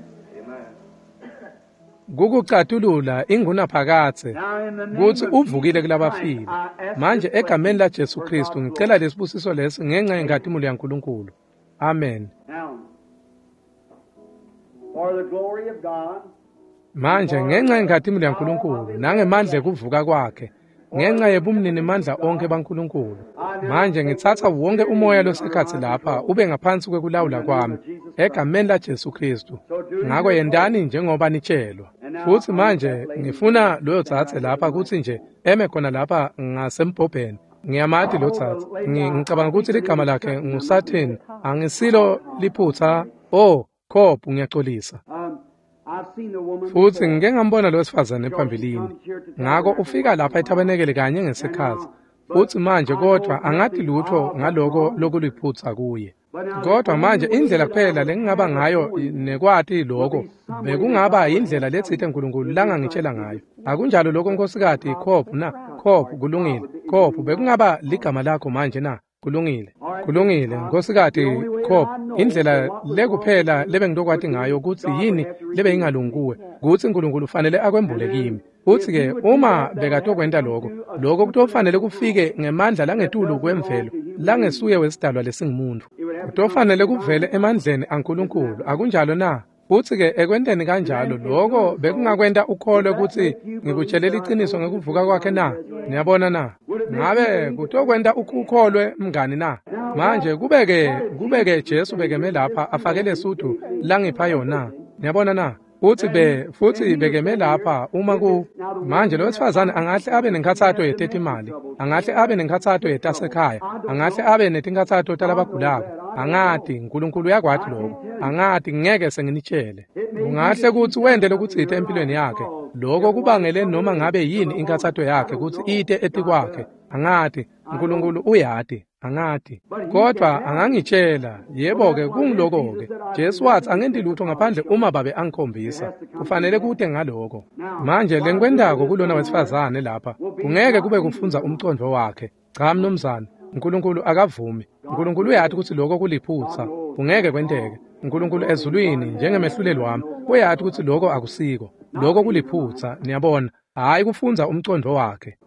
Kukucatulula ingunaphakadze Now in the name kutsi of uvukile Jesus kulabafile. Christ, I ask Manje this egameni blessing la Jesu for Kristu God's ngicela glory. lesibusiso lesi ngenxa yenkhatimulo yaNkulunkulu. Amen. Now, for the glory of God, Manje ngenxa yenkhatimulo yaNkulunkulu nangemandla ekuvuka kwakhe, ngenxa yebumninimandla onke baNkulunkulu. Manje ngitsatsa wonke umoya losekhatsi lapha ube ngaphansi kwekulawula kwami egameni la Jesu Kristu. Ngako yentani njengoba nitshelwa. Futsi manje ngifuna loyo dzadze lapha kutsi nje eme khona lapha ngasembhobheni. Ngiyamati lo dzadze. Ngi- Ngicabanga kutsi ligama lakhe nguSathane. Angisilo liphutsa. Oh, Cobb, ngiyacolisa. um, I've seen the woman Futsi before. ngike ngambona lo wesifazane phambilini. Ngako ufika lapha ethabanekele kanye ngesikhatsi. Futsi manje kodwa angati lutho ngaloko lokuliphutsa kuye. Kodwa manje indlela kuphela lengingaba ngayo nekwati lokho bekungaba indlela letsite Nkulunkulu langangitshela ngayo. Akunjalo lokho nkosikati Cobb na? Cobb kulungile. Cobb bekungaba ligama lakho manje na? Kulungile. Kulungile nkosikati Cobb, indlela lekuphela lebengitokwati ngayo kutsi yini lebeyingalungi kuwe, kutsi Nkulunkulu ufanele akwembule kimi. Futsi ke uma bekatokwenta lokho, lokho kutofanele kufike ngemandla langetulu kwemvelo, langesuye wesidalwa lesingumuntu. Kutofanele kuvele emandleni aNkulunkulu, akunjalo na? Futsi ke ekwenteni kanjalo lokho bekungakwenta ukholwe kutsi ngikutshele liciniso ngekuvuka kwakhe na? Niyabona na? Ngabe kutokwenta ukukholwe mngani na? Manje kubeke kubeke Jesu bekeme lapha afake lesudu langipha yona. Niyabona na? Futsi be futsi bekeme lapha uma ku manje lo wesifazane angahle abe nenkhatsato yetetimali, angahle abe nenkhatsato yetasekhaya, angahle abe netinkhatsato talabagulako. Angati, Nkulunkulu uyakwati lokho. Angati, ngeke senginitshele. Kungahle kutsi wente lokutsite empilweni yakhe. Lokho kubangele noma ngabe yini inkhatsato yakhe kutsi ite etikwakhe. Angati, Nkulunkulu uyati. Angati. Kodwa angangitshela, yebo-ke kungiloko-ke. Jesu wathi angenti lutho ngaphandle uma babe angikhombisa. Kufanele kute ngaloko. Manje lengikwentako kulona wesifazane lapha, kungeke kube kufundza umcondvo wakhe. Cha mnumzane, uNkulunkulu akavumi. uNkulunkulu uyati kutsi lokho kuliphutsa. Kungeke kwenteke. uNkulunkulu ezulwini njengemehluleli wami uyati kutsi lokho akusiko. Lokho kuliphutsa, niyabona. Hayi kufundza umcondvo wakhe.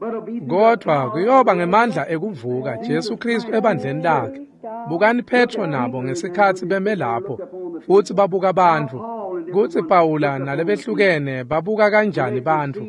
Kodwa kuyoba ngemandla ekuvuka Jesu Kristu ebandleni lakhe. Bukani Petro nabo ngesikhatsi beme lapho futsi babuka bantfu. Kutsi Pawula nalebehlukene babuka kanjani bantfu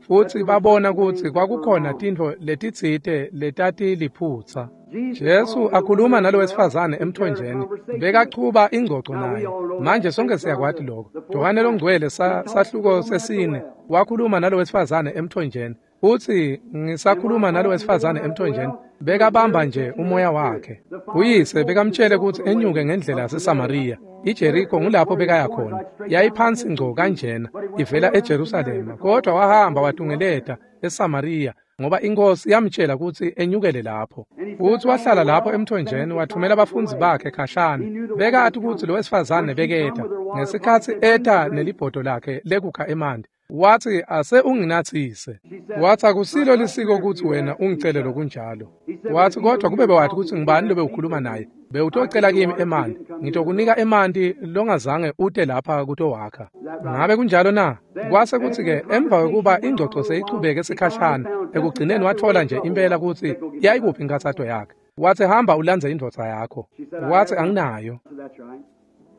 futsi babona kutsi kwakukhona tintfo letitsite letatiliphutsa. Jesu akhuluma nalo wesifazane emthonjeni, bekachuba ingcoco naye. Manje sonke siyakwati lokho. Johane longcwele sahluko sesine wakhuluma nalo wesifazane emthonjeni. Uthi ngisakhuluma nalo wesifazane emthonjeni, bekabamba nje umoya wakhe. Uyise bekamtshele ukuthi enyuke ngendlela yaseSamariya. iJeriko ngulapho bekaya khona. Yayiphansi ngco kanjena ivela eJerusalema, kodwa wahamba watungeleta eSamariya ngoba inkosi yamtshela ukuthi enyukele lapho. Uthi wahlala lapho emthonjeni wathumela abafundzi bakhe khashana. Bekathi ukuthi lo wesifazane beketa ngesikhatsi eta nelibhodo lakhe lekukha emanti. Wathi ase unginathise. Wathi akusilo lisiko ukuthi wena ungicele lokunjalo. Wathi kodwa kube bewathi ukuthi ngibani lobe ukhuluma naye, bewutocela kimi emanti, ngitokunika emanti longazange ute lapha kutowakha. Ngabe kunjalo na? Kwase kuthi ke emva kokuba ingcoco seyichubeke sikhashana, ekugcineni wathola nje impela ukuthi yayikuphi inkathato yakhe. Wathi hamba ulandze indvodza yakho. Wathi anginayo.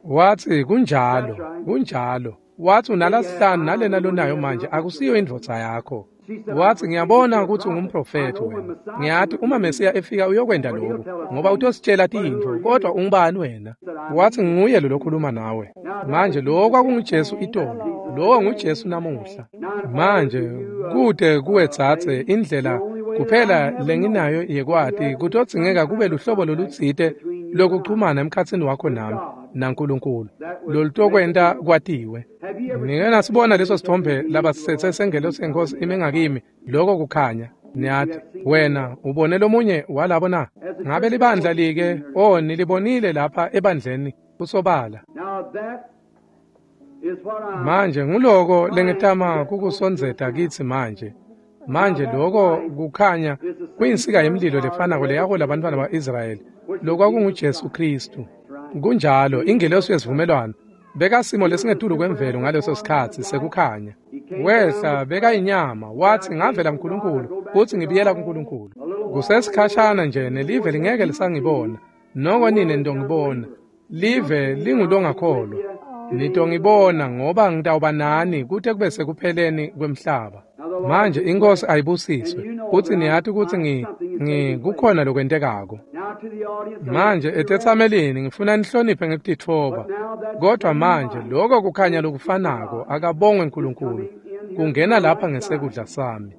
Wathi kunjalo, kunjalo. Wathi unalasihlanu nalena lonayo manje akusiyo indvodza yakho. Wathi ngiyabona ukuthi ungumprofethi wena. Ngiyathi uma Mesiya efika uyokwenda lokhu ngoba utositshela tintfo, kodwa ungubani wena? Wathi nguye lo lokhuluma nawe. Manje lo kwakunguJesu itolo, lowo nguJesu namuhla. Manje kude kuwe tsatse indlela kuphela lenginayo yekwati kutodzingeka kube luhlobo lolutsite lokuchumana emkhatsini wakho nami naNkulunkulu lolutokwenta kwatiwe. Nike nasibona leso sithombe labasithethe sengelosi yenkosi ime ngakimi, lokho kukhanya. Niyathi wena ubone lomunye walabo na? Ngabe libandla like oh nilibonile lapha ebandleni kusobala. Manje nguloko lengitama kukusondzeta kitsi manje. Manje lokho kukhanya kuyinsika yemlilo lefanako leyahola abantwana ba-Israyeli, lokwakunguJesu Kristu. Kunjalo ingelosi yesivumelwano bekasimo lesingetulu kwemvelo ngaleso sikhatsi sekukhanya. Wehla bekayinyama wathi ngavela kuNkulunkulu futhi ngibuyela kuNkulunkulu. Kusesikhashana nje nelive lingeke lisangibona, noko nine nitongibona. Live lingulongakholwa. Nitongibona ngoba ngitawuba nani kute kube sekupheleni kwemhlaba. Manje inkosi ayibusiswe futhi niyati ukuthi ngi ngi kukhona lokwentekako. Manje etetsamelini ngifuna nihloniphe ngekutitfoba. Kodwa manje lokho kukhanya lokufanako akabongwe uNkulunkulu kungena lapha ngesekudla sami.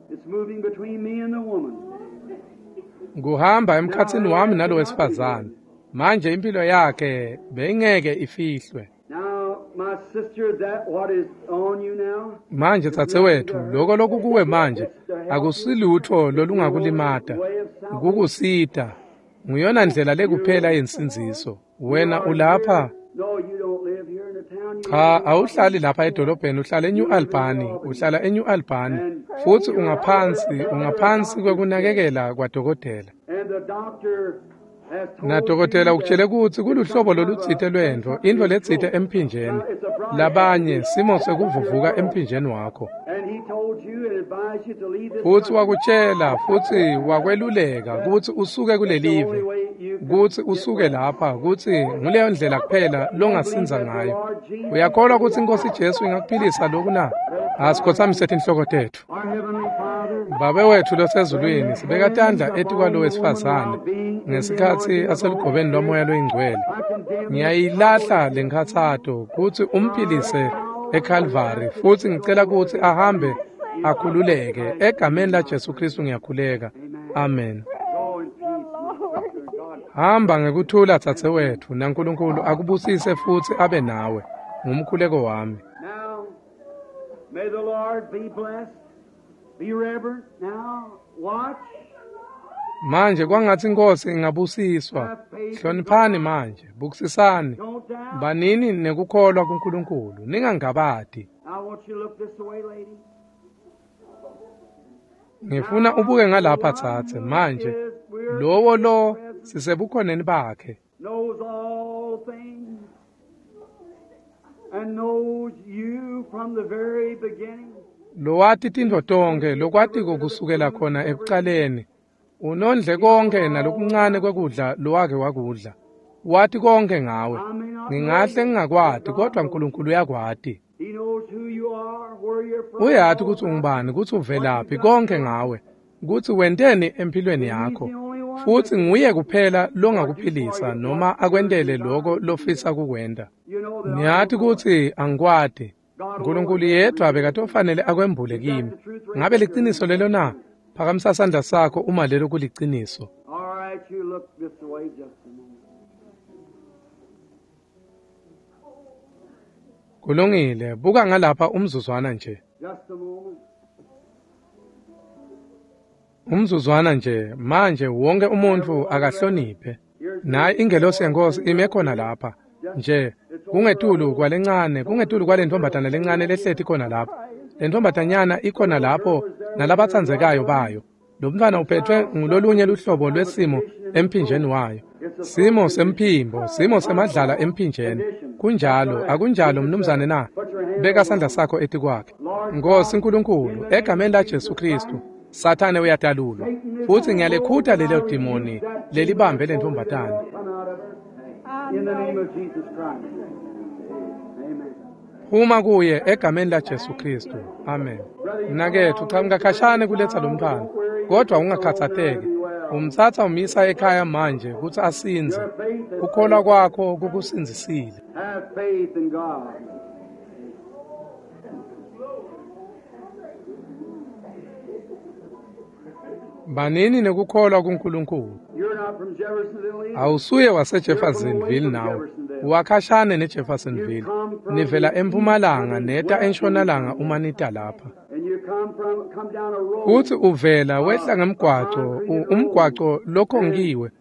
Kuhamba emkhatsini wami nalo wesifazane. Manje impilo yakhe beyingeke ifihlwe. Manje tsatse wethu, lokho lokukuwe manje akusilutho lolungakulimata, kukusita. Nguyona ndlela lekuphela yensindziso. Wena ulapha. Cha, awuhlali lapha edolobheni, uhlala eNew Albany, uhlala eNew Albany futhi ungaphansi, ungaphansi kwekunakekela kwadokotela. Nadokotela ukutshele ukuthi kuluhlobo lolutsite lwentfo, intfo letsite emphinjeni. Labanye simo sekuvuvuka emphinjeni wakho. Futhi wakutshela futhi wakweluleka ukuthi usuke kulelive, ukuthi usuke lapha, ukuthi nguleyo ndlela kuphela longasinza ngayo. Uyakholwa ukuthi inkosi Jesu ingakuphilisa lokhu na? Asikhothamise tinhloko tetfu. Babe wethu losezulwini, sibeka tandla etikwalo wesifazane ngesikhatsi aselugobeni lwamoya loyingcwele. Ngiyayilahla lenkhatsato kutsi umphilise eCalvary futhi ngicela kutsi ahambe akhululeke egameni la Jesu Kristu ngiyakhuleka. Amen. Hamba ngekuthula tsatse wethu naNkulunkulu akubusise futhi abe nawe. Ngumkhuleko wami. May the Lord be blessed. Be reverent now. Watch. Manje kwangatsi iNkhosi ingabusiswa. Hloniphani manje, bukisisani. Banini nekukholwa kuNkulunkulu, ningangabati. Ngifuna ubuke ngalapha tsatse manje. Lowo lo sisebukhoneni bakhe. Knows all things and knows you from the very beginning. Lowati tintfo tonkhe, lokwatiko kusukela khona ekucaleni. Unondle konke nalokuncane kwekudla lowake wakudla. Wati konke ngawe. Ngingahle ngingakwati, kodwa uNkulunkulu uyakwati. He knows who you are, where you're from. Uyati kutsi ungubani, kutsi uvelaphi, konke ngawe, kutsi wenteni empilweni yakho. Futsi nguye kuphela longakuphilisa noma akwentele loko lofisa kukwenta. You know that Ngiyati kutsi angikwati. uNkulunkulu yedwa bekatofanele akwembule kimi. Ngabe liciniso lelo na? Phakamisa sandla sakho uma lelo kuliciniso. All right, you look this way just a moment. Kulungile, buka ngalapha umzuzwana nje. Just a moment. Umzuzwana nje, manje wonke umuntu akahloniphe. Nayi ingelosi yenkosi ime khona lapha. Nje kungetulu kwalencane, kungetulu kwalentombatana lencane lehleti khona lapha. Lentombatanyana ikhona lapho nalabatsandzekayo bayo. Lo mntwana uphethwe ngulolunye luhlobo lwesimo emphinjeni wayo. Simo semphimbo, simo semadlala emphinjeni. Kunjalo, akunjalo mnumzane na? Beka sandla sakho etikwakhe. Nkosi uNkulunkulu, egameni la Jesu Kristu, Sathane uyadalulwa. Futsi ngiyalekhuta lelo dimoni lelibambe lentombatana. Come out of her. In the name of Jesus Christ. Amen. Phuma kuye egameni la Jesu Kristu. Amen. Mnaketfu, chamuka khashane kuletsa lo mntwana, kodwa ungakhatsateki. Umtsatsa umisa ekhaya manje kutsi asindze. Kukholwa kwakho kukusindzisile. Have faith in God. Banini nekukholwa kuNkulunkulu. You're not from Jeffersonville either. Awusuye waseJeffersonville nawe. Uwakhashane neJeffersonville. Nivela empumalanga neta entshonalanga uma nita lapha. And you come from come down a road. Futsi uvela wehla ngemgwaco, u- umgwaco lokhongiwe.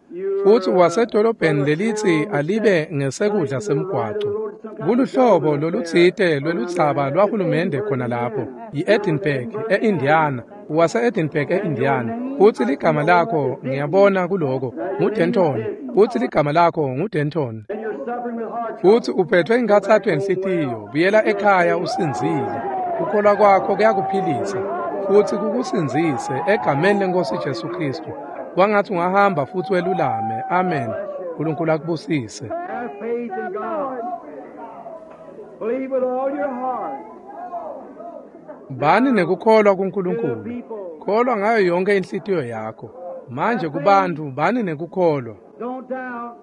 Futsi wasedolobheni lelitsi alibe ngesekudla semgwaco. Kuluhlobo lolutsite lweludzaba lwahulumende khona lapho, yi-Edinburgh e-Indiana, wase-Edinburgh e-Indiana. Futsi ligama lakho ngiyabona kuloko nguDenton. Futsi ligama lakho nguDenton. And you're suffering with heart Futsi uphethwe inkhatsato yenhlitiyo, buyela ekhaya usindzile. Kukholwa kwakho kuyakuphilisa futsi kukusindzise egameni lenkosi Jesu Kristu. Kwangatsi ungahamba futsi welulame. Amen. uNkulunkulu akubusise. Have faith in God. Believe with all your heart. Bani nekukholwa To the kuNkulunkulu. people. Kholwa ngayo yonke inhlitiyo yakho. Manje kubantu bani nekukholwa. Don't doubt.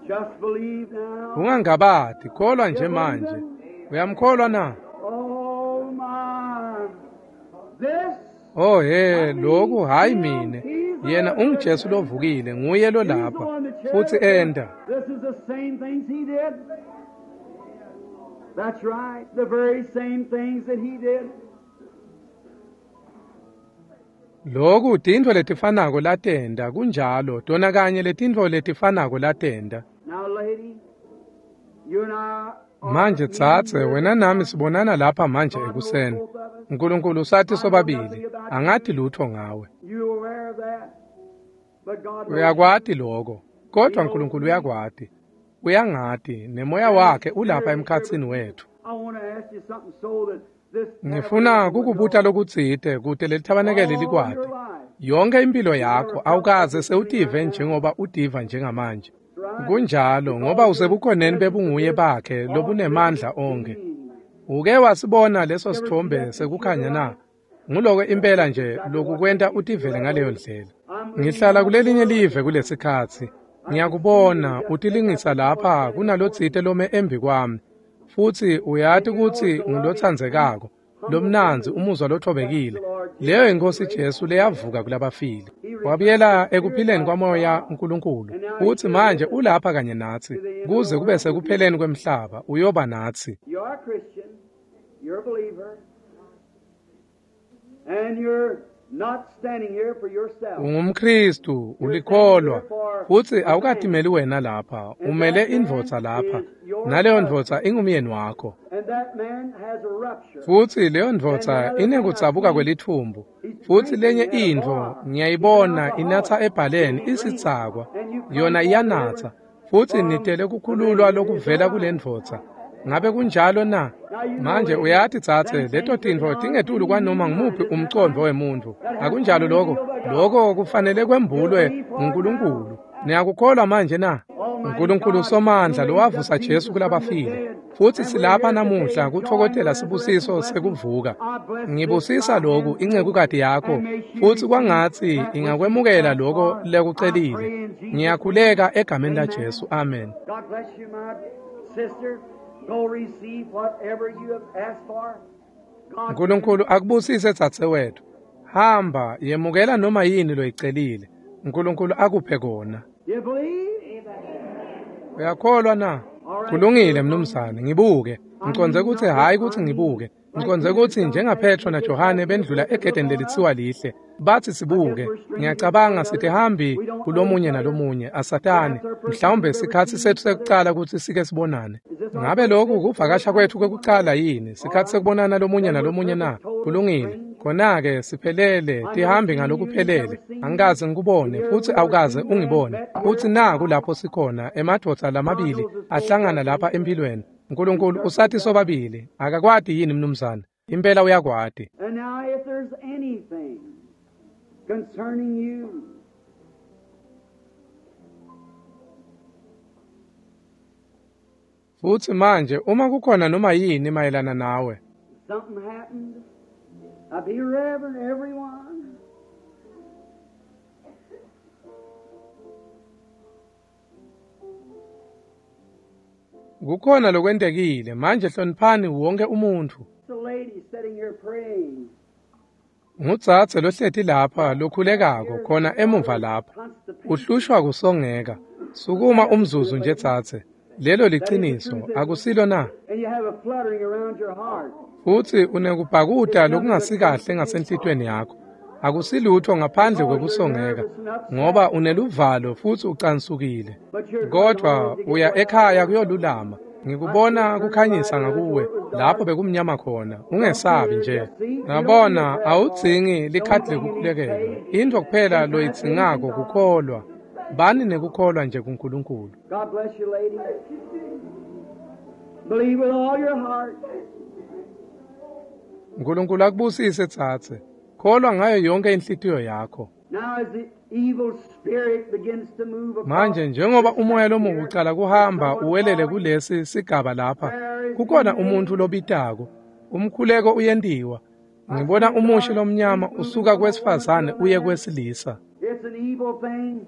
Just believe now. Ungangabati, kholwa nje manje. Uyamkholwa na? Oh my. This Oh he, lokhu hayi mine. Yena unguJesu lovukile, nguye lo lapha. Futsi enda. This is the same things he did. That's right, the very same things that he did. Lokhu tintfo letifanako latenda, kunjalo, tona kanye letintfo letifanako latenda. Now, lady, you and I are Manje tsatse, wena nami sibonana lapha manje ekuseni. uNkulunkulu usathi sobabili, angati lutho ngawe. You aware of that? But God knows. Uyakwati lokho, kodwa uNkulunkulu uyakwati. Uyangati, nemoya wakhe ulapha emkhatsini wethu. I want to ask you something so that this Ngifuna kukubuta lokutsite kute lelithabanekele likwati. All your life. Yonke impilo yakho awukaze sewutive njengoba utiva njengamanje. Kunjalo ngoba usebukhoneni bebunguye bakhe lobunemandla onke. Uke wasibona leso sithombe sekukhanya na? Nguloko impela nje lokukwenta utivele ngaleyo ndlela. Ngihlala kulelinye live kulesikhatsi. Ngiyakubona utilingisa lapha kunalotsite lome embi kwami. Futsi uyati kutsi ngulotsandzekako, lomnandzi umuzwa lothobekile. Leyo inkosi Jesu leyavuka kulabafile. Wabuyela ekuphileni kwamoya uNkulunkulu. Futsi manje ulapha kanye natsi kuze kube sekupheleni kwemhlaba uyoba natsi. You are a Christian. You're a believer. And you're not standing here for yourself. UngumKristu, ulikholwa, futsi awukatimeli wena lapha, umele indvodza lapha, naleyo ndvodza ingumyeni wakho. And that man has a rupture. Futsi leyo ndvodza inekudzabuka kwelithumbu, futsi lenye intfo ngiyayibona inatsa ebhaleni isidzakwa, yona iyanatsa, futsi nitele kukhululwa lokuvela kule ndvodza. Ngabe kunjalo na? Manje uyati tsatse, leto tintfo tingetulu kwanoma ngumuphi umcondvo wemuntfu. Akunjalo lokho? Lokho kufanele kwembulwe nguNkulunkulu. Niyakukholwa manje na? uNkulunkulu somandla lowavusa Jesu kulabafile. Futsi silapha namuhla kutfokotela sibusiso sekuvuka. Ngibusisa lokhu incekukati yakho, futsi kwangatsi ingakwemukela lokho lekucelile. Ngiyakhuleka egameni laJesu. Amen. God bless you, my sister. Go receive whatever you have asked for. God uNkulunkulu akubusise dzadzewethu. Hamba yemukela noma yini loyicelile. uNkulunkulu akuphe kona. You believe? Uyakholwa na? Kulungile mnumzane, ngibuke. Ngiconze kutsi hhayi kutsi ngibuke. Ngiconze kutsi njengaPetro naJohane bendlula egedeni lelitsiwa lihle. Bathi sibuke. Ngiyacabanga sitihambi kulomunye nalomunye, asatani. Mhlawumbe sikhatsi sethu sekucala kutsi sike sibonane. Ngabe lokhu kuvakasha kwethu kwekucala yini? Sikhatsi sekubonana lomunye nalomunye na? Kulungile. Khona-ke siphelele, tihambi ngalokuphelele. Angikaze ngikubone, futsi awukaze ungibone. Futsi naku lapho sikhona, emadvodza lamabili ahlangana lapha empilweni. uNkulunkulu usathi sobabili, akakwati yini mnumzane? Impela uyakwati. And now if there's anything concerning you, Futsi manje uma kukhona noma yini mayelana nawe, something happened, now be reverent, everyone. Kukhona lokwentekile, manje hloniphani wonke umuntfu. The lady sitting here praying. Ngudzadze lohleti lapha lokhulekako khona emuva lapha. Uhlushwa kusongeka. Sukuma umzuzu nje dzadze. Lelo liciniso, akusilo na? And you have a fluttering around your heart. Futsi unekubhakuta lokungasikahle ngasenhlitweni yakho. Akusilutho ngaphandle kwekusongeka, ngoba uneluvalo futsi ucansukile. Kodwa uya ekhaya kuyolulama. Ngikubona kukhanyisa ngakuwe lapho bekumnyama khona. Ungesabi nje. Ngabona awudzingi likhadi lekukhulekelwa. Intfo kuphela loyidzingako kukholwa. Bani nekukholwa nje kuNkulunkulu. God bless you, lady. Believe with all your heart. uNkulunkulu akubusise tsatse. Kholwa ngayo yonke inhlitiyo yakho. Now as the evil spirit begins to move across Manje njengoba umoya lomubi ucala kuhamba uwelele kulesi sigaba lapha, kukhona umuntfu lobitako. Umkhuleko uyentiwa. Ngibona umushi lomnyama usuka kwesifazane uye kwesilisa. It's an evil thing,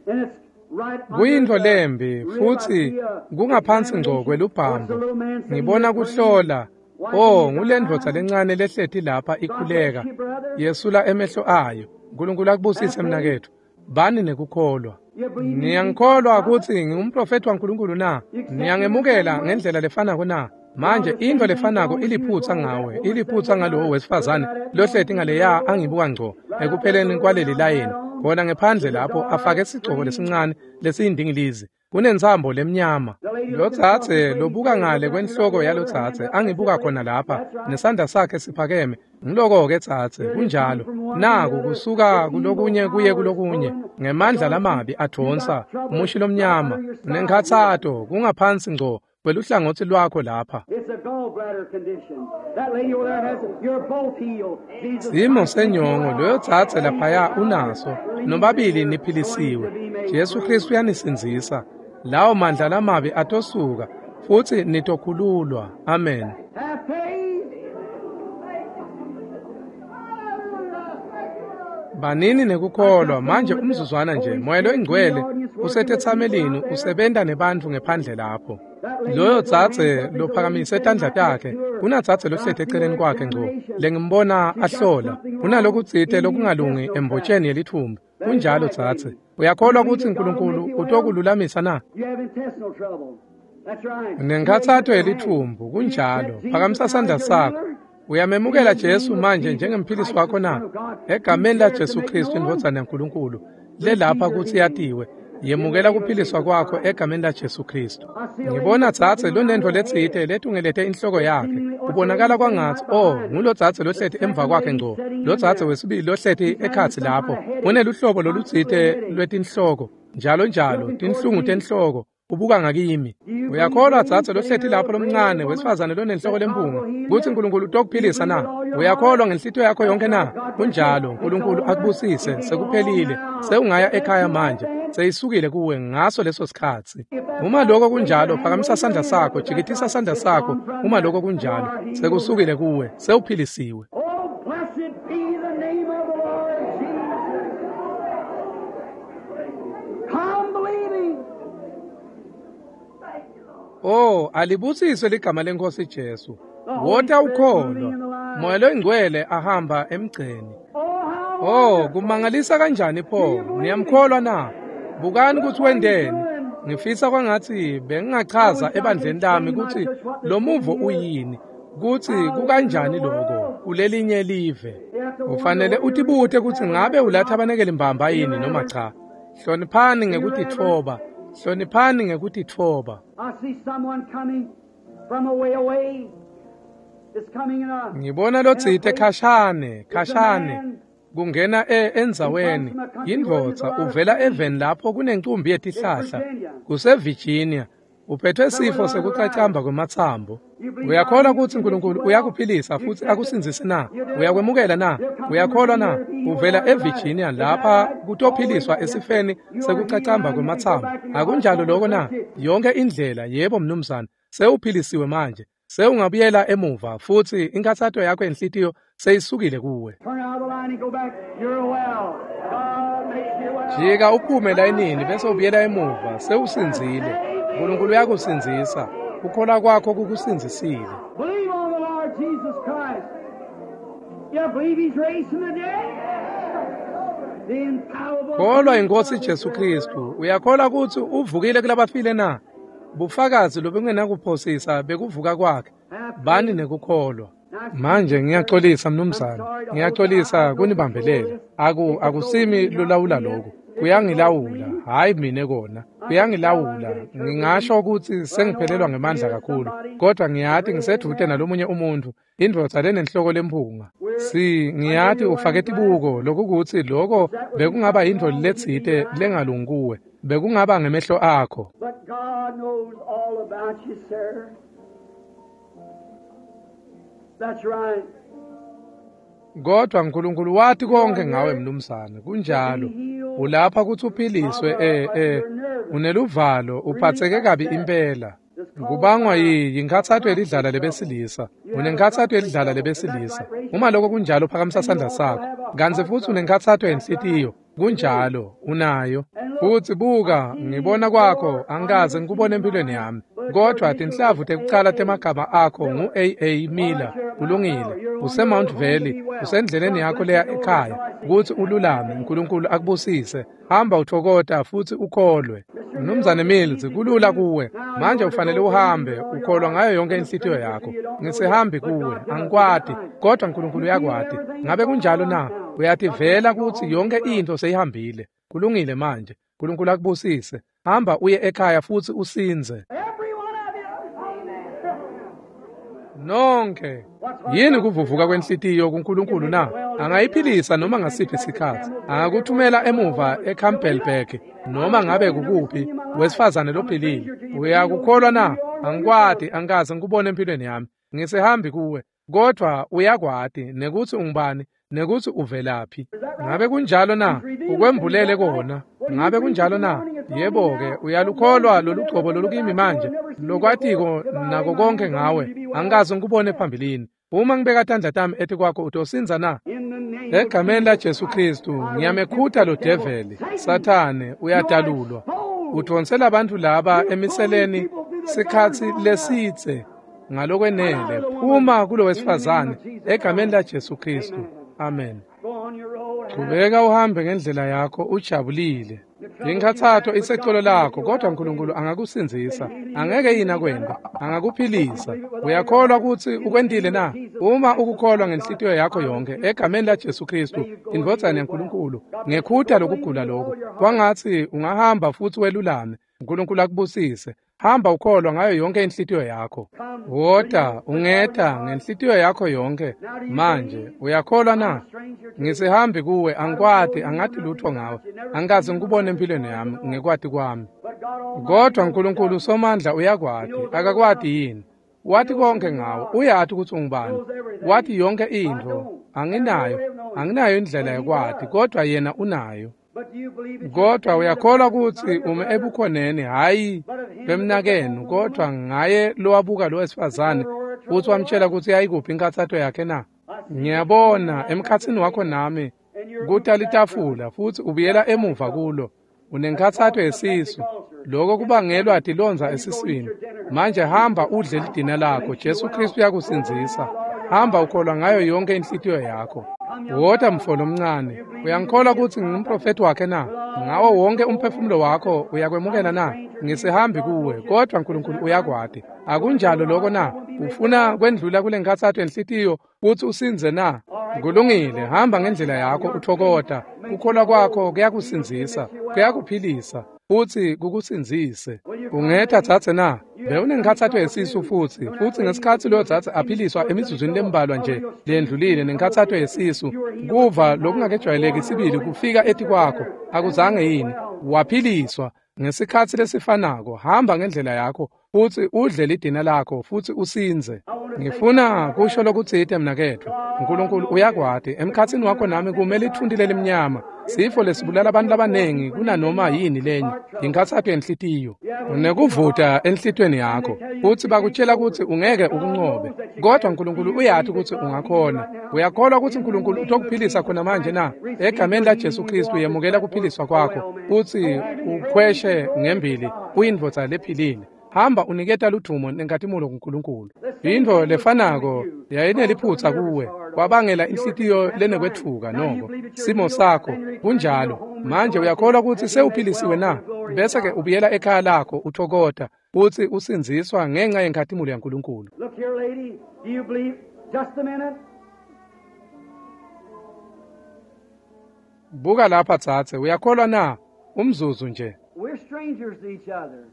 and it's right under Kuyintfo the lembi rib. I futsi see a kungaphansi ngco examination. kwelubhambo. What's the little man sitting Ngibona here praying? kuhlola. Wiping Oh, his ngulendvodza eyes. lencane lehleti lapha ikhuleka. God bless you, brother. Yesula emehlo ayo. uNkulunkulu akubusise mnaketfu. Bani nekukholwa. You believe me? Niyangikholwa kutsi ngingumprofethi waNkulunkulu na? Niyangemukela ngendlela lefanako na? Manje intfo lefanako iliphutsa ngawe, iliphutsa ngalowo wesifazane lohleti ngaleya angibuka ngco ekupheleni kwaleli layini. Khona ngephandle lapho afake sigcoko lesincane lesiyindingilizi. Kunentsambo lemnyama. Lodzadze lobuka ngale kwenhloko yalodzadze angibuka khona lapha nesandla sakhe siphakeme. Ngiloko-ke dzadze, kunjalo. Naku kusuka kulokunye kuye kulokunye ngemandla lamabi advonsa umushi lomnyama nenkhatsato kungaphansi ngco kweluhlangotsi lwakho lapha. It's a gallbladder condition. That lady over there has it. You're both healed. Jesus Simo Christ senyongo loyo dzadze laphaya unaso, nobabili niphilisiwe. Jesu Kristu uyanisindzisa. Lawo mandla lamabi atosuka futsi nitokhululwa. Amen. Have faith. Banini nekukholwa manje umzuzwana nje. Moya loyingcwele usetetsamelini usebenta nebantfu ngephandle lapho. Loyo dzadze lophakamise tandla takhe, kunadzadze lohleti eceleni kwakhe ngco lengimbona ahlola. Kunalokutsite lokungalungi embotsheni yelithumba. Kunjalo dzadze. Uyakholwa kutsi uNkulunkulu utokululamisa na? You have intestinal trouble. That's right. Nenkhatsato yelithumbu, kunjalo. Phakamisa sandla sakho. Uyamemukela Jesu manje njengemphilisi wakho na? Egameni laJesu Kristu indvodzana yaNkulunkulu, lelapha kutsi yatiwe, yemukela kuphiliswa kwakho egameni laJesu Kristu. Ngibona dzadze lonentfo letsite letungelete inhloko yakhe. Kubonakala kwangatsi, oh, ngulodzadze lohleti emva kwakhe ngco, lodzadze wesibili lohleti ekhatsi lapho. Uneluhlobo lolutsite lwetinhloko, njalo njalo, tinhlungu tenhloko. Ubuka ngakimi. Uyakholwa dzadze lohleti lapho lomncane wesifazane lonenhloko lempunga kutsi Nkulunkulu utokuphilisa na? Uyakholwa ngenhlitiyo yakho yonke na? Kunjalo, Nkulunkulu akubusise, sekuphelile. Sewungaya ekhaya manje. Seyisukile kuwe ngaso leso sikhatsi. Uma lokho kunjalo, phakamisa sandla sakho, jikitisa sandla sakho. Uma lokho kunjalo, sekusukile kuwe, sewuphilisiwe. Oh, blessed be the name of the Lord Jesus. Come believing. Oh, alibusiswe ligama leNkosi Jesu. Wota ukholwa. Moya loyingcwele ahamba emgceni. Oh, how Oh, kumangalisa kanjani pho? Niyamkholwa na? Bukani kutsi wendeni. Ngifisa kwangatsi bengingachaza ebandleni lami kutsi lo muvo uyini, kutsi kukanjani lokho kulelinye live. Ufanele utibute kutsi ngabe ulathabanekele mbamba yini noma cha. Hloniphani ngekutitfoba. Hloniphani ngekutitfoba. I see someone coming from a way away. It's coming in a Ngibona lotsite khashane, khashane. Kungena e endzaweni indvodza uvela eveni lapho kunencumbi yetihlahla kuseVirginia, uphethwe sifo sekucacamba kwematsambo. Uyakholwa kutsi Nkulunkulu uyakuphilisa futsi akusindzise na? Uyakwemukela na? Uyakholwa na? Uvela eVirginia lapha kutophiliswa esifeni sekucacamba kwematsambo. Akunjalo lokho na? Yonke indlela, yebo mnumzane, sewuphilisiwe manje. Sewungabuyela emuva futsi inkhatsato yakho yenhlitiyo seyisukile kuwe. Turn out of the line and go back. You're well. God makes you well. Jika uphume layinini bese ubuyela emuva, sewusindzile. Nkulunkulu uyakusindzisa. Kukholwa kwakho kukusindzisile. Believe on the Lord Jesus Christ. You believe He's raised from the dead? The infallible. Kholwa inkosi Jesu Kristu. Uyakholwa kutsi uvukile kulabafile na? Bufakazi lobungenakuphosisa bekuvuka kwakhe. Bani nekukholwa. Manje ngiyaxolisa mnumzane, ngiyaxolisa kunibambelela. Aku akusimi lolawula lokho. Kuyangilawula, hayi mina kona. Kuyangilawula. Ngingasho ukuthi sengiphelelwa ngemandla kakhulu, kodwa ngiyati ngisedvute nalomunye umuntu, indvodza lenenhloko lempunga. Si ngiyati ufake tibuko lokukuthi lokho bekungaba yintfo letsite lengalungi kuwe, bekungaba ngemehlo akho. But God knows all about you, sir. That's right. Kodwa Nkulunkulu wati konke ngawe mnumzane, kunjalo. Ulapha kutsi uphiliswe eh eh uneluvalo, uphatseke kabi impela. Kubangwa yi yinkhatsato yelidlala lebesilisa. Unenkhatsato yelidlala lebesilisa. Uma lokho kunjalo phakamisa sandla sakho. Kantsi futsi unenkhatsato yenhlitiyo. Kunjalo, unayo. Futsi buka, ngibona kwakho angikaze ngikubone empilweni yami. Kodwa tinhlavu tekucala temagama akho ngu A A Miller. Kulungile. Use Mount Valley, usendleleni yakho leya ekhaya. Kutsi ululame, Nkulunkulu akubusise. Hamba uthokota futsi ukholwe. Mnumzane Mills, kulula kuwe. Manje ufanele uhambe, ukholwa ngayo yonke inhlitiyo yakho. Ngisihambi kuwe, angikwati, kodwa Nkulunkulu uyakwati. Ngabe kunjalo na? Uyativela kutsi yonke intfo seyihambile. Kulungile manje. Nkulunkulu akubusise. Hamba uye ekhaya futsi usindze. Every one of you. Nonke. Yini kuvuvuka kwenhlitiyo kuNkulunkulu na? Angayiphilisa noma ngasiphi isikhatsi. Angakuthumela emuva eCampbellburg noma ngabe kukuphi, wesifazane lophilile. Uyakukholwa na? Angikwati, angikaze ngikubone empilweni yami. Ngisihambi kuwe, kodwa uyakwati nekutsi ungubani, nekutsi uvelaphi. Ngabe kunjalo na? Ukwembulele kona. Ngabe kunjalo na? Yebo-ke, uyalukholwa lolugcobo lolukimi manje, lokwatiko nako konke ngawe. Angikaze ngikubone phambilini. Uma ngibeka tandla tami etikwakho utosindza na? In the name of Egameni laJesu Kristu, ngiyamekhuta lo develi. Sathane uyadalulwa. Udvonsela abantu laba emiseleni sikhatsi lesitse ngalokwenele. Phuma kulo wesifazane egameni laJesu Kristu. Amen. Go on your road. Chubeka uhambe ngendlela yakho ujabulile. Inkhatsato isecolo lakho, kodwa Nkulunkulu angakusindzisa. Angeke yini akwente? Angakuphilisa. Uyakholwa kutsi ukwentile na? Uma ukukholwa ngenhlitiyo yakho yonkhe egameni la Jesu Kristu, indvodzana yaNkulunkulu, ngekhuta lokugula lokhu, kwangatsi ungahamba futsi welulame. Nkulunkulu akubusise. Hamba ukholwa ngayo yonke inhlitiyo yakho. Wota ungeta ngenhlitiyo yakho yonke. Manje uyakholwa na? Ngisihambi kuwe, angikwati, angati lutho ngawe. Angikaze ngikubone empilweni yami ngekwati kwami. Kodwa Nkulunkulu Somandla uyakwati, akakwati yini? Wati konke ngawe, uyati kutsi ungubani. Wati yonke intfo. Anginayo, anginayo indlela yokwati, kodwa yena unayo. Kodwa uyakholwa kutsi ume ebukhoneni, hhayi bemnakenu, kodwa ngaye lowabuka lo wesifazane futsi wamtshela kutsi yayikuphi inkhatsato yakhe na? Ngiyabona emkhatsini wakho nami kuta litafula futsi ubuyela emuva kulo. Unenkhatsato yesisu, lokho kubangelwa tilondza esiswini. Manje hamba udle lidina lakho, Jesu Kristu uyakusindzisa. Hamba ukholwa ngayo yonke inhlitiyo yakho. Wota mfo lomncane, uyangikholwa kutsi ngingumprofethi wakhe na? Ngawo wonke umphefumulo wakho uyakwemukela na? Ngisihambi kuwe, kodwa Nkulunkulu uyakwati. Akunjalo lokho na? Ufuna kwendlula kule nkhatsato yenhlitiyo kutsi usindze na? Kulungile, hamba ngendlela yakho uthokota. Kukholwa kwakho kuyakusindzisa, kuyakuphilisa, futsi kukusindzise. Ungeta dzadze na? Bewunenkhatsato yesisu futsi, futsi ngesikhatsi loyo dzadze aphiliswa emizuzwini lembalwa nje lendlulile nenkhatsato yesisu, kuva lokungakejwayeleki sibili kufika etikwakho, akuzange yini? Waphiliswa ngesikhatsi lesifanako. Hamba ngendlela yakho futsi udle lidina lakho futsi usindze. Ngifuna kusho lokutsite mnaketfu. Nkulunkulu uyakwati, emkhatsini wakho nami kume litfunti lelimnyama, sifo lesibulala abantu labanengi kunanoma yini lenye, inkhatsato yenhlitiyo. Unekuvuta enhlitiyweni yakho, futsi bakutshela kutsi ungeke ukuncobe, kodwa Nkulunkulu uyati kutsi ungakhona. Uyakholwa kutsi Nkulunkulu utokuphilisa khona manje na? Egameni la Jesu Kristu yemukela kuphiliswa kwakho, futsi ukhweshe ngembili uyindvodza lephilile. Hamba uniketa ludvumo nenkhatimulo kuNkulunkulu. Intfo lefanako yayineliphutsa kuwe, kwabangela inhlitiyo lenekwetfuka noko. Simo sakho kunjalo. Manje uyakholwa kutsi sewuphilisiwe na? Bese ke ubuyela ekhaya lakho uthokota futsi usindziswa ngenxa yenkhatimulo yaNkulunkulu. Look here, lady. Do you believe? Just a minute. Buka lapha dzadze, uyakholwa na? Umzuzu nje. We're strangers to each other.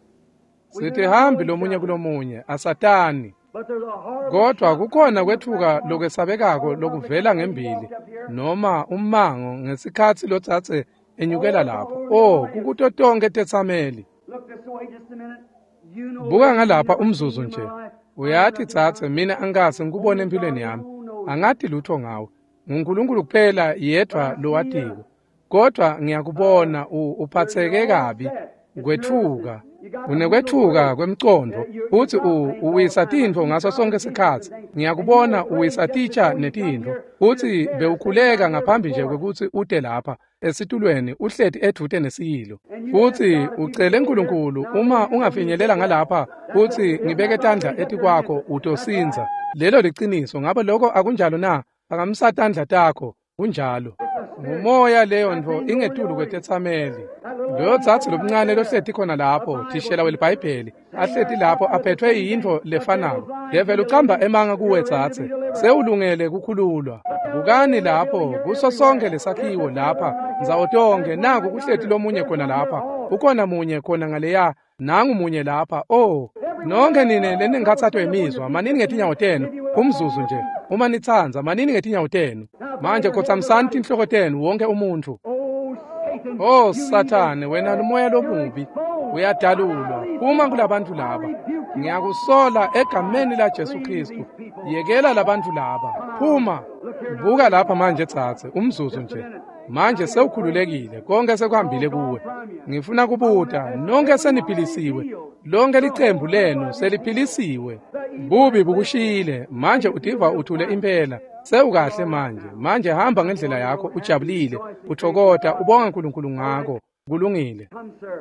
Sitihambi lomunye kulomunye, asatani. But there's a horrible Kodwa kukhona kwetfuka lokwesabekako lokuvela ngembili noma ummango ngesikhatsi lotsatse enyukela lapho. Oh, kukuto tonke tetsameli. Look this way just a minute. You know Buka ngalapha umzuzu nje. Uyati tsatse, mina angikaze ngikubone empilweni yami. Angati lutho ngawe. NguNkulunkulu kuphela yedvwa lowatiko. Kodwa ngiyakubona uphatseke kabi kwetfuka. Unekwetfuka kwemcondvo futsi uwisa tintfo ngaso sonke sikhatsi. Ngiyakubona uwisa titsha netintfo futsi bewukhuleka ngaphambi nje kwekutsi ute lapha esitulweni uhleti edvute nesiyilo. Futsi ucele Nkulunkulu uma ungafinyelela ngalapha futsi ngibeke tandla etikwakho utosindza. Lelo liciniso. Ngabe lokho akunjalo na? Phakamisa tandla takho. Kunjalo. Ngumoya leyo ntfo ingetulu kwetetsameli. Loyo dzadze lomncane lohleti khona lapho, thishela weliBhayibheli, ahleti lapho aphethwe yintfo lefanako. Develi ucamba emanga kuwe dzadze, sewulungele kukhululwa. Bukani lapho kuso sonke lesakhiwo lapha, ndzawo tonkhe, naku kuhleti lomunye khona lapha, ukhona munye khona ngaleya, nangu munye lapha. Oh, nonke nine lenenkhatsato yemizwa, manini ngetinyawo tenu, umzuzu nje. Uma nitsandza, manini ngetinyawo tenu. Manje khotsamisani tinhloko tenu wonke umuntfu. Oh, Satan. Oh Sathane, wena lumoya lomubi uyadalulwa. Phuma kulabantu laba. Ngiyakusola egameni la Jesu Kristu. Yekela labantu laba. Phuma. Buka lapha manje tsatse, umzuzu nje. Manje sewukhululekile, konke sekuhambile kuwe. Ngifuna kubuta, nonke seniphilisiwe. Lonke licembu lenu seliphilisiwe. Bubi bukushiyile, manje utiva uthule impela. Sewukahle manje. Manje hamba ngendlela yakho ujabulile, uthokota, ubonga uNkulunkulu ngako. Kulungile. Come, sir.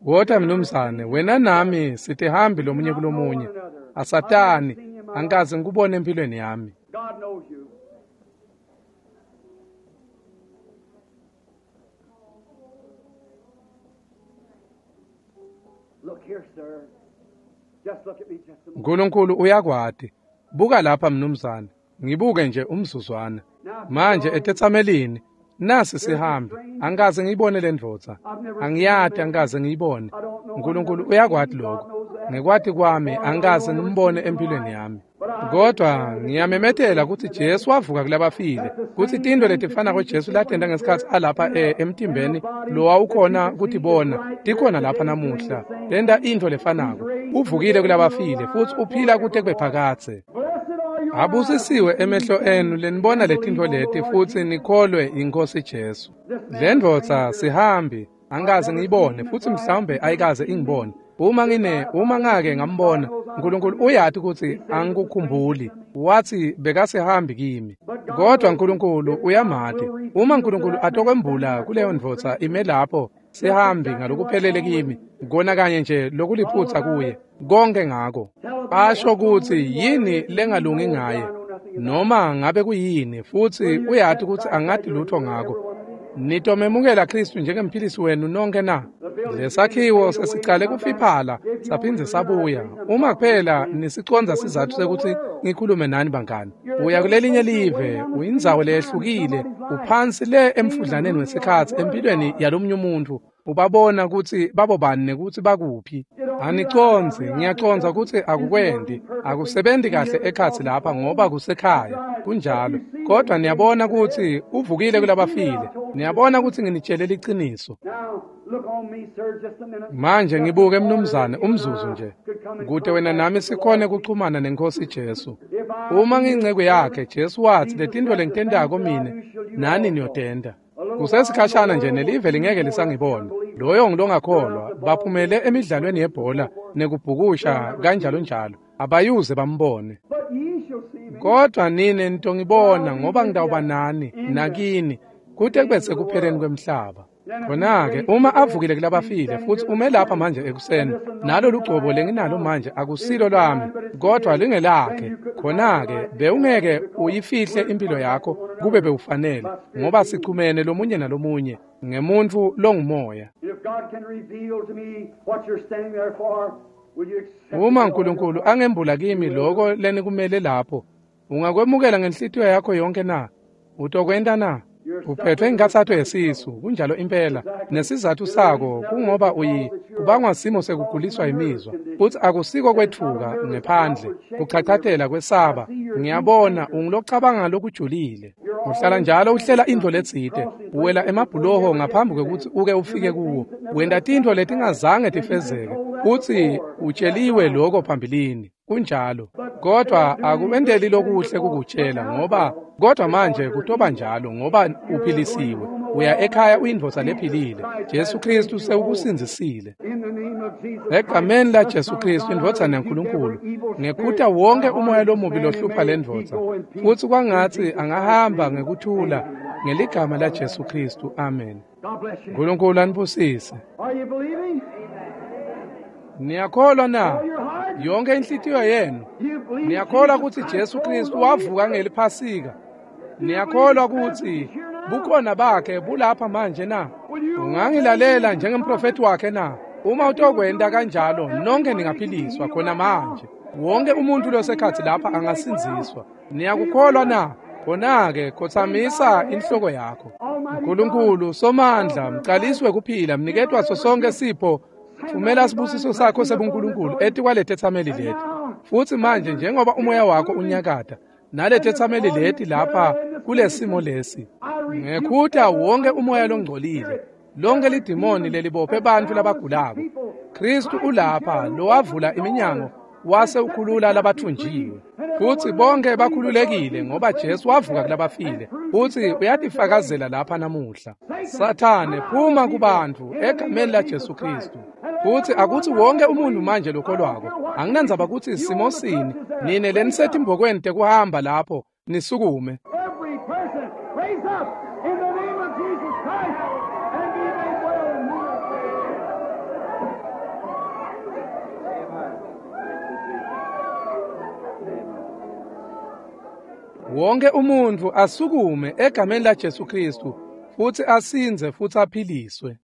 Wota mnumzane, wena nami sitihambi lomunye kulomunye. Asatani, angikaze ngikubone empilweni yami. God knows you. Nkulunkulu uyakwati. Buka lapha mnumzane, ngibuke nje umzuzwana. Manje etetsamelini, nasi sihambi, angikaze ngiyibone le ndvodza. Angiyati, angikaze ngiyibone. Nkulunkulu uyakwati lokho. Ngekwati kwami angikaze ngimbone empilweni yami. Kodwa ngiyamemetela kutsi Jesu wavuka kulabafile, kutsi tintfo letifanako Jesu latenta ngesikhatsi alapha e emtimbeni lowawukhona kutibona tikhona lapha namuhla. Tenta intfo lefanako. Uvukile kulabafile futsi uphila kute kube phakadze. Abusisiwe emehlo enu lenibona letintfo leti futsi nikholwe iNkhosi Jesu. Le ndvodza sihambi, angikaze ngiyibone futsi mhlawumbe ayikaze ingibone. Uma ngine uma ngake ngambona, Nkulunkulu uyati kutsi angikukhumbuli. Wathi bekasihambi kimi. Kodwa Nkulunkulu uyamati. Uma Nkulunkulu atokwembula kuleyo ndvodza ime lapho sihambi ngalokuphelele kimi, kona kanye nje lokuliphutsa kuye, konke ngako. Asho kutsi yini lengalungi ngaye, noma ngabe kuyini, futsi uyati kutsi angati lutho ngako. Nitomemukela Kristu njengemphilisi wenu nonke na? Lesakhiwo sesicale kufiphala saphindze sabuya. Uma kuphela nisicondza sizatfu sekuthi ngikhulume nani bangani. Uya kulelinye live, uyindzawo leyehlukile, uphansi le emfudlaneni wesikhatsi empilweni yalomunye umuntu. Ubabona kutsi babobani nekutsi bakuphi. Anicondzi, ngiyacondza kutsi akukwendi, akusebenzi kahle ekhatsi lapha ngoba kusekhaya, kunjalo. Kodwa niyabona kutsi uvukile kulabafile. Niyabona kutsi nginitshele liciniso. Manje ngibuke mnumzane umzuzu nje, kute wena nami sikhone kuxhumana nenkosi Jesu. Uma ngiyinceku yakhe, Jesu wathi letintfo lengitentako mine nani niyotenta. Kusesikhashana nje nelive lingeke lisangibona. Loyo ngilongakholwa baphumele emidlalweni yebhola nekubhukusha kanjalo njalo, abayuze bambone. Kodwa nine nitongibona ngoba ngitawuba nani nakini kute kube sekupheleni kwemhlaba. Khona-ke uma avukile kulabafile futsi ume lapha manje ekuseni, nalo lugcobo lenginalo manje akusilo lwami kodwa lingelakhe, khona-ke bewungeke uyifihle impilo yakho kube bewufanele, ngoba sichumene lomunye nalomunye ngemuntfu longumoya. Uma Nkulunkulu angembula kimi loko lenikumele lapho, ungakwemukela ngenhlitiyo yakho yonke na? Utokwenta na? Uphethwe inkathatho yesisu, kunjalo impela. Nesizathu sako kungoba uyi kubangwa simo sekuguliswa imizwa, futhi akusiko kwethuka ngephandle, kuchachatela kwesaba. Ngiyabona ungilocabanga lokujulile. Uhlala njalo uhlela intfo letsite, uwela emabhuloho ngaphambi kwekutsi uke ufike kuwo. Wenta tintfo letingazange tifezeke, futsi utsheliwe lokho phambilini. Kunjalo. Kodwa akuwenteli lokuhle kukutshela ngoba kodwa manje kutoba njalo ngoba uphilisiwe. Uya ekhaya uyindvodza lephilile. Jesu Kristu sewukusindzisile. Egameni la Jesu Kristu indvodzana yaNkulunkulu, ngekhuta wonke umoya lomubi lohlupha lendvodza, futsi kwangatsi angahamba ngekuthula ngeligama la Jesu Kristu. Amen. Nkulunkulu anibusise. Niyakholwa na? Yonke inhlitiyo yenu. Niyakholwa kutsi Jesu Kristu wavuka ngeliphasika? Niyakholwa kutsi bukhona bakhe bulapha manje na? Ungangilalela njengemprofeti wakhe na? Uma utokwenta kanjalo, nonke ningaphiliswa khona manje. Wonke umuntu losekhatsi lapha angasindziswa. Niyakukholwa na? Khona-ke khotsamisa inhloko yakho. Nkulunkulu Somandla, mcaliswe kuphila, mniketwa sonke sipho. Thumela sibusiso sakho sebuNkulunkulu etikwaletetsameli leti. Futsi manje njengoba umoya wakho unyakata naletetsameli leti lapha kulesimo lesi, ngekhuta wonke umoya longcolile, lonke lidimoni lelibophe bantfu labagulako. Kristu ulapha lowavula iminyango wase ukhulula labathunjiwe, futsi bonke bakhululekile ngoba Jesu wavuka kulabafile, futsi uyatifakazela lapha namuhla. Sathane, phuma kubantfu egameni la Jesu Kristu. Futsi akutsi wonke umuntu manje lokholwako, anginandzaba kutsi simo sini, nine lenisetimbokweni tekuhamba lapho nisukume. Wonke umuntu asukume egameni la Jesu Kristu futsi asindze futsi aphiliswe.